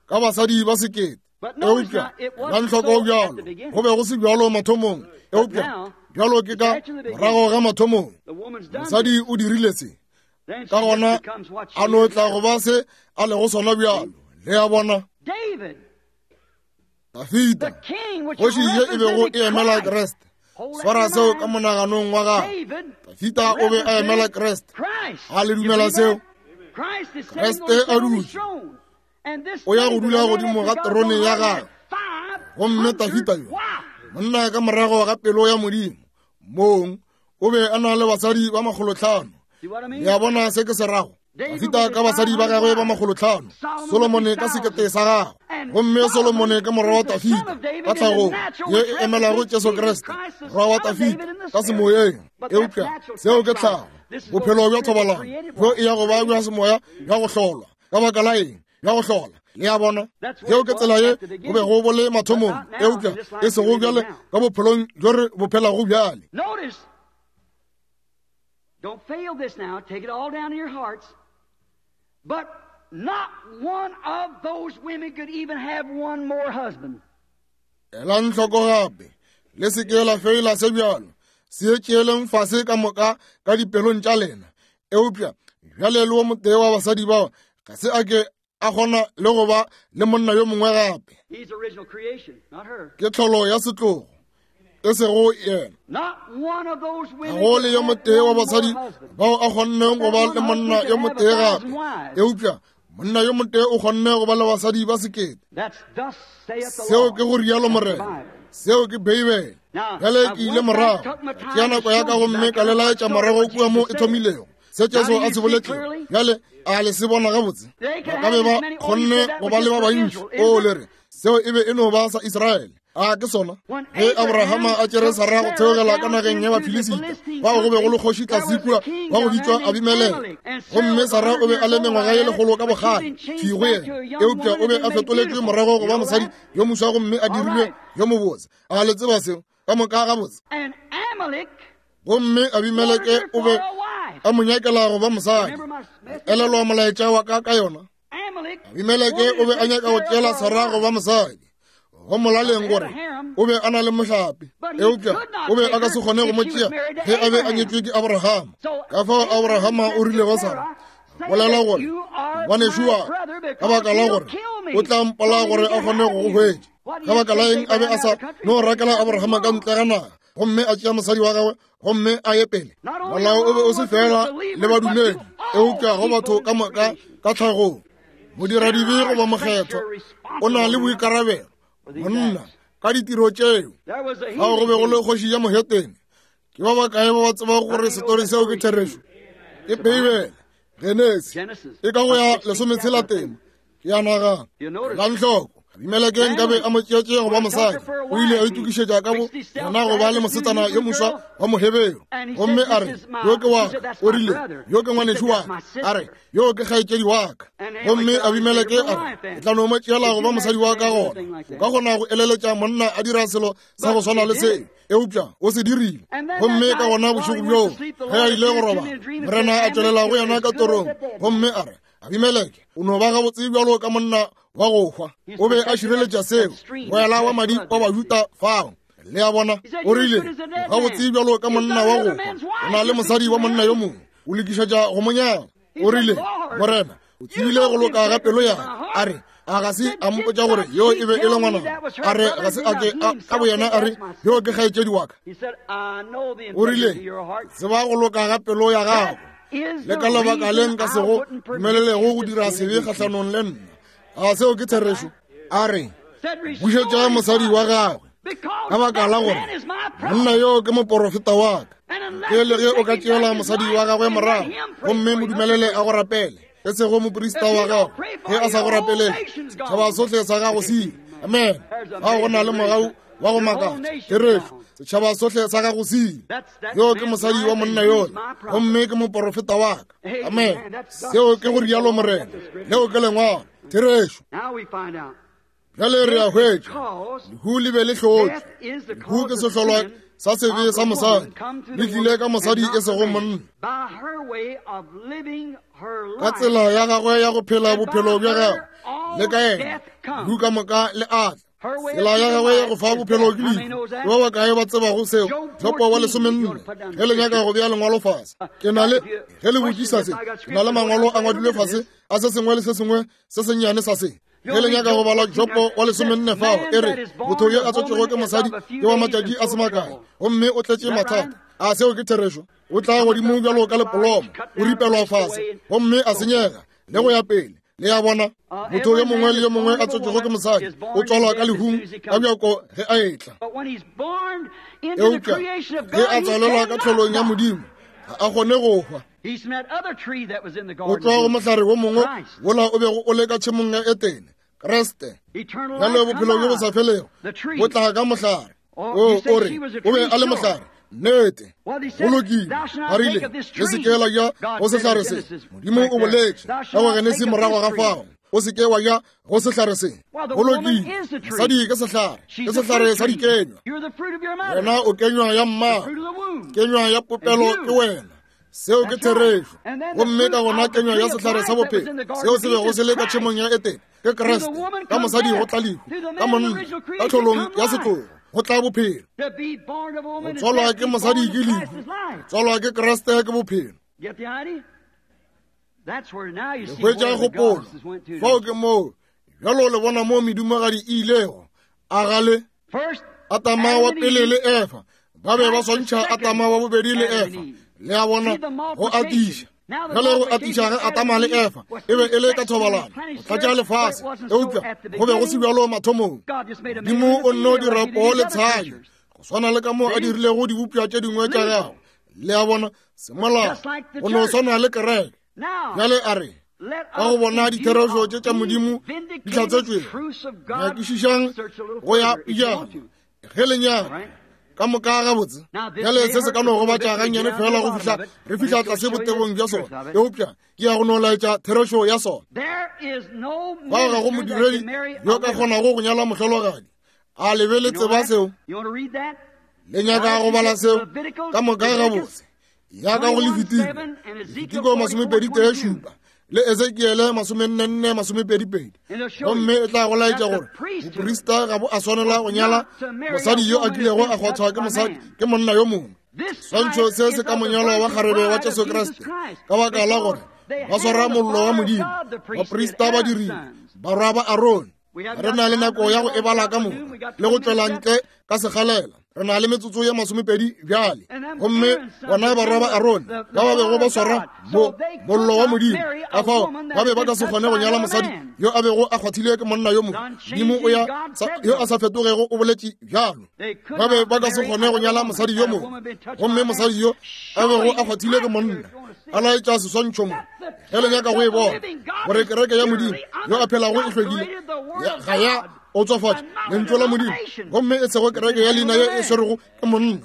ka basadi ba sekete. Eupša la ntlhoko bjalo go be go se bjalo mathomong, eupša bjalo ke ka morago ga mathomong. Mosadi o dirile se, ka gona a no tla go ba se a lego sona bjalo. Le a bona? Dafida, kgoši ye e bego e emela Kriste. Swara seo ka monaganong wa gago. Dafida o be a emela Kriste. A le dumela seo? Kriste a dutše, o ya go dula godimo ga terone ya gagwe. Gomme Dafida yo, monna ka morago ga pelo ya Modimo mong, o be a na le basadi ba makgolotlhano. Le a bona se ke se rago? Dafida ka basadi ba gagwe ba makgolotlhano, Solomone ka sekete sa gagwe. Gomme Solomone ke morwa wa Dafida ka tlhagong ye e emelago Jesu Kriste, morwa wa Dafida ka semoyeng. Eupša seo ke tlhago, bophelo bja thobalano bjo e ya go ba bja semoya bja go hlolwa. Ka baka la eng? Bja go hlola. Le a bona? Yeo ke tsela ye go bego bo le mathomong, eupša e sego bjale ka bophelong bjo re bo phelago bjale. Don't fail this now. Take it all down in your hearts. But not one of those women could even have one more husband. Elang hloko gape, le se ke la feila se bjalo, se tšeeleng fase ka moka ka dipelong tša lena. Eupša bjale le wo motee wa basadi bao ga se a ke a kgona le go ba le monna yo mongwe gape. Ke tlholo ya setlogo, e sego yena. Ga go le yo motee wa basadi bao a kgonneng go ba le monna yo motee gape, eupša monna yo motee o kgonne go ba le basadi ba sekete. Seo ke go rialo Morena. Seo ke Beibele. Bjale ke ile morago tšea nako ya ka gomme ka le laetša morago kua mo e thomilego, se Jesu a se boletšego. Bjale a le se bona gabotse? Ba ka be ba kgonne go ba le ba bantši. O le re seo e be e no ba sa Israele. A ke sona? Ge Abrahama a tšere Sara go theogela ka nageng ya Bafilisita, fao go be go le kgoši tlase kua wa go bitšwa Abimeleke. Gomme Sara o be a le mengwaga ye lekgolo ka bokgale, thwi go yena, eupša o be a fetoletšwe morago go ba mosadi yo moswa gomme a dirilwe yo mobotse. A le tseba seo ka moka gabotse? Gomme Abimeleke o be a mo nyakela go ba mosadi. Elelwa molaetša wa ka ka yona. Abimeleke o be a nyaka go tšeela Sara go ba mosadi, go molaleng gore o be a na le mohlape, eupša o be a ka se kgone go mo tšea ge a be a nyetšwe ke Abrahama. Ka fao Abrahama o rile go Sara, bolela gore ngwanešu wa ka baka la gore o tla mpola gore a kgone go go hwetša. Ka baka la eng a be a sa no rakela Abrahama ka ntle ga naga gomme a tšea mosadi wa gagwe gomme a ye pele? Molao o be o se fela le badumedi, eupša go batho ka moka ka tlhagong. Modiradibe goba mokgethwa o na le boikarabelo, monna, ka ditiro tšeo. Fao go be go le kgoši ya mohetene. Ke ba bakae ba ba tsebago gore setori seo ke therešo? Ke Beibele, Genesi, e ka go ya 16 tema. Ke a nagana. Elang hloko, Abimeleke nkabe a mo tšeetše go ba mosadi. O ile a itokišetša ka bo yena go ba le mosetsana yo moswa wa Moheberu, gomme a re, Yo ke wa ka. O rile, Yo ke ngwanešu wa ka. A re, Yo ke kgaetšedi wa ka. Gomme Abimeleke a re, Ke tla no mo tšeela go ba mosadi wa ka gona. O ka kgona go eleletša monna a dira selo sa go swana le seo, eupša o se dirile. Gomme ka gona bošego bjoo ge a ile go robala, Morena a tšwelela go yena ka torong, gomme a re, Abimeleke, o no ba gabotse bjalo ka monna wa go hwa. O be a šireletša seo, moela wa madi wa Bajuda fao. Le a bona? O rile, o gabotse bjalo ka monna wa go hwa. O na le mosadi wa monna yo mongwe, o lokišetša go mo nyala. O rile, Morena, o tsebile go loka ga pelo ya ka. A re, a ga se a mpotša gore yo e be e le ngwana? A re, ga se a ke ka boyena a re, yo ke kgaetšedi wa ka? O rile, tseba go loka ga pelo ya gago. Le ka lebaka le nka se go dumelelego go dira sebe kgahlanong le nna. A seo ke therešo? A re, bušetša mosadi wa gagwe, ka baka la gore monna yo ke moporofeta wa ka. Ke le ge o ka tšeela mosadi wa gagwe morago, gomme mo dumelele a go rapele, e sego moprista wa gago. Ge a sa go rapelele, setšhaba sohle sa gago se ile. Amen. Ga go na le mogau wa go makatša. Therešo, setšhaba sohle sa gago se ile. Yo ke mosadi wa monna yola, gomme ke moporofeta wa ka. Amen. Seo ke go rialo Morena. Leo ke lengwalo. Therešo. Bjale re a hwetša, lehu le be le hlotšwe. Lehu ke sehlolwa sa sebe sa mosadi, le tlile ka mosadi e sego monna. Ka tsela ya gagwe ya go phela bophelo bja gagwe, le ka yena lehu ka moka le a tla. Tsela ya gagwe ya go fa bophelo ke lehu. Ke ba bakae ba tsebago seo? Jopo wa 14, ge le nyaka go bea lengwalo fase. Ke na le, ge le botšiša se, ke na le mangwalo a ngwadilwe fase a se sengwe le se sengwe se sennyane sa se. Ge le nyaka go bala Jopo wa 14 fao, e re, motho yo a tswetšwego ke mosadi ke wa matšatši a se makae, gomme o tletše mathata. A seo ke therešo? O tla godimo bjalo ka lepolomo, o ripelwa fase, gomme a senyega, le go ya pele. Le a bona? Motho yo mongwe le yo mongwe a tswetšwego ke mosadi o tswalwa ka lehung ka bjako ge a etla. Eupša ge a tswalelwa ka tlholong ya Modimo, ga a kgone go hwa. O tšwa go mohlare wo mongwe wola o bego o le ka tšhemong ya Etene, Kriste. Bjale bophelo bjo bo sa felego bo tla ka mohlare. O, o re, o be a le mohlare. Nnete. Go lokile. Ba rile, Le se ke la ja go sehlare se. Modimo o boletše ka go Genesi morago ga fao. O se ke wa ja go sehlare se. Go lokile. Mosadi ke sehlare. Ke sehlare sa dikenywa. Wena o kenywa ya mmago. Kenywa ya popelo ke wena. Seo ke therešo. Gomme ka gona kenywa ya sehlare sa bophelo, seo se bego se le ka tšhemong ya Etene, ke Kriste. Ka mosadi go tla lehu, ka monna, ka tlholong ya setlogo, go tla bophelo. Go tswalwa ke mosadi ke lehu, go tswalwa ke Kriste ke bophelo. Le hwetša kgopolo. Fao ke moo bjalo le bona mo medumagadi e ilego. A ga le? Atama wa pele le Efa ba be ba swantšha Atama wa bobedi le Efa. Le a bona, go atiša. Bjale go atiša ge Atama le Efa e be e le ka thobalano go tlatša lefase, eupša go be go se bjalo mathomong. Modimo o nno dira poo le tshadi go swana le ka moo a dirilego dibopša tše dingwe tša gagwe. Le a bona, semolao go no swana le kereke. Bjale a re ka go bona ditherešo tše tša Modimo di hlatsetšwego, nyakišišang go ya pejana ge le nyaka ka moka gabotse. Bjale se se ka no gobatša gannyane fela go fihla re fihla tlase botebong bja sona, eupša ke ya go no laetša therešo ya sona. Fao ga go modiredi yo ka kgonago go nyala mohlologadi. A le be le tseba seo? Le nyaka go bala seo ka moka gabotse? Ya ka go Lefitiko, Lefitiko 27 le Ezekiele 44 22, gomme e tla go laetša gore boprista ga bo a swanela go nyala mosadi yo a kilego a kgwathwa ke mosadi ke monna yo mongwe. Swantšho se se ka monyalwa wa kgarebe wa Jesu Kriste, ka baka la gore ba swara mollo wa Modimo, baprista ba dirile barwa ba Arone. Re na le nako ya go e bala ka moka le go tšwela ntle ka segalela. Re na le metsotso ye 20 bjale. Gomme bona barwa ba Arone ba ba bego ba swara mo mollo wa Modimo, ka fao ba be ba ka se kgone go nyala mosadi yo a bego a kgwathile ke monna yo mongwe. Modimo o ya yo a sa fetogego o boletše bjalo. Ba be ba ka se kgone go nyala mosadi yo mongwe, gomme mosadi yo a bego a kgwathile ke monna a laetša seswantšho mo. Ge le nyaka go e bona gore kereke ya Modimo yo a phelago e hlwekile, ga ya otswafatša lentšu la Modimo, gomme e sego kereke ya leina ye e swerego ke monna.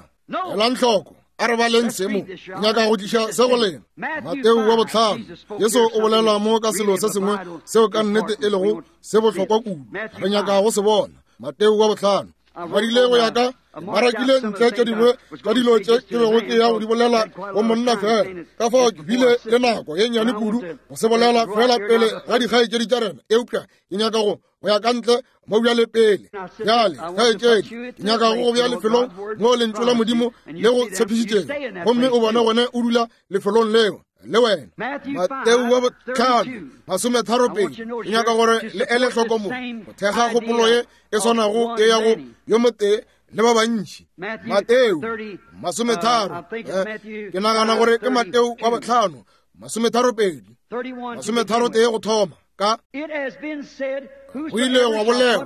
Elang hloko, a re baleng se mo. Nyaka go tliša se go lena. Mateo wa 5, Jesu o bolela mo ka selo se sengwe seo ka nnete e lego se bohlokwa kudu. Re nyaka go se bona. Mateo wa 5. Ngwadile go ya ka marakile ntle tše dingwe tša dilo tše ke bego ke ya go di bolela go monna fela. Ka fao ke bile le nako ye nnyane kudu go se bolela fela pele ga dikgaetšedi tša rena, eupša ke nyaka go ya ka ntle mo bjale pele. Bjale kgaetšedi, ke nyaka go go bea lefelong mo lentšu la Modimo le go tshepišitšego, gomme o bone gone o dula lefelong leo le wena. Mateo wa 5 32, ke nyaka gore le ele hloko mo go thekga kgopolo ye e swanago e ya go yo motee le ba bantši. Mateo 30, ke nagana gore ke Mateo wa 5 32, 31 go thoma. Ka go ile gwa bolelwa,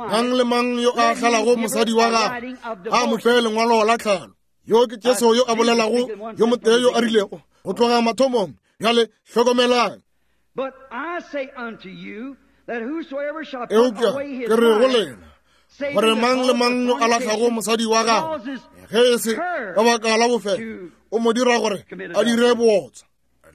mang le mang yo a hlalago mosadi wa gagwe a mo fe lengwalo la tlhalo. Yo ke Jesu yo a bolelago, yo motee yo a rilego go tloga mathomong. Bjale hlokomelang. Eupša ke re go lena gore mang le mang yo a lahlago mosadi wa gagwe, ge e se ka baka la bofelo, o mo dira gore a dire bootswa.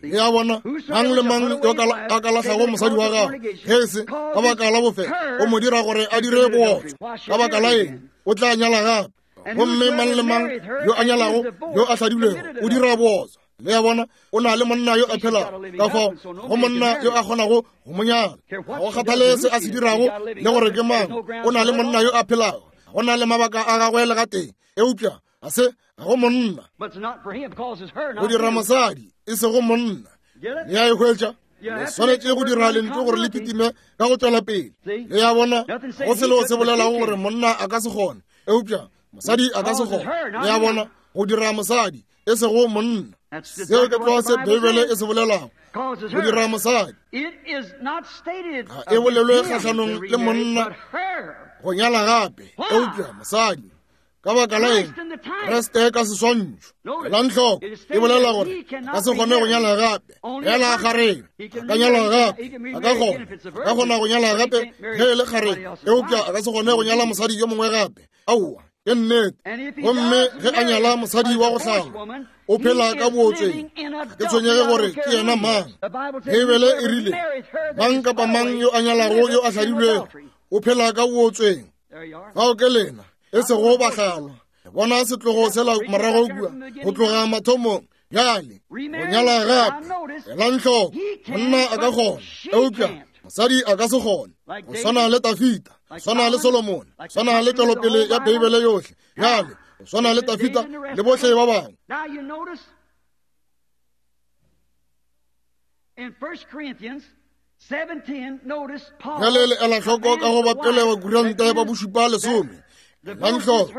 Le a bona, mang le mang yo a ka lahlago mosadi wa gagwe, ge e se ka baka la bofelo, o mo dira gore a dire bootswa. Ka baka la eng? O tla nyala gape. Gomme mang le mang yo a nyalago yo a hladilwego o dira bootswa. Le a bona, o na le monna yo a phelago, ka fao go monna yo a kgonago go mo nyala. Ga go kgathale se a se dirago le gore ke mang, o na le monna yo a phelago. Go na le mabaka a gagwe le gatee, eupša ga se ga go monna. Go dira mosadi, e sego monna. Le a e hwetša? Le swanetše go dira lentšu gore le kitime ka go tšwela pele. Le a bona, go selo se bolelago gore monna a ka se kgone, eupša mosadi a ka se kgone. Le a bona, go dira mosadi, e sego monna. Seo ke tlwa se Beibele e se bolelago, go dira mosadi. Ga e bolelwe kgahlanong le monna go nyala gape, eupša mosadi. Ka baka la eng? Kriste ka seswantšho. Elang hloko, e bolela gore a ka se kgone go nyala gape. Fela kgarebe a ka nyala gape, a ka kgona, a ka kgona go nyala gape ge e le kgarebe, eupša a ka se kgone go nyala mosadi yo mongwe gape. Aowa. Ke nnete. Gomme ge a nyala mosadi wa go hlalwa, o phela ka bootsweng. Ga ke tshwenyege gore ke yena mang. Beibele e rile, Mang kapa mang yo a nyalago yo a hladilwego, o phela ka bootsweng. Fao ke lena, e sego bahlalwa. Bona setlogo sela morago kua, go tloga mathomong. Bjale, go nyala gape, elang hloko, monna a ka kgona, eupša mosadi a ka se kgone. Go swana le Tafita, go swana le Solomone, go swana le tšwelopele ya Beibele yohle. Bjale, go swana le Tafita le bohle ba bangwe. In 1 Corinthians 7:10, notice Paul Bjale le ela hloko ka go ba pele ba kuranta ba bošupa lesome. Elang hloko,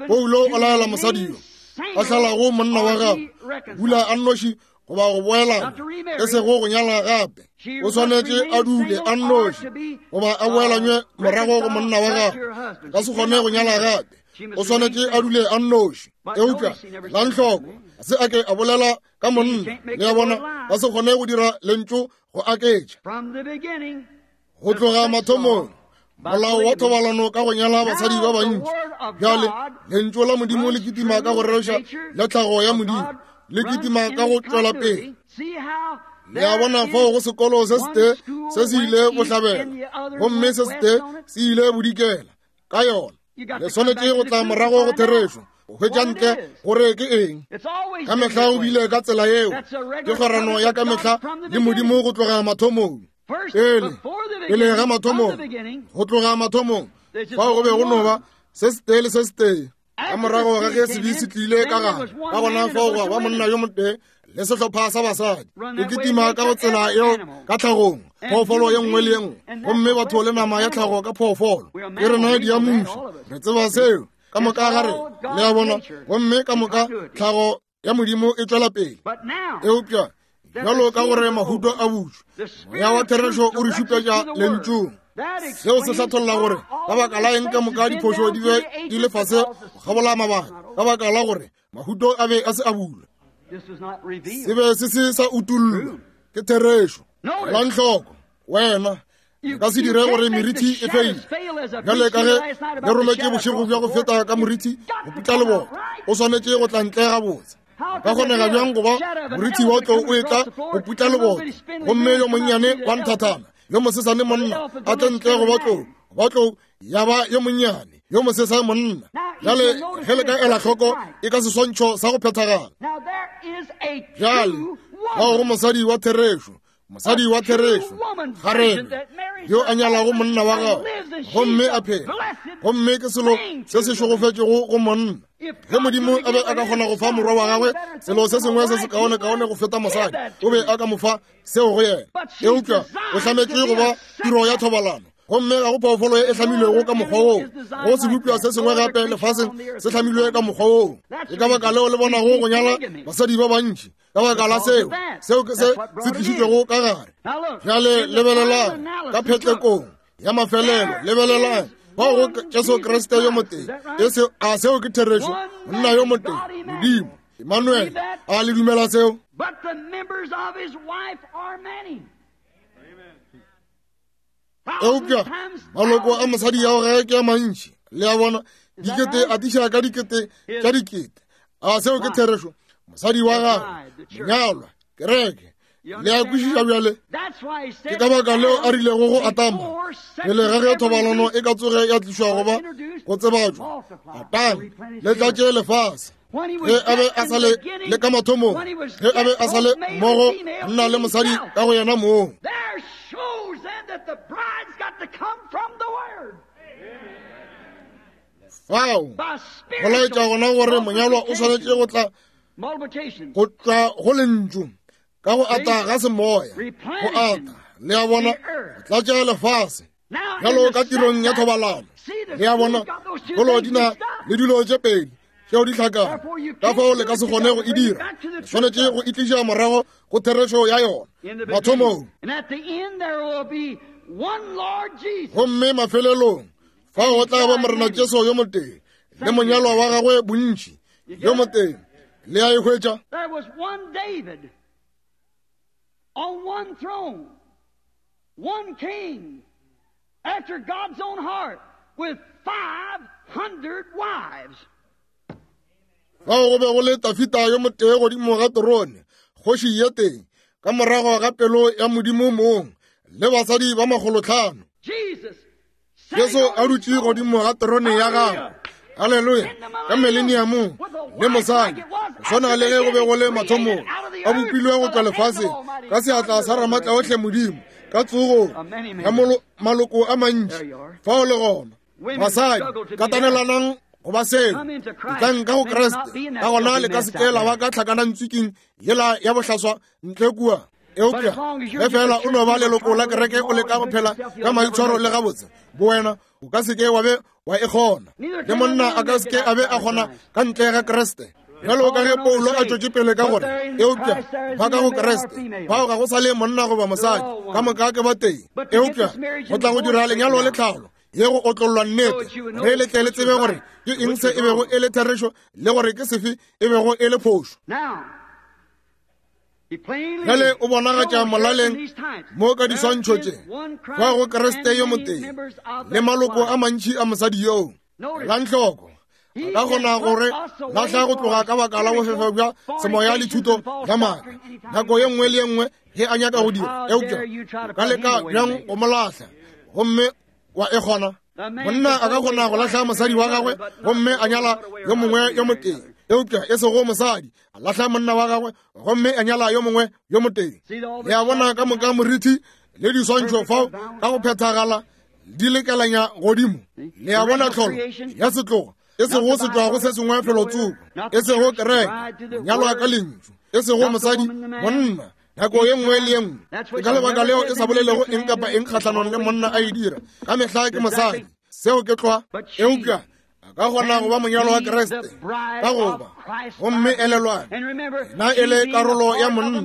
Paulo o laela mosadi yo a hlalago monna wa gagwe dula a nnoši goba go boelana, e sego go nyala gape. O swanetše a dule a nnoši goba a boelanywe morago go monna wa gagwe. Ka se kgone go nyala gape, o swanetše a dule a nnoši. Eupša elang hloko, ga se a ke a bolela ka monna. Le a bona, ba se kgone go dira lentšu go aketša. Go tloga mathomong, molao wa thobalano ka go nyala basadi ba bantši. Bjale lentšu la Modimo le kitima ka go rereša le tlhago ya Modimo, le kitima ka go tšwela pele. Le a bona fao go sekolo se setee se se ile bohlabela gomme se setee se ile bodikela ka yona. Le swanetše go tla morago go therešo, go hwetša ntle gore ke eng. Ka mehla o bile ka tsela yeo. Ke kgwerano ya ka mehla le Modimo go tloga mathomong. Pele, pele ga mathomong, go tloga mathomong, fao go be go no ba se setee le se setee. Ka morago ga ge sebe se tlile ka gare, ka gona fao gwa ba monna yo motee le sehlopha sa basadi. E kitima ka go tsela yeo ka tlhagong, phoofolo ye nngwe le ye nngwe, gomme batho le nama ya tlhago ka phoofolo. Ke rena diamuši, re tseba seo ka moka ga rena, le a bona, gomme ka moka tlhago ya Modimo e tšwela pele. Eupša bjalo ka gore mahuto a butšwe, moya wa therešo o re šupetša lentšung. Seo se hlatholla gore ka baka la eng ka moka diphošo di be di le fase go kgabola mabaka, ka baka la gore mahuto a be a se a bulwa, se be se se sa utollwa. Ke therešo. Elang hloko, wena ka se dire gore merithi e feile. Bjale ka ge le rometše bošego bja go feta ka morithi go putla lebota, o swanetše go tla ntle gabotse. Ka kgonega bjang go ba morithi wa tlou o etla go putla lebota, gomme yo monnyane wa nthathana yo mosesane monna a tle ntle go ba tlou, ba tlou ya ba yo monnyane yo mosesane monna. Bjale ge le ka ela hloko, e ka seswantšho sa go phethagala. Bjale bao go mosadi wa therešo, mosadi wa therešo, kgarebe yo a nyalago monna wa gagwe gomme a phela, gomme ke selo se se šegofetšego go monna. Ge Modimo a be a ka kgona go fa morwa wa gagwe selo se sengwe se se kaonekaone go feta mosadi, o be a ka mo fa seo go yena. Eupša o hlametšwe go ba tiro ya thobalano, gomme ga go phoofolo e hlamilwego ka mokgwa woo, go sebopša se sengwe gape lefaseng se hlamilwe ka mokgwa woo. Ke ka baka leo le bonago go nyala basadi ba bantši, ka baka la seo. Seo ke se se tlišitšwego ka gare. Bjale lebelelang ka phetlekong ya mafelelo, lebelelang bao go Jesu Kriste yo motee. E se, a seo ke therešo? Monna yo motee, Modimo, Emmanuel. A le dumela seo? But the members of his wife are many. Eupša maloko a mosadi ya gagwe ke a mantši. Le a bona, dikete atiša ka dikete tša dikete. A seo ke therešo? Mosadi wa gagwe, monyalwa, kereke. Le a kwešiša bjale? Ke ka baka leo a rilego go Atama, pele ga ge thobalano e ka tsoge ya tlišwa goba go tsebatšwa, Atama, le tlatše lefase. Ge a be a sa le le ka mathomong, ge a be a sa le mmogo monna le mosadi ka go yena mong. Fao go laetša gona gore monyalwa o swanetše go tla go tšwa go lentšu ka go ata ga semoya, go ata, le a bona, go tlatša lefase bjalo ka tirong ya thobalano. Le a bona, dikolo di na le dilo tše pedi tšeo di hlakago, ka fao le ka se kgone go e dira. Le swanetše go e tliša morago go therešo ya yona mathomong. Gomme mafelelong fao go tla ba Morena Jesu yo motee le monyalwa wa gagwe bontši yo motee. Le a e hwetša? There was one David on one throne, one king after God's own heart with 500 wives. Fao go be go le Tafita yo motee godimo ga terone, kgoši ye tee, ka morago ga pelo ya Modimo mong, le basadi ba 500. Jesus Jesu a dutše godimo ga terone ya gagwe, haleluya, ka mileniamong, le mosadi, go swana le ge go be go le mathomong, a bopilwe go tšwa lefaseng ka seatla sa Ramatlaohle Modimo, ka tsogong ya maloko a mantši. Fao le gona, basadi, katanelanang go ba seo, etlang ka go Kriste, ka gona le ka se ke la ba ka tlhakanantswiking yela ya bohlaswa ntle kua. Eupša ge fela o no ba leloko la kereke o leka go phela ka maitshwaro le gabotse bowena, o ka se ke wa be wa e kgona. Le monna a ka se ke a be a kgona ka ntle ga Kriste. Bjalo ka ge Paulo a tšwetše pele ka gore, eupša ba ka go Kriste, bao ga go sa le monna goba mosadi, ka moka ke ba tee. Eupša go tla go dira lenyalo le tlhalo ye go otlollwa nnete, ge le tle le tsebe gore ke eng se e bego e le therešo le gore ke sefe e bego e le phošo. Bjale o bonagatša molaleng mo ka diswantšho tše, kwa go Kriste yo motee le maloko a mantši a mosadi yoo. Elang hloko, a ka kgona gore lahla go tloga ka baka la bofefe bja semoya le thuto ya maaka nako ye nngwe le ye nngwe ge a nyaka go dira, eupša o ka leka bjang go mo lahla gomme wa e kgona? Monna a ka kgona go lahla mosadi wa gagwe gomme a nyala yo mongwe yo motee, eupša e sego mosadi a lahla monna wa gagwe gomme a nyala yo mongwe yo motee. Le a bona ka moka morithi le diswantšho fao ka go phethagala di lekelanya godimo. Le a bona tlholo ya setlogo, e sego se tšwago se sengwe felotsoko, e sego kereke, nyalwa ka lentšu, e sego mosadi, monna, nako ye nngwe le ye nngwe. Ke ka lebaka leo e sa bolelego eng kapa eng kgahlanong le monna a e dira, ka mehla ke mosadi. Seo ke tlwa. Eupša a ka kgona go ba monyalo wa Kriste ka goba, gomme elelwang, na e le karolo ya monna.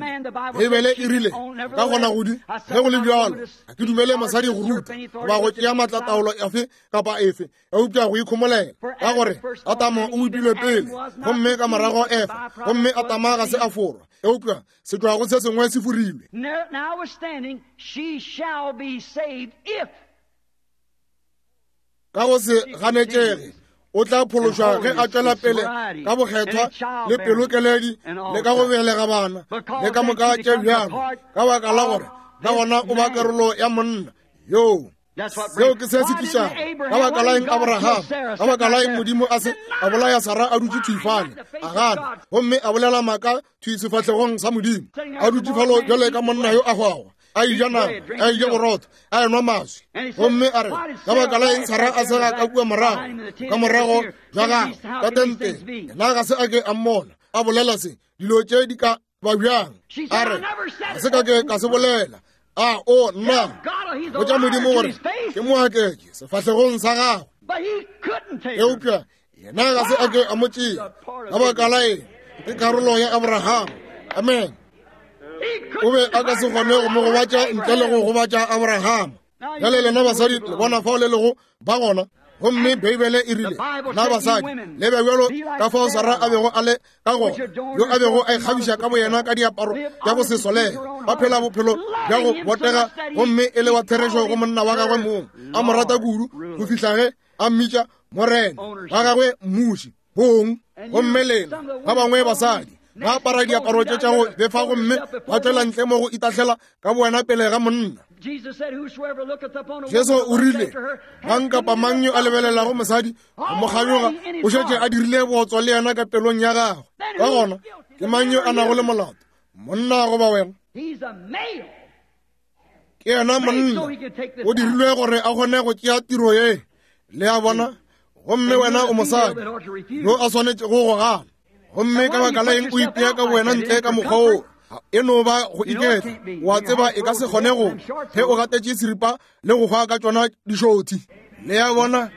Beibele e rile ka kgona go di. Ge go le bjalo, ga ke dumele mosadi go ruta goba go tšea maatlataolo efe kapa efe, eupša go ikhomolela, ka gore Adamo o bopilwe pele gomme ka morago Efa, gomme Adama ga se a forwa, eupša se tšwago se sengwe se forilwe. Notwithstanding, she shall be saved if Ka go se ganetšege o tla phološwa ge a tšwela pele ka bokgethwa le pelokeledi le ka go belega bana le ka moka tše bjalo, ka baka la gore ka gona o ba karolo ya monna yoo. Seo ke se se tlišago. Ka baka la eng Abraham, ka baka la eng Modimo a se a bolaya Sara a dutše thwi fale, a gana gomme a bolela maaka thwi sefahlegong sa Modimo, a dutše falo bjale ka monna yo a hwago, a eja nama, a eja borotho, a enwa maswi, gomme a re, ka baka la eng Sara a sega ka kua morago, ka morago bja gagwe ka tenteng, yena ga se a ke a mmona a bolela se, dilo tše di ka ba bjang? A re, ga se ka ke ka se bolela. A o nna botša Modimo gore ke moaketše sefahlegong sa gagwe, eupša yena ga se a ke a mo tšea. Ka baka la eng? Ke karolo ya Abraham. Amen. O be a ka se kgone go mo gobatša ntle le go gobatša Abraham. Bjale lena basadi le bona fao le lego ba gona. Gomme Beibele e rile, na basadi le be bjalo ka fao Sara a bego a le ka gona, yo a bego a ikgabiša ka boyena ka diaparo tša go se solege, ba phela bophelo bja go botega gomme e le wa therešo go monna wa gagwe mong, a mo rata kudu go fihla ge a mmitša morena wa gagwe, mmuši bong. Gomme lena ba bangwe basadi ba apara diaparo tše tša go befa gomme ba tšwela ntle mo go itahlela ka bowena pele ga monna. Jesu o rile, mang kapa mang yo a lebelelago mosadi go mo kganyoga o šetše a dirile bootswa le yena ka pelong ya gagwe. Ka gona ke mang yo a nago le molato, monna goba wena? Ke yena monna, o dirilwe gore a kgone go tšea tiro ye. Le a bona? Gomme wena o mosadi yo a swanetšego go gana. Gomme ka baka la eng o ipea ka wena ntle ka mokgwa wo? E no ba go iketla. O a tseba e ka se kgone go ge o gatetše seripa le go hwa ka tšona dišothi. Le a bona?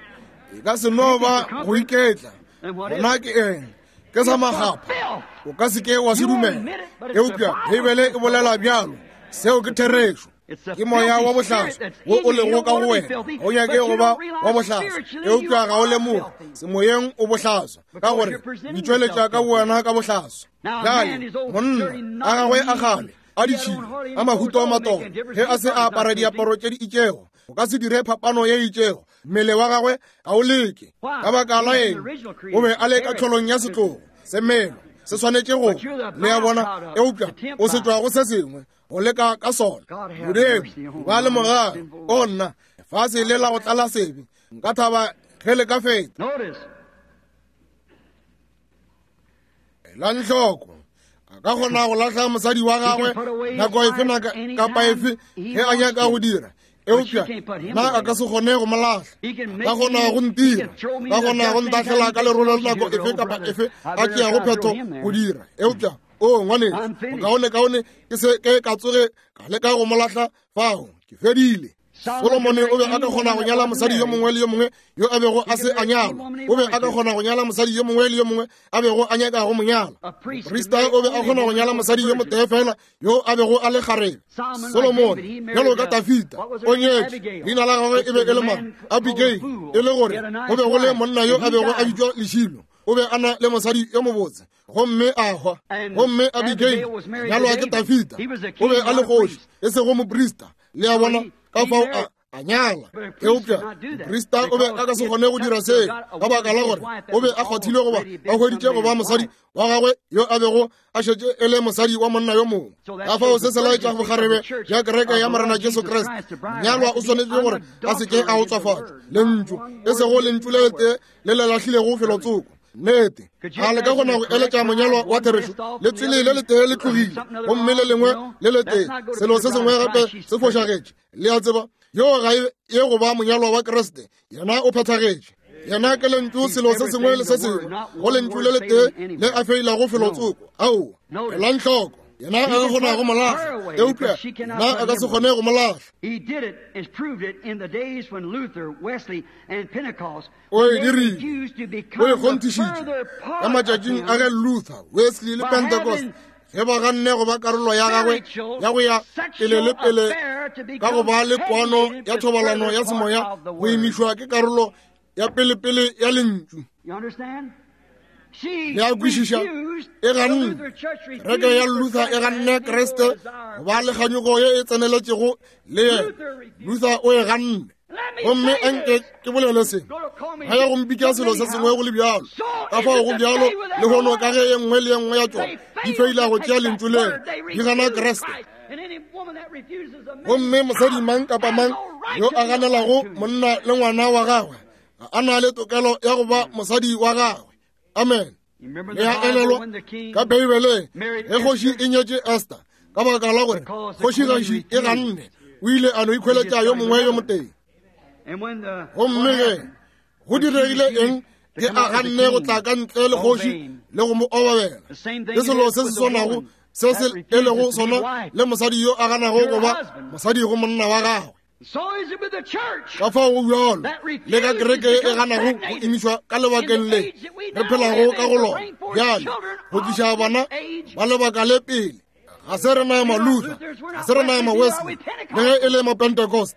E ka se no ba go iketla. Gona ke eng? Ke sa magapa. O ka se ke wa se dumela, eupša Beibele e bolela bjalo. Seo ke therešo. Ke moya wa bohlaswa wo o lego ka go wena. O nyake go ba wa bohlaswa, eupša ga o lemoge semoyeng o bohlaswa, ka gore o itšweletša ka wena ka bohlaswa. Bjale monna a gagwe a kgale a ditšhila a mahuto a matolo, ge a se a apara diaparo tše di itšego, O ka se dire phapano ye itšego. Mmele wa gagwe ga o leke. Ka baka la eng? O be a le ka tlholong ya setlogo. Semelo se swanetše go, le a bona, eupša o se tšwa go se sengwe go leka ka sona. Modimo, ba le mogare. O nna, lefase le la go tlala sebe. Nka thaba ge le ka feta. Elang hloko, a ka kgona go lahla mosadi wa gagwe nako efe kapa efe ge a nyaka go dira, eupša na a ka se kgone go mo lahla. Ka kgona go ntira, ka kgona go ntahlela ka lerolo nako efe kapa efe a tšeago phetho go dira, eupša o ngwaneso, bokaonekaone ke se ke ka tsoge ka leka go mo lahla fao. Ke fedile. Solomone o be a ka kgona go nyala mosadi yo mongwe le yo mongwe yo a bego a se a nyalwa. O be a ka kgona go nyala mosadi yo mongwe le yo mongwe a bego a nyaka go mo nyala. Moprista o be a kgona go nyala mosadi yo motee fela yo a bego a le kgarebe. Solomone, bjalo ka Dafita, o nyetše. Leina la gagwe e be e le mang? Abigail. E le gore go be go le monna yo a bego a bitšwa Lešilo. O be a na le mosadi yo mobotse gomme a hwa. Gomme Abigail nyalwa ke Dafita. O be a le kgoši, e sego moprista. Le a bona, ka fao a nyala. Eupša moprista o be a ka se kgone go dira seo ka baka la gore o be a kgwathile goba a hweditše go ba mosadi wa gagwe yo a bego a šetše e le mosadi wa monna yo mongwe. Ka fao se se laetša bokgarebe bja kereke ya Morena Jesu Kriste. Monyalwa o swanetše gore a se ke a otswafatšwa lentšu, e sego lentšu le letee le le lahlilego felotsoko. Nnete, a le ka kgona go eletša monyalwa wa therešo? Letswele le letee le tlogile gomme le lengwe le letee, selo se sengwe gape se fošagetše. Le a tseba, yo ga ye go ba monyalwa wa Kriste. Yena o phethagetše. Yena ke lentšu, selo se sengwe le se sengwe go lentšu le letee le a feilago felotsoko. Aowa, elang hloko. Yena a ka kgona go mo lahla, eupša yena a ka se kgone go mo lahla. O e dirile, o e kgonthišitše ka matšatšing a ge Luther, Wesley le Pentecost ge ba ganne go ba karolo ya gagwe ya go ya pele le pele ka go ba le kwano ya thobalano ya semoya go imišwa ke karolo ya pelepele ya lentšu. Le a kwešiša? E ganne. Kereke ya Luther e ganne Kriste go ba le kganyogo ye e tseneletšego le yena. Luther o e ganne. Gomme anke ke bolele se, ga ya go mpitša selo se sengwe go le bjalo. Ka fao go bjalo lehono ka ge ye nngwe le ye nngwe ya tšona di feila go tšea lentšu leo, di gana Kriste. Gomme mosadi mang kapa mang yo a ganelago monna le ngwana wa gagwe ga a na le tokelo ya go ba mosadi wa gagwe. Amen. Le a elelwa ka Beibeleng ge kgoši e nyetše Esther, ka baka la gore kgošigaši e ganne, o ile a no ikhweletša yo mongwe yo motee. Gomme ge go diregile eng ge a ganne go tla ka ntle le kgoši le go mo obabela? Ke selo se se swanago se se e lego sona le mosadi yo a ganago go ba mosadi go monna wa gagwe. Ka fao go bjalo le ka kereke e ganago go imišwa ka lebakeng le re phelago ka go lona bjale, go tliša bana ba lebaka le pele. Ga se re na ma-Luther, ga se re na ma-Wesley, le ge e le ma-Pentecost.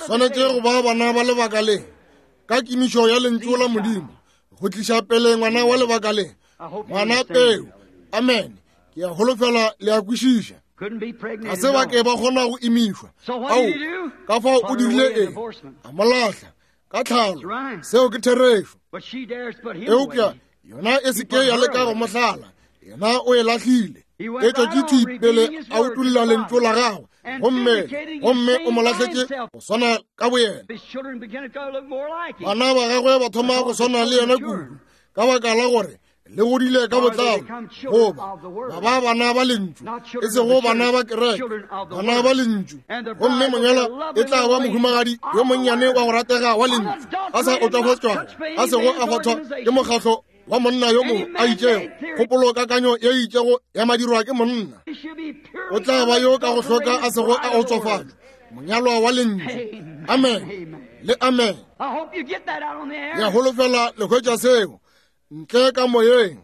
Swanetše go ba bana ba lebaka le ka kimišo ya lentšu la Modimo, go tliša pele ngwana wa lebaka le, ngwana peo. Amen. Ke a holofela le a kwešiša. Ga se ba ke ba kgona go imišwa. Ao, ka fao o dirile eng? A mo lahla ka tlhalo. Seo ke therešo. Eupša yona e se ke ya leka go mo hlala, yena o e lahlile. E tšwetše thwi pele a utolla lentšu la gagwe, gomme o mo lahletše go swana ka boyena. Bana ba gagwe ba thoma go swana le yena kudu, ka baka la gore le godile ka botlalo, goba ba ba bana ba lentšu, e sego bana ba kereke, bana ba lentšu. Gomme monyalwa e tla ba mohumagadi yo monnyane wa go ratega wa lentšu, a sa otswafatšwago, a sego a kgwathwa ke mokgahlo wa monna yo mongwe a itšego, kgopolo kakanyo ye itšego ya madirwa ke monna. O tla ba yo ka go hloka a sego a otswafatšwa, monyalwa wa lentšu. Amen le amen. Ke a holofela le hwetša seo ntle ka moyeng.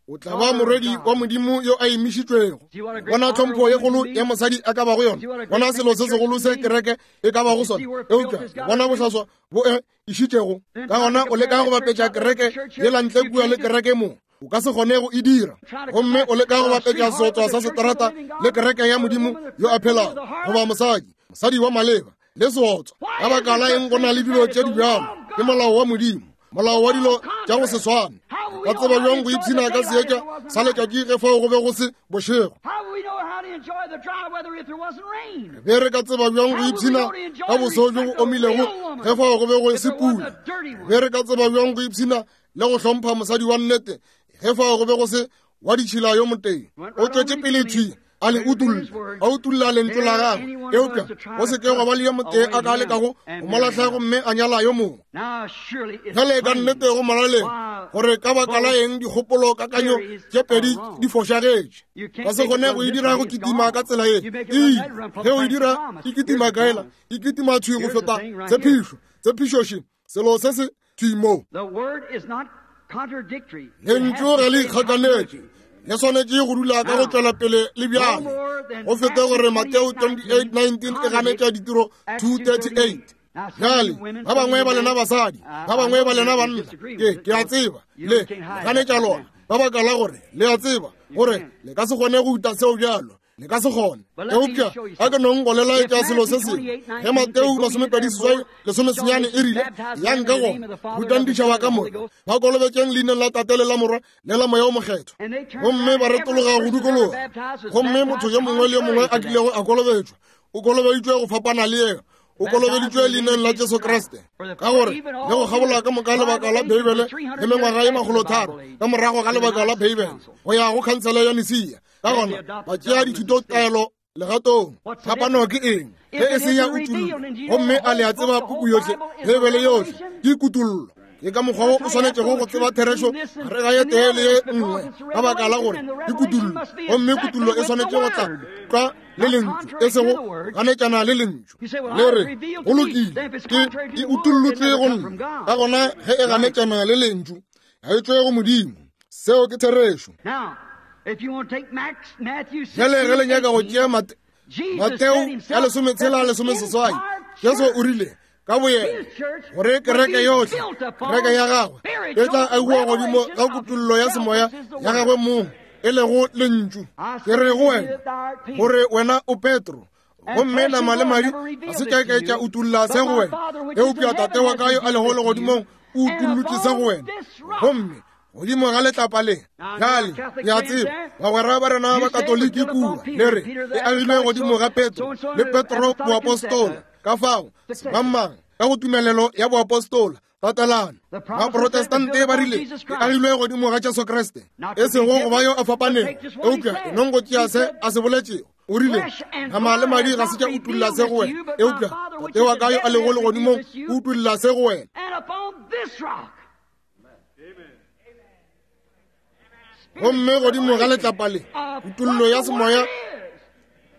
O tla ba morwedi wa Modimo yo a imišitšwego. Bona tlhompho ye kgolo ya mosadi a ka bago yona, bona selo se segolo se kereke e ka bago sona, eupša bona bohlaswa bo e išitšego. Ka gona o leka go bapetša kereke yela ntle kua le kereke mo. O ka se kgone go e dira. Gomme o leka go bapetša seotswa sa seterata le kereke ya Modimo yo a phelago, goba mosadi, mosadi wa maleba, le seotswa. Ka baka la eng go na le dilo tše di bjalo? Ke molao wa Modimo, molao wa dilo tša go se swane. Ka tseba bjang go ipshina ka seetša sa letšatši ge fao go be go se bošego? Re be re ka tseba bjang go ipshina ka boso bjo bo omilego ge fao go be go se pula? Re be re ka tseba bjang go ipshina le go hlompha mosadi wa nnete ge fao go be go se wa ditšhila yo motee? O tšwetše pele thwi a le utulla, a utulla lentšu la gagwe, eupša go se ke gwa ba le yo motee a ka lekago go mo lahla gomme a nyala yo mongwe. Bjale ka nnete go molaleng gore ka baka la eng dikgopolo kakanyo tše pedi di fošagetše. Ka se kgone go e dira go kitima ka tsela ye. Ee, ge o e dira e kitima kaela, e kitima thwi go feta tshepišo. Tshepišoši selo se se thwi mo. Lentšu ga le ikgakanetše, le swanetše go dula ka go tšwela pele le bjale go fete gore Mateo 28:19 e ganetša ditiro 2:38. Bjale ba bangwe ba lena basadi, ba bangwe ba lena banna, ke ke a tseba le ganetša lona ka baka la gore le a tseba gore le ka se kgone go uta seo bjalo. Le ka se kgone. Eupša a ke nong go le laetša selo se sengwe. Ge Mateo 28 lesomesenyane e rile, Yang ka gona, rutang ditšhaba ka moka, ba kolobetšeng leineng la Tate le la Morwa le la Moya o Mokgethwa. Gomme ba retologa go dikologa. Gomme motho yo mongwe le yo mongwe a kilego a kolobetšwa, o kolobeditšwe go fapana le yena. O kolobeditšwe leineng la Jesu Kriste, ka gore le go kgabola ka moka lebaka la Beibele le mengwaga ye makgolotharo ka morago ga lebaka la Beibele go ya go khansele ya Nicaea. Ka gona ba tšea dithutotaelo legatong. Phapano ke eng ge e se ya kutollo? Gomme a le a tseba puku yohle, Beibele yohle ke kutollo. Ke ka mokgwa wo o swanetšego go tseba therešo gare ga ye tee le ye nngwe, ka baka la gore ke kutollo, gomme kutollo e swanetše go tla tlwa le lentšu, e sego ganetšana le lentšu. Le re, go lokile, ke e utollotšwe go nna. Ka gona ge e ganetšana le lentšu, ga e tšwe go Modimo. Seo ke therešo. Bjale ge le nyaka go tšea Mateo ya lesometshela lesomeseswai, Jesu o rile ka boyena gore kereke yohle, kereke ya gagwe e tla agiwa godimo ga kutollo ya semoya ya gagwe mong, e lego lentšu. Ke re go wena gore wena o Petro, gomme nama le madi ga se tša ke tša utolla se go wena, eupša Tate wa ka yo a lego legodimong o utollotše se go wena. Gomme godimo ga letlapa le, bjale ke a tseba bagwera ba rena ba Katoliki kua le re e agilwe godimo ga Petro le Petro boapostola. Ka fao semangmang ka go tumelelo ya boapostola tatelano Baprotestante ba rile e agilwe godimo ga Jesu Kriste, e sego go ba yo a fapanego, eupša e nong go tšea se a se boletšego. O rile, nama le madi ga se tša utolla se go wena, eupša Tate wa ka yo a lego legodimong o utolla se go wena. Gomme godimo ga letlapa le, kutollo ya semoya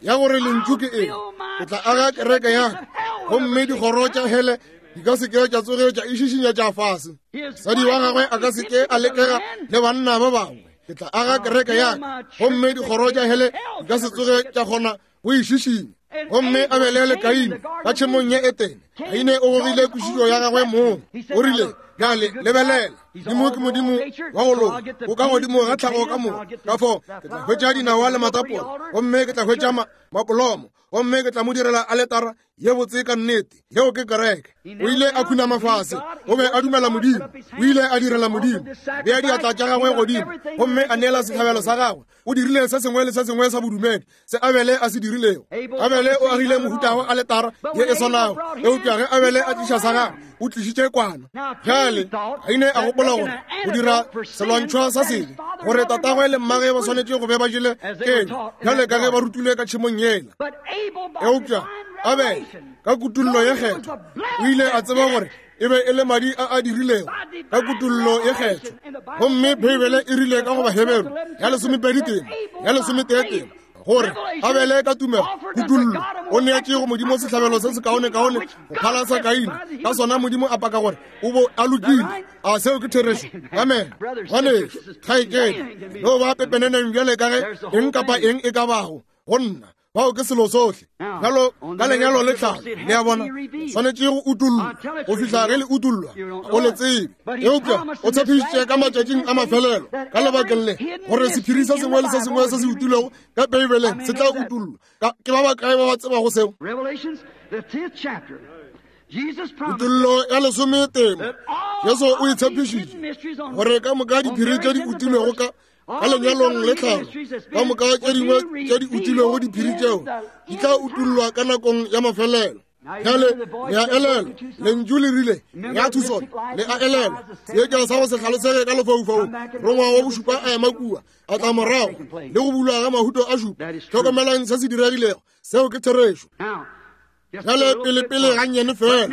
ya gore lentšu ke eng, ke tla aga kereke ya ka, gomme dikgoro tša hele di ka se ke tša tsoge tša išišinya tša fase. Mosadi wa gagwe a ka se ke a lekega le banna ba bangwe. Ke tla aga kereke ya ka, gomme dikgoro tša hele di ka se tsoge tša kgona go išišinya. Gomme Abele le Kaine ka tšhemong ya Etene, Kaine o gogile kwešišo ya gagwe mong. O rile, bjale lebelela, Modimo ke Modimo wa go loka, o ka godimo ga tlhago ka moka. Ka fao ke tla hwetša dinawa le matapola, gomme ke tla hwetša mapolomo, gomme ke tla mo direla aletara ye botse ka nnete. Yeo ke kereke. O ile a khunama fase, o be a dumela Modimo, o ile a direla Modimo, bea diatla tša gagwe godimo gomme a neela sehlabelo sa gagwe. O dirile se sengwe le se sengwe sa bodumedi se Abele a se dirilego. Abele o agile mohuta wa aletara ye e swanago, eupša ge Abele a tliša sa gagwe, o tlišitše kwana. Bjale Kaine a gopola gore go dira selwantšhwa sa sebe, gore tatagwe le mmage ba swanetše go be ba jele kenywa bjale ka ge ba rutilwe ka tšhemong yela. Eupša Abele ka kutollo ye kgethwa o ile a tseba gore e be e le madi a a dirilego ka kutollo ye kgethwa. Gomme Beibele e rile ka go Baheberu ya lesomepedi tema ya lesometee tema gore Abele ka tumelo kutollo o neetše go Modimo sehlabelo se sekaonekaone go phala sa Kaine, ka sona Modimo a paka gore o bo a lokile. A seo ke therešo? Amen. Ngwanešu, kgaetšedi, no ba pepeneneng bjale ka ge eng kapa eng e ka bago go nna. Bao ke selo sohle. Bjalo ka lenyalo le tlhalo, le a bona, swanetše go utollwa go fihla ge le utollwa, o le tsebe. Eupša o tshepišitše ka matšatšing a mafelelo, ka lebakeng le, gore sephiri se sengwe le se sengwe se se utilwego ka Beibeleng se tla utollwa. Ke ba bakae ba ba tsebago seo? Kutollo ya lesometee, Jesu o e tshepišitše gore ka moka diphiri tše di utilwego ka ka lenyalong le tlhalo, ka moka tše dingwe tše di utilwego diphiri tšeo di tla utollwa ka nakong ya mafelelo. Bjale le a elelwa, lentšu le rile ya Tucson, le a elelwa seetša sa go se hlalosege ka lefaufaung, rongwa wa bošupa a ema kua, a tla morago le go bulwa ga mahuto a šupa. Hlokomelang se se diregilego, seo ke therešo. Bjale pelepele gannyane fela,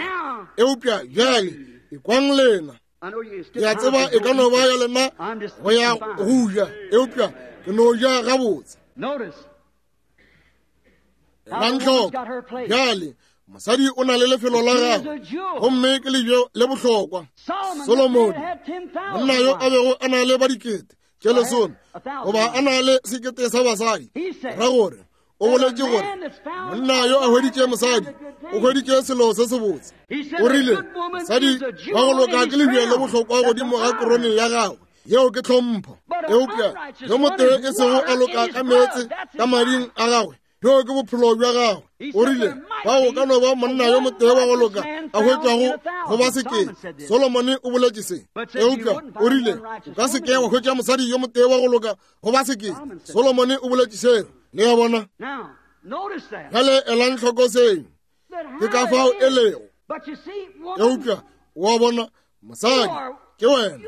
eupša bjale ekwang lena. Ke a tseba e ka no ba ya lena go ya go ja, eupša ke no ja gabotse. Elang hloko bjale, mosadi o na le lefelo la gagwe, gomme ke lejwe le bohlokwa. Solomone, monna yo a bego a na le ba dikete tše lesome goba a na le sekete sa basadi, ra gore o boletše gore monna yo a hweditše mosadi o hweditše selo se sebotse. O rile mosadi wa go loka ke lebje le bohlokwa godimo ga korone ya gagwe, yeo ke tlhompho. Eupša yo motee e sego a loka ka meetse ka mading a gagwe, bjo ke bophelo bja gagwe. O rile bao ka no ba monna yo motee wa go loka a hwetšwago go ba sekete. Solomone o boletše se. Eupša o rile o ka se ke wa hwetša mosadi yo motee wa go loka go ba sekete. Solomone o boletše seo. Le a bona? Bjale elang hloko seo. Ke ka fao e lego. Eupša wa bona, mosadi ke wena,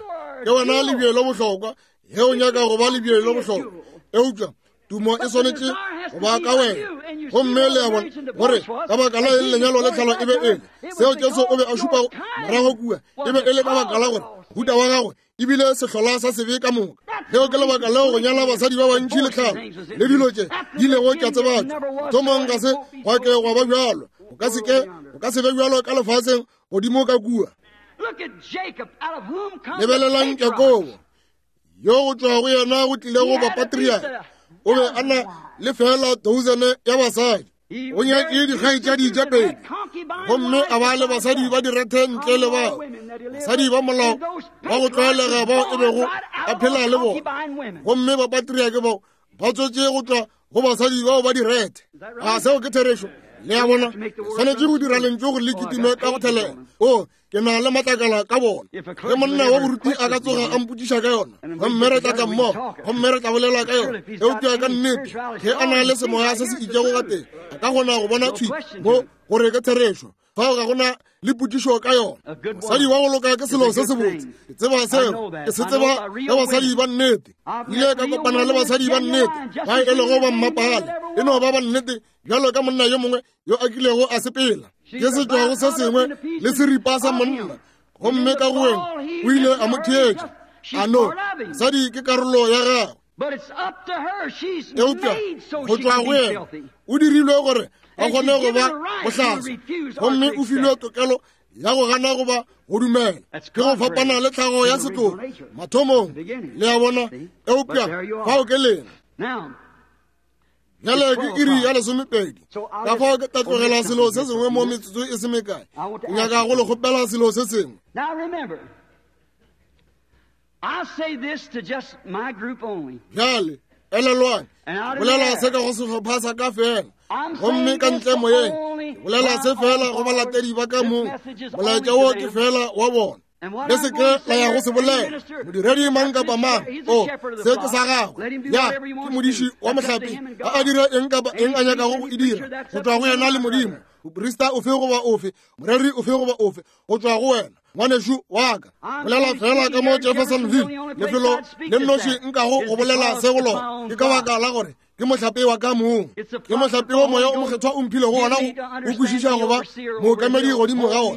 ke wena lebje le bohlokwa ge o nyaka go ba lebje le bohlokwa. Eupša tumo e swanetše go ba ka wena. Gomme le a bona gore ka baka la eng lenyalo le tlhalo e be e le seo Jesu o be a šupa morago kua, e be e le ka baka la gore mohuta wa gagwe ebile sehlola sa sebe ka moka. Leo ke lebaka leo go nyala basadi ba bantši le tlhalo le dilo tše di ilego tša tsebatšwa. Thomong ga se gwa ke gwa ba bjalo, go ka se ke, go ka se be bjalo ka lefaseng godimo ka kua. Lebelelang Jakobo, yo go tšwa go yena go tlilego bapatriaka, o be a na le feela dousene ya basadi. O nyetše dikgaetšadi tše pedi, gomme a ba le basadi ba direthe ntle le bao basadi ba molao ba go tlwaelega bao e bego a phela le bona. Gomme bapatriake bao ba tswetše go tšwa go basadi bao ba direthe. A seo ke therešo? Le a bona, swanetše go dira lentšu gore le kitime ka go thelela. O, ke na le matlakala ka bona. Ge monna wa boruti a ka tsoga a mpotšiša ka yona, gomme re tla tla mmogo, gomme re tla bolela ka yona. Eupša ka nnete, ge a na le semoya se se itšego ka teng, a ka kgona go bona thwi mo gore ke therešo. Fao ga gona le potšišo ka yona. Mosadi wa go loka ke selo se sebotse. Ke tseba seo, ke se tseba ka basadi ba nnete. Ile ka kopana le basadi ba nnete ba e lego ba mmapale, e no ba ba nnete bjalo ka monna yo mongwe yo a kilego a sepela. Ke se tšwago se sengwe le seripa sa monna, gomme ka go weng o ile a mo theetša. A no, mosadi ke karolo ya gagwe. Eupša go tšwa go yena o dirilwe gore a kgone go ba bohlaswa, gomme o filwe tokelo ya go gana goba go dumela. Ke go fapana le tlhago ya setlogo mathomong, le a bona. Eupša fao ke lena. Bjale ke iri ya lesomepedi, ka fao ke tla tlogela selo se sengwe mo metsotso e se mekae. Ke nyaka go le kgopela selo se sengwe. Bjale elelwang, bolela se ka go sehlopha sa ka fela, gomme ka ntle moyeng, bolela se fela go balatedi ba ka mong. Molaetša wo ke fela wa bona. Le se ke la ya go se bolela modiredi mang kapa mang. O, se ke sa gagwe, ya ke modiši wa mohlape, a a dire eng kapa eng a nyakago go e dira, go tšwa go yena le Modimo. Moprista ofe goba ofe, moreri ofe goba ofe, go tšwa go wena, ngwanešu wa ka. Bolela fela ka mo Jeffersonville, lefelo le nnoši nkago go bolela se go lona, ke ka baka la gore ke mohlape wa ka mong. Ke mohlape wo Moya o Mokgethwa o mphilego wona go kwešiša go ba mookamedi godimo ga ona,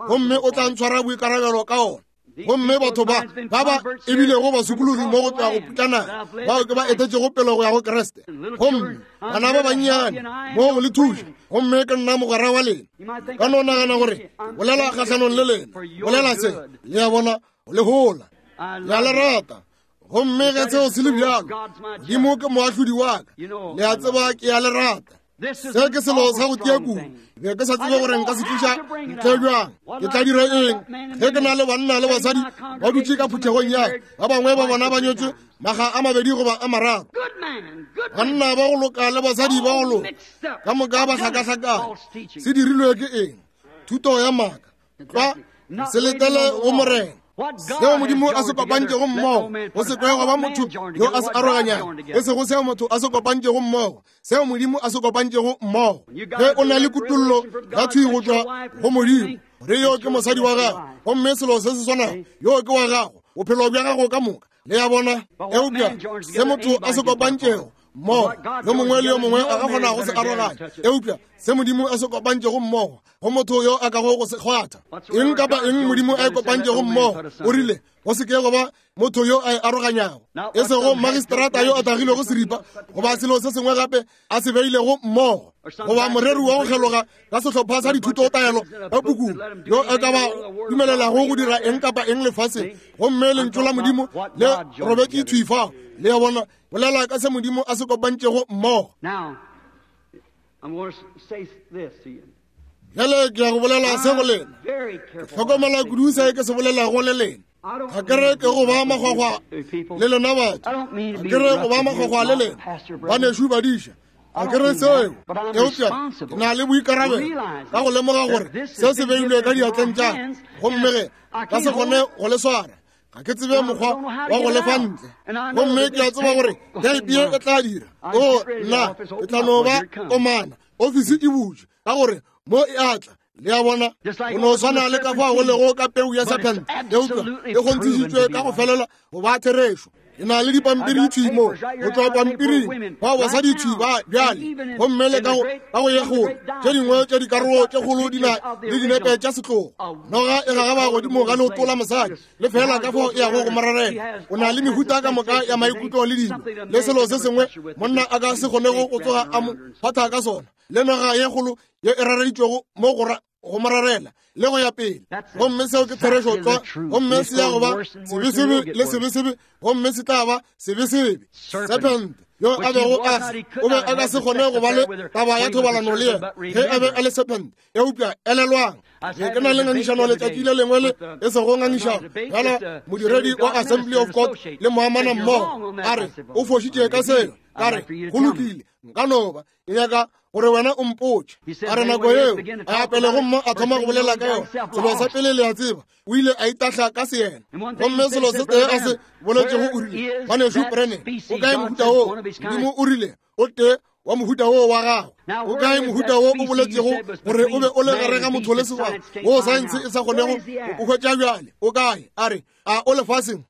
gomme o tla ntshwara boikarabelo ka ona. Gomme batho ba ba ba ebilego basokologi mo go tšwa go putlana, bao ke ba etetšego pele go ya go Kriste. Gomme bana ba bannyane mo go le thuša, gomme ke nna mogwera wa lena. Ka no nagana gore bolela kgahlanong le lena, bolela se, le a bona, le hola, le a le rata. Gomme ge seo se le bjalo, Modimo ke moahlodi wa ka, le a tseba ke a le rata. Se ke selo sa go tia kudu. Be ke sa tsebe gore nka se tliša ntle bjang. Ke tla dira eng ge ke na le banna le basadi ba dutše ka phuthegong ya ba bangwe ba bona ba nyetswe maga a mabedi goba a mararo, banna ba go loka le basadi ba go loka, ka moka ba hlakahlakane. Se dirilwe ke eng? Thuto ya maaka. Tlwa se letele go Morena. Seo Modimo a se kopantšego mmogo, go se kwe go ba motho yo a se aroganyago. E sego seo motho a se kopantšego mmogo, seo Modimo a se kopantšego mmogo. Ge o na le kutollo ya thwi go tšwa go Modimo, gore yo ke mosadi wa gago, gomme selo se se swanago, yo ke wa gago, bophelo bja gago ka moka. Le a bona? Eupša se motho a se kopantšego mmogo, yo mongwe le yo mongwe a ka kgona go se aroganya. Eupša se Modimo a se kopantšego mmogo, go motho yo a kago go se kgwatha. Eng kapa eng Modimo a e kopantšego mmogo, o rile go se ke go ba motho yo a e aroganyago, e sego magistrata yo a tagilego seripa goba selo se sengwe gape a se beilego mmogo, goba moreri wa go kgeloga ka sehlopha sa dithutotaelo ka pukung yo a ka ba dumelelago go dira eng kapa eng lefaseng, gomme lentšu la Modimo le robetše thwi fao. Le a bona? Bolela ka se Modimo a se kopantšego mmogo. Bjale ke ya go bolela se go lena. Ke hlokomela kudu se ke se bolelago le lena. Ga ke re ke go ba makgwakgwa le lena batho. Ga ke re go ba makgwakgwa le lena banešu badiša. Ga ke re seo, eupša ke na le boikarabelo ka go lemoga gore se se beilwe ka diatleng tša ka, gomme ge ka se kgone go le swara, ga ke tsebe mokgwa wa go lefa ntle. Gomme ke a tseba gore teipi ye e tla dira. O, nna, ke tla no ba komana. Ofisi e butšwe, ka gore mo e a tla. Le a bona? Go no swana le ka fao go lego ka peu ya serpent, eupša e kgonthišitšwe ka go felela go ba therešo. Ke na le dipampiri thwi mo, go tšwa pampiring, bao basadi thwi ba bjale, gomme le ka go ye kgolo, tše dingwe tša dikarolo tše kgolo di na le dinepe tša setlogo. Noga e gagaba godimo ga leoto la mosadi, le fela ka fao e yago go morarela. O na le mehuta ka moka ya maikutlo le dilo, le selo se sengwe monna a ka se kgonego go tsoga a mo phatha ka sona, le noga ye kgolo ye e rareditšwego mo go go morarela le go ya pele. Gomme seo ke therešo tlwa, gomme se ya go ba sebesebe le sebesebe, gomme se tla ba sebesebe. Serpent yo a bego a se, o be a ka se kgone go ba le taba ya thobalano le yena ge a be a le serpent. Eupša elelwang, be ke na le ngangišano letšatši le lengwe le e sego ngangišano bjala modiredi wa Assembly of God le moamana mmogo, a re o fošitše ka seo. Ka re go lokile, nka no ba ke nyaka gore wena o mpotše. A re nako yeo a apele gomme a thoma go bolela ka yona. Selo sa pele le a tseba, o ile a itahla ka seyena. Gomme selo se tee a se boletšego, o rile, Ngwanešu Branham, o kae mohuta woo? Modimo o rile, o tee wa mohuta woo wa gago. O kae mohuta wo o boletšego gore o be o le gare ga motho le sebaka, wo saense e sa kgonego go o hwetša bjale? O kae? A re, a o lefaseng?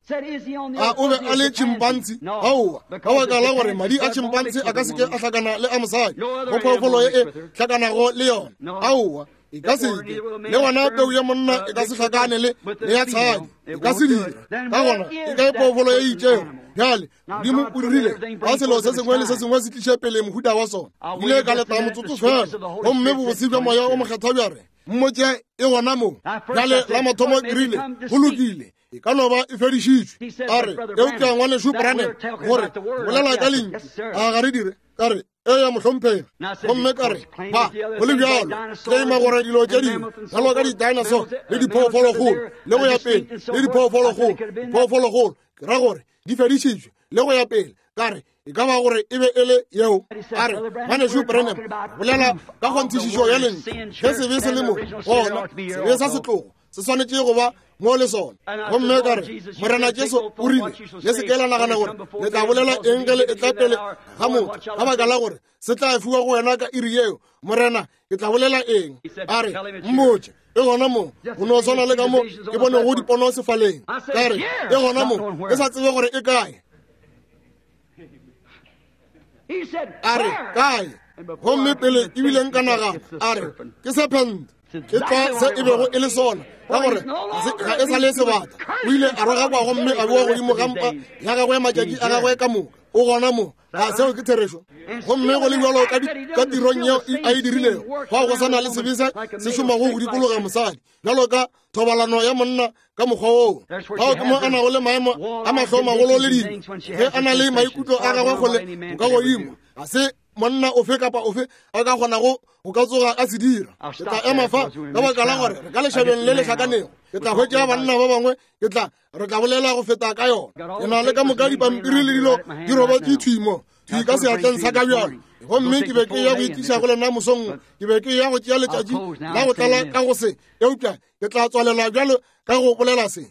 A o be a le tšhimpantsi? Aowa, ka baka la gore madi a tšhimpantsi a ka seke a hlakana le a mosadi go phoofolo ye e hlakanago le yona. Aowa, e ka seke. Le gona peu ya monna e ka se hlakane le ya tshadi, e ka se dira. Ka gona e kae phoofolo ye itšego? Bjale Modimo o dirile ka selo se sengwe le se sengwe se tliše pele mohuta wa sona. Ile ka leta motsotso fela, gomme bobose bja Moya o Mokgethwa bja re, mmotše e gona mo. Bjale la mathomo ke rile, go lokile, e ka no ba e fedišitšwe. A re, eupša Ngwanešu Branham, gore bolela ka lentšu, a ga re dire? Ka re, eya mohlomphegi. Gomme ka re, ba go le bjalo claima gore dilo tše dingwe bjalo ka di-dinosaur le diphoofologolo le go ya pele le diphoofologolo, phoofologolo ke ra gore di fedišitšwe le go ya pele. Ka re, e ka ba gore e be e le yeo. A re, Ngwanešu Branham, bolela ka kgonthišišo ya lentšu, ge sebe se le mo, gona sebe sa setlogo se swanetše go ba mo le sona. Gomme ka re, Morena Jesu o rile, le se ke la nagana gore le tla bolela eng ge le etla pele ga motho, ka baka la gore se tla fiwa go wena ka iri yeo. Morena, ke tla bolela eng? A re, mmotše e gona mo, go no swana le ka mo ke bonego dipono sefaleng. Ka re, e gona mo, ke sa tsebe gore e kae. A re, kae? Gomme pele ebile nka nagana, a re, ke serpent. Ke tlwa se e bego e le sona, ka gore ga e sa le sebata. O ile a rogakwa gomme a bewa godimo ga mpa ya gagwe matšatši a gagwe ka moka. O gona mo. A seo ke therešo? Gomme go le bjalo ka tirong yeo a e dirilego, fao go sa na le sebe se se šomago go dikologa mosadi, bjalo ka thobalano ya monna ka mokgwa woo. Fao ke mo a nago le maemo a mahlo magolo le dilo, ge a na le maikutlo a gagwe kgole bokagodimo. Ga se monna ofe kapa ofe a ka kgonago go ka tsoga a se dira. Ke tla ema fa ka baka la gore re ka lešabeng le le hlakanego. Ke tla hwetša banna ba bangwe, ke tla re tla bolela go feta ka yona. Ke na le ka moka dipampiri le dilo di robetše thwi mo, thwi ka seatleng sa ka bjalo. Gomme ke be ke ya go itliša go lena mosong, ke be ke ya go tšea letšatši la go tlala ka go se, eupša ke tla tswalela bjalo ka go bolela se.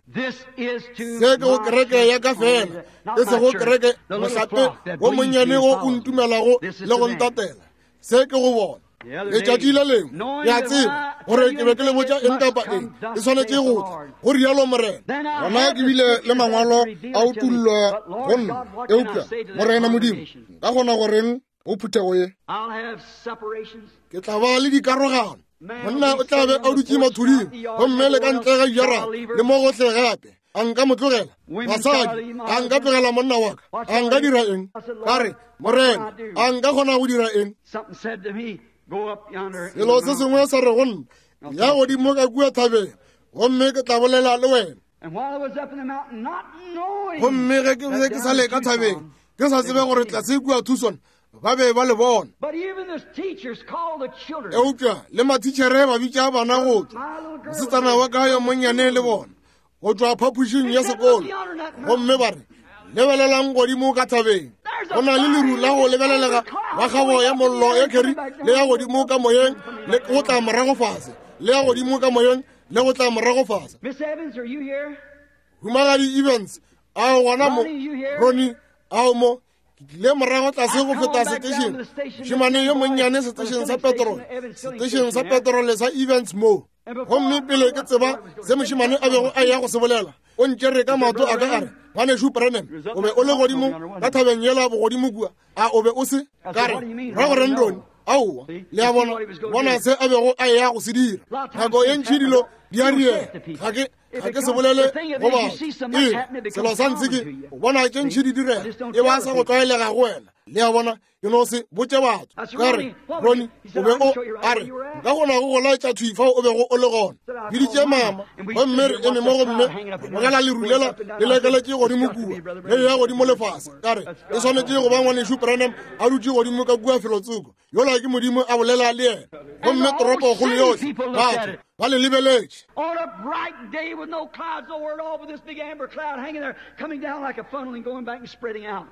Se ke go kereke ya ka fela, e sego kereke mohlape wo monnyane wo o ntumelago le go ntatela. Se ke go bona. Letšatši le lengwe, ke a tseba gore ke be ke le botša eng kapa eng e swanetše go tla, go rialo Morena. Gona ke bile le mangwalo a utullwa go nna, eupša Morena Modimo, nka kgona go reng go phuthego ye? Ke tla ba le dikarogano. Monna o tla be a dutše mathuding gomme le ka ntle ga dijara le mo gohle gape. A nka mo tlogela? Basadi, a nka tlogela monna wa ka? A nka dira eng? Ka re, Morena, a nka kgona go dira eng? Selo se sengwe sa re go nna, ya godimo ka kua thabeng, gomme ke tla bolela le wena. Gomme ge ke be ke sa le ka thabeng, ke sa tsebe gore tlase kua Tucson ba be ba le bona. Eupša le mathitšhere ba bitša bana go tšwa, mosetsana wa ka yo monnyane le bona, go tšwa phapošing ya sekolo, gomme ba re, lebelelang godimo ka thabeng, go na le leru la go lebelelega la kgabo ya mollo ya kheri le ya godimo ka moyeng le go tla morago fase, le ya godimo ka moyeng le go tla morago fase. Humagadi Evans, a o gona mo? Ronnie, a o mo? Ke tlile morago tlase go feta setešeng, mošemane yo monnyane setešeng sa petrole, setešeng sa petrole sa Evans mo. Gomme pele ke tseba se mošemane a bego a ya go se bolela, o ntšere ka maoto a ka a re, Ngwanešu Branham, o be o le godimo ka thabeng yela bogodimo kua, a o be o se? Ka re, ra go reng, Ronnie? Aowa. Le a bona, bona se a bego a ya go se dira. Nako ye ntši dilo di a riega. Ga ke ga ke se bolele go batho. Ee, selo sa ntse ke o bona tše ntši di direga, e ba sa go tlwaelega go wena. Le a bona, ke no se botše batho. Ka re, Ronnie, o be o a re, nka kgona go go laetša thwi fao o bego o le gona. Biditše mama, gomme re eme mo gomme re bogela leru lela le lekeletše godimo kua, le ya godimo lefase. Ka re, e swanetše go ba Ngwanešu Branham a dutše godimo ka kua felotsoko. Yola ke Modimo a bolela le yena. Gomme toropokgolo yohle, batho ba le lebeletše. On a bright day with no clouds nowhere at all, but this big amber cloud hanging there, coming down like a funnel and going back and spreading out.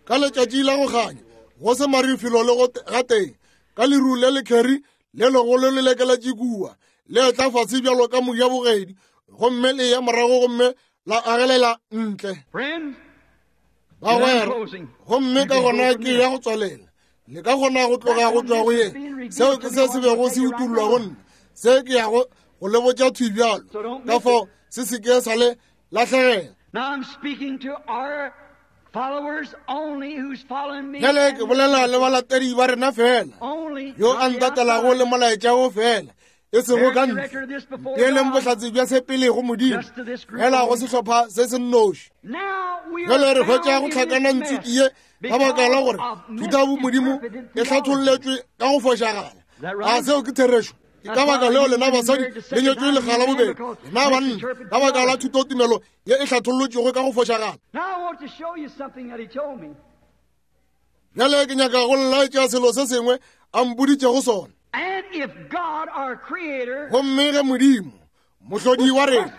Ka letšatši la go kganya, go se maru felo le go gatee, ka leru le lekheri le legolo le lekeletše kua, le etla fase bjalo ka mojabogedi, gomme le ya morago gomme la agelela ntle. Bagwera, gomme ka gona ke ya go tswalela. Le ka kgona go tloga go tšwa go ye. Seo ke se se bego se utollwa go nna. Se ke yago go le botša thwi bjalo. Ka fao se se ke sa le lahlegela. Now I'm speaking to our followers only who's following me. Bjale ke bolela le balatedi ba rena fela, Only, yo a not the ntatelago outside. le molaetša wo fela, e sego ka ntle. Peeleng bohlatse bja se pele go Modimo, fela go sehlopha se se nnoši. Bjale re hwetša go hlakana ntswiki ye ka baka la gore thutabomodimo e hlatholletšwe ka go fošagala. A seo ke therešo? Ke ka baka leo lena basadi le nyetšwe lekga la bobedi, lena banna ka baka la thutotumelo ye e hlathollotšwego ka go fošagala. Bjale ke nyaka go laetša selo se sengwe a mpoditšego sona. Gomme ge Modimo, Mohlodi wa rena,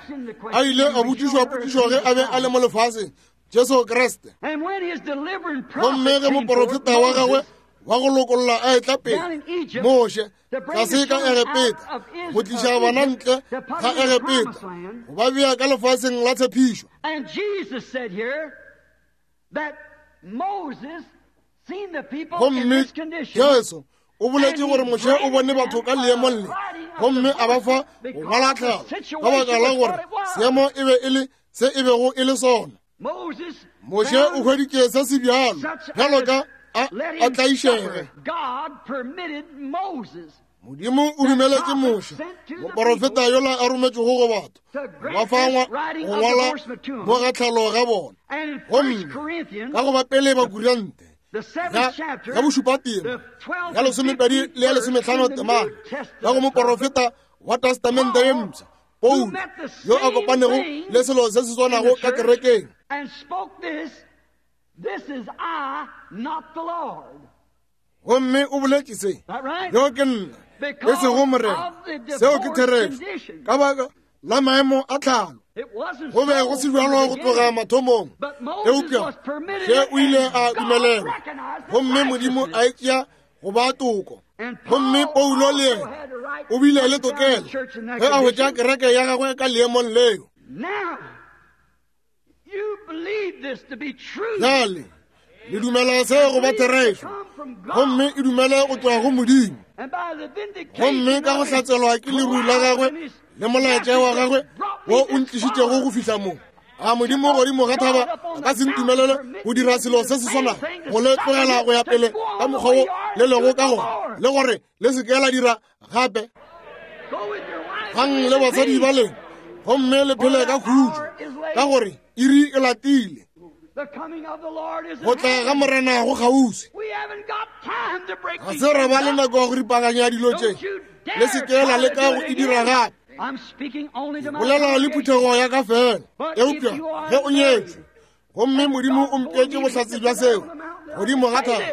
a ile a botšišwa potšišo ge a be a le mo lefaseng, Jesu Kriste, gomme ge moporofeta wa gagwe wa go lokolla a etla pele, Moshe, tlase ka Egepeta, go tliša bana ntle ga Egepeta, go ba bea ka lefaseng la tshepišo. Gomme Jesu o boletše gore Moshe o bone batho ka leemong le, gomme a ba fa go ngwala tlhalo ka baka la gore seemo e be e le se e bego e le sona. Moshe o hweditše se se bjalo bjalo ka a tlaišege. Modimo o dumeletše Moshe, moporofeta yola a rometšego go batho, ba fa go ngwala mo ga tlhalo ga bona. Gomme ka go ba pele Bakurante ya bošupa tema ya lesomepedi le ya lesomehlano temana ka go moporofeta wa Testamente ye Mpsha, Paulo, yo a kopanego le selo se se swanago ka kerekeng. This is I, not the Lord. Gomme o boletše se, yo ke nna, e sego Morena. Seo ke therešo. Ka baka la maemo a tlhalo, go be go se bjalo go tloga mathomong, eupša ge o ile a dumelelwa, gomme Modimo a e tšea go ba toko. Gomme Paulo le yena o bile le tokelo ge a hwetša kereke ya gagwe ka leemong leo. Bjale le dumela se go ba therešo, gomme e dumele go tloga go Modimo. Gomme ka go hlatselwa ke leru la gagwe le molaetša wa gagwe wo o ntlišitšego go fihla mo, a Modimo godimo ga thaba a ka se ntumelele go dira selo se se swanago, go le tlogela go ya pele ka mokgwa wo le lego ka gona, le gore le se ke la dira gape. Gang le basadi ba lena, gomme le phele ka khutšo, ka gore iri e latile. Go tla ga Morena go kgauswi. Ga se ra ba le nako ya go ripaganya dilo tše. Le se ke la leka go e dira gape. Ke bolela le phuthego ya ka fela. Eupša ge o nyetšwe, gomme Modimo o mpeetše bohlatse bja seo godimo ga thaba,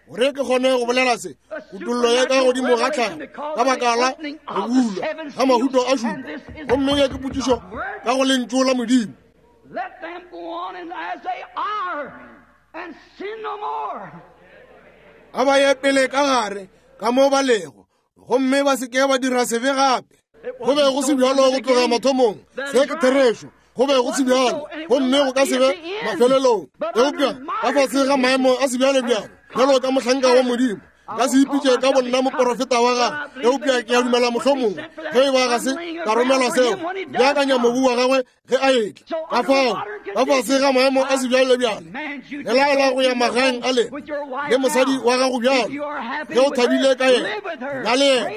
gore ke kgone go bolela se, kutollo ya ka godimo ga tlhago ka baka la go bulwa ga mahuto a šupa, gomme ye ke potšišo ka go lentšu la Modimo. A ba ye pele ka gare ka mo ba lego, gomme ba se ke ba dira sebe gape. Go be go se bjalo go tloga mathomong, se ke therešo. Go be go se bjalo, gomme go ka se be mafelelong. Eupša ka fase ga maemo a sebjalebjalo, bjalo ka mohlanka wa Modimo, ka se ipitše ka bonna moporofeta wa gagwe, eupša ke a dumela mohlomongwe ge e ba ga se ka romelwa seo, beakanya mobu wa gagwe ge a etla. Ka fao, ka fase ga maemo a sebjalebjalo, le laela go ya magaeng a lena le mosadi wa gago bjalo, ge o thabile ka yena, na le yena,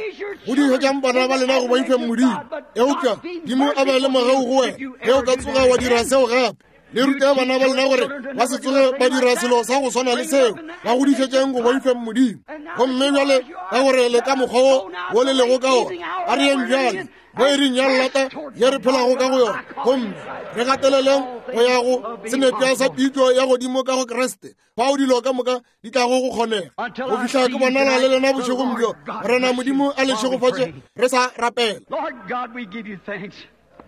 go dišetšang bana ba lena go boifeng Modimo. Eupša Modimo a be le mogau go wena ge o ka tsoga wa dira seo gape. Le rute bana ba lena gore ba se tsoge ba dira selo sa go swana le seo, ba godišetšeng go boifeng Modimo. Gomme bjale ka gore le ka mokgwa wo wo le lego ka ona, a re yeng bjale mo iring ya llata ye re phelago ka go yona, gomme re gateleleng go ya go senepša sa pitšo ya godimo ka go Kriste, fao dilo ka moka di tlago go kgonega. Go fihla ke bonala le lena bošegong bjo, Morena Modimo a le šegofatše re sa rapela.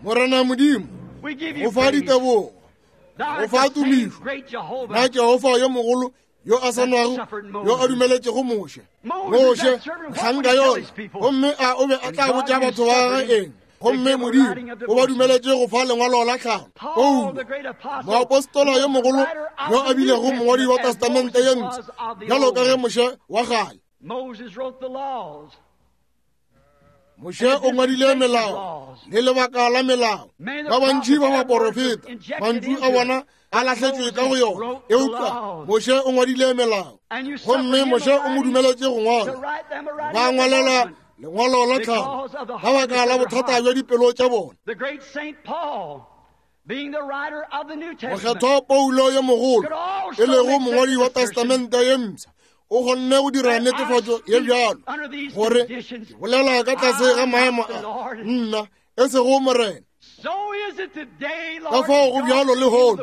Morena Modimo, go fa ditebogo, go fa tumišo, na Jehofa yo mogolo yo a sa nwago, yo a dumeletšego Moshe, Moshe mohlanka yola, gomme a o be a tla botša batho ba gagwe eng? Gomme Modimo o ba dumeletše go fa lengwalo la tlhalo. Paulo, moapostola yo mogolo yo a bilego mongwadi wa Testamente ye Mpsha, bjalo ka ge Moshe wa kgale. Moshe o ngwadile melao le lebaka la melao. Ba bantši ba baporofeta, mantšu a bona a lahletšwe ka go yona, eupša Moshe o ngwadile melao, gomme Moshe o mo dumeletše go ngwala. Ba ngwalela lengwalo la tlhalo ka baka la bothata bja dipelo tša bona. Mokgethwa Paulo yo mogolo, e lego mongwadi wa Testamente ye Mpsha, o kgonne go dira netefatšo ye bjalo gore ke bolela ka tlase ga maemo a nna, e sego Morena. Ka fao go bjalo lehono,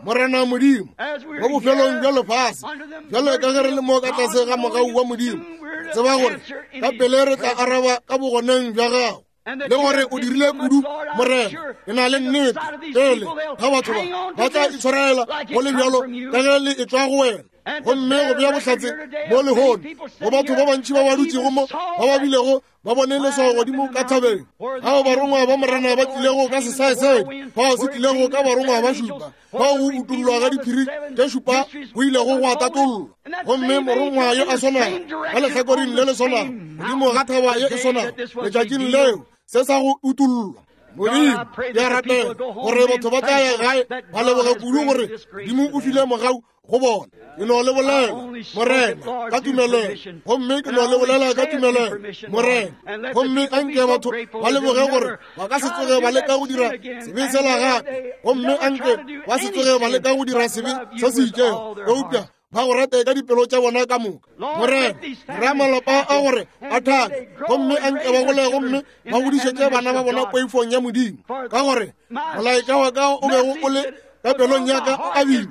Morena Modimo, mo bofelong bja lefase, bjalo ka ge re le mo ka tlase ga mogau wa Modimo, tseba gore ka pele re tla araba ka bogoneng bja gago, le gore o dirile kudu, Morena. Ke na le nnete pele ga batho ba ba tla itshwarela go le bjalo ka ge le etšwa go wena. Gomme go bea bohlatse mo lehono go batho ba bantši ba ba dutšego mo, ba ba bilego ba bone leswao godimo ka thabeng, ao barongwa ba Morena ba tlilego ka sesaesedi, fao se tlilego ka barongwa ba šupa, fao go utollwa ga diphiri tše šupa go ilego gwa tatollwa. Gomme morongwa yo a swanago ka lehlakoreng le le swanago godimo ga thaba ye e swanago letšatšing leo se sa go utollwa. Modimo, ke a rapela gore batho ba tla ya gae ba leboga kudu gore Modimo o file mogau go bona. Ke no le bolela, Morena, ka tumelelo, gomme ke no le bolela ka tumelelo, Morena. Gomme anke batho ba leboge gore ba ka se tsoge ba leka go dira sebe sela gape, gomme anke ba se tsoge ba leka go dira sebe se se itšego, eupša ba go rate ka dipelo tša bona ka moka. Morena, dira malapa a gore a thabe, gomme anke ba gole gomme ba godišetše bana ba bona poifong ya Modimo, ka gore molaetša wa ka o bego o le Ka pelong ya ka o abile,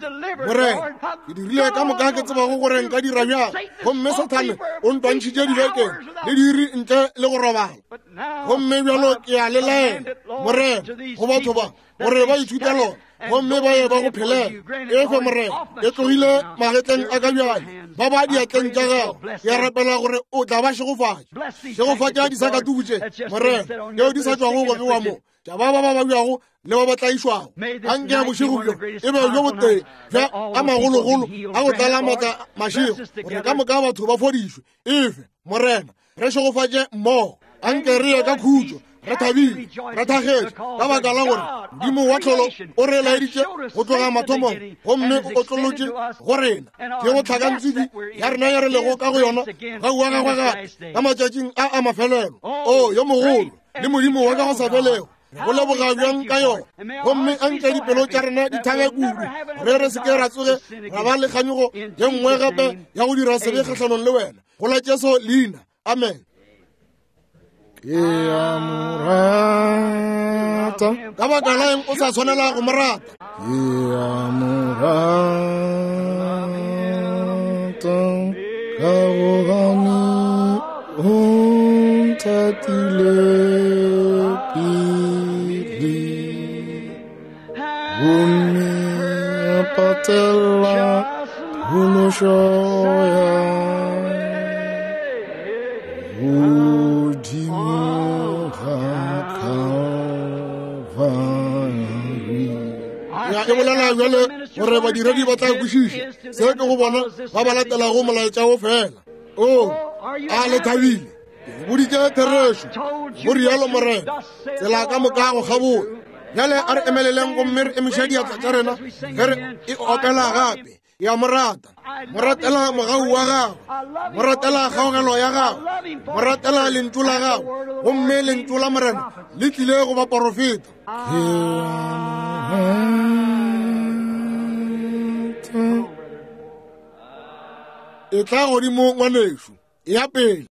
Morena. Ke dirile ka moka ke tsebago gore nka dira bjang, gomme Sathane o ntwantšhitše dibekeng le diiri ntle le go robala. Gomme bjalo ke a le laela, Morena, go batho ba, gore ba ithute lona gomme ba ye ba go phelela. Efe, Morena, e tlogile magetleng a ka bjale, ba ba diatleng tša gago. Ke a rapela gore o tla ba šegofatša. Šegofatša disakatuku tše, Morena, tšeo di sa tšwago go bewa mo, tša ba ba ba babjago le ba ba tlaišwago. Anke ya bošego bjo e be bjo botee bja a magologolo a go tlala maatla mašego, gore ka moka batho ba fodišwe. Efe, Morena, re šegofatše mmogo. Anke re ye ka khutšo, re thabile, re thagetše, ka baka la gore Modimo wa tlholo o re laeditše go tloga mathomong gomme o otlolotše go rena. Ke go tlhakantswiki ya rena ya re lego ka go yona ga wa gagwe gape ka matšatšing a a mafelelo. O yo mogolo le Modimo wa ka go sa felego, re go leboga bjang ka yona. Gomme anke dipelo tša rena di thabe kudu, re re se ke ra tsoge ra ba le kganyogo ye nngwe gape ya go dira sebe kgahlanong le wena. Go la Jesu leina, amen. Ke a mo rata. Ka baka la eng o sa tshwanela go mo rata? Ke a mo rata ka gobane o nthatile pele, gomme a patela phološo ya godimo ga Calvary. Ya e bolela bjale gore badiredi ba tla kwešiša se ke go bona ba ba latelago molaetša wo fela. O a le thabile, ke le boditše therešo, go rialo Morena, tsela ka moka go kgabola. Bjale a re emeleleng gomme re emiše diatla tša rena ge re e opela gape. Ke a mo rata, mo ratela mogau wa gagwe, mo ratela kgaogelo ya gagwe, mo ratela lentšu la gagwe, gomme lentšu la Morena le tlile go baporofeta. Ke a mo rata. Etla godimo, ngwanešu, eya pele.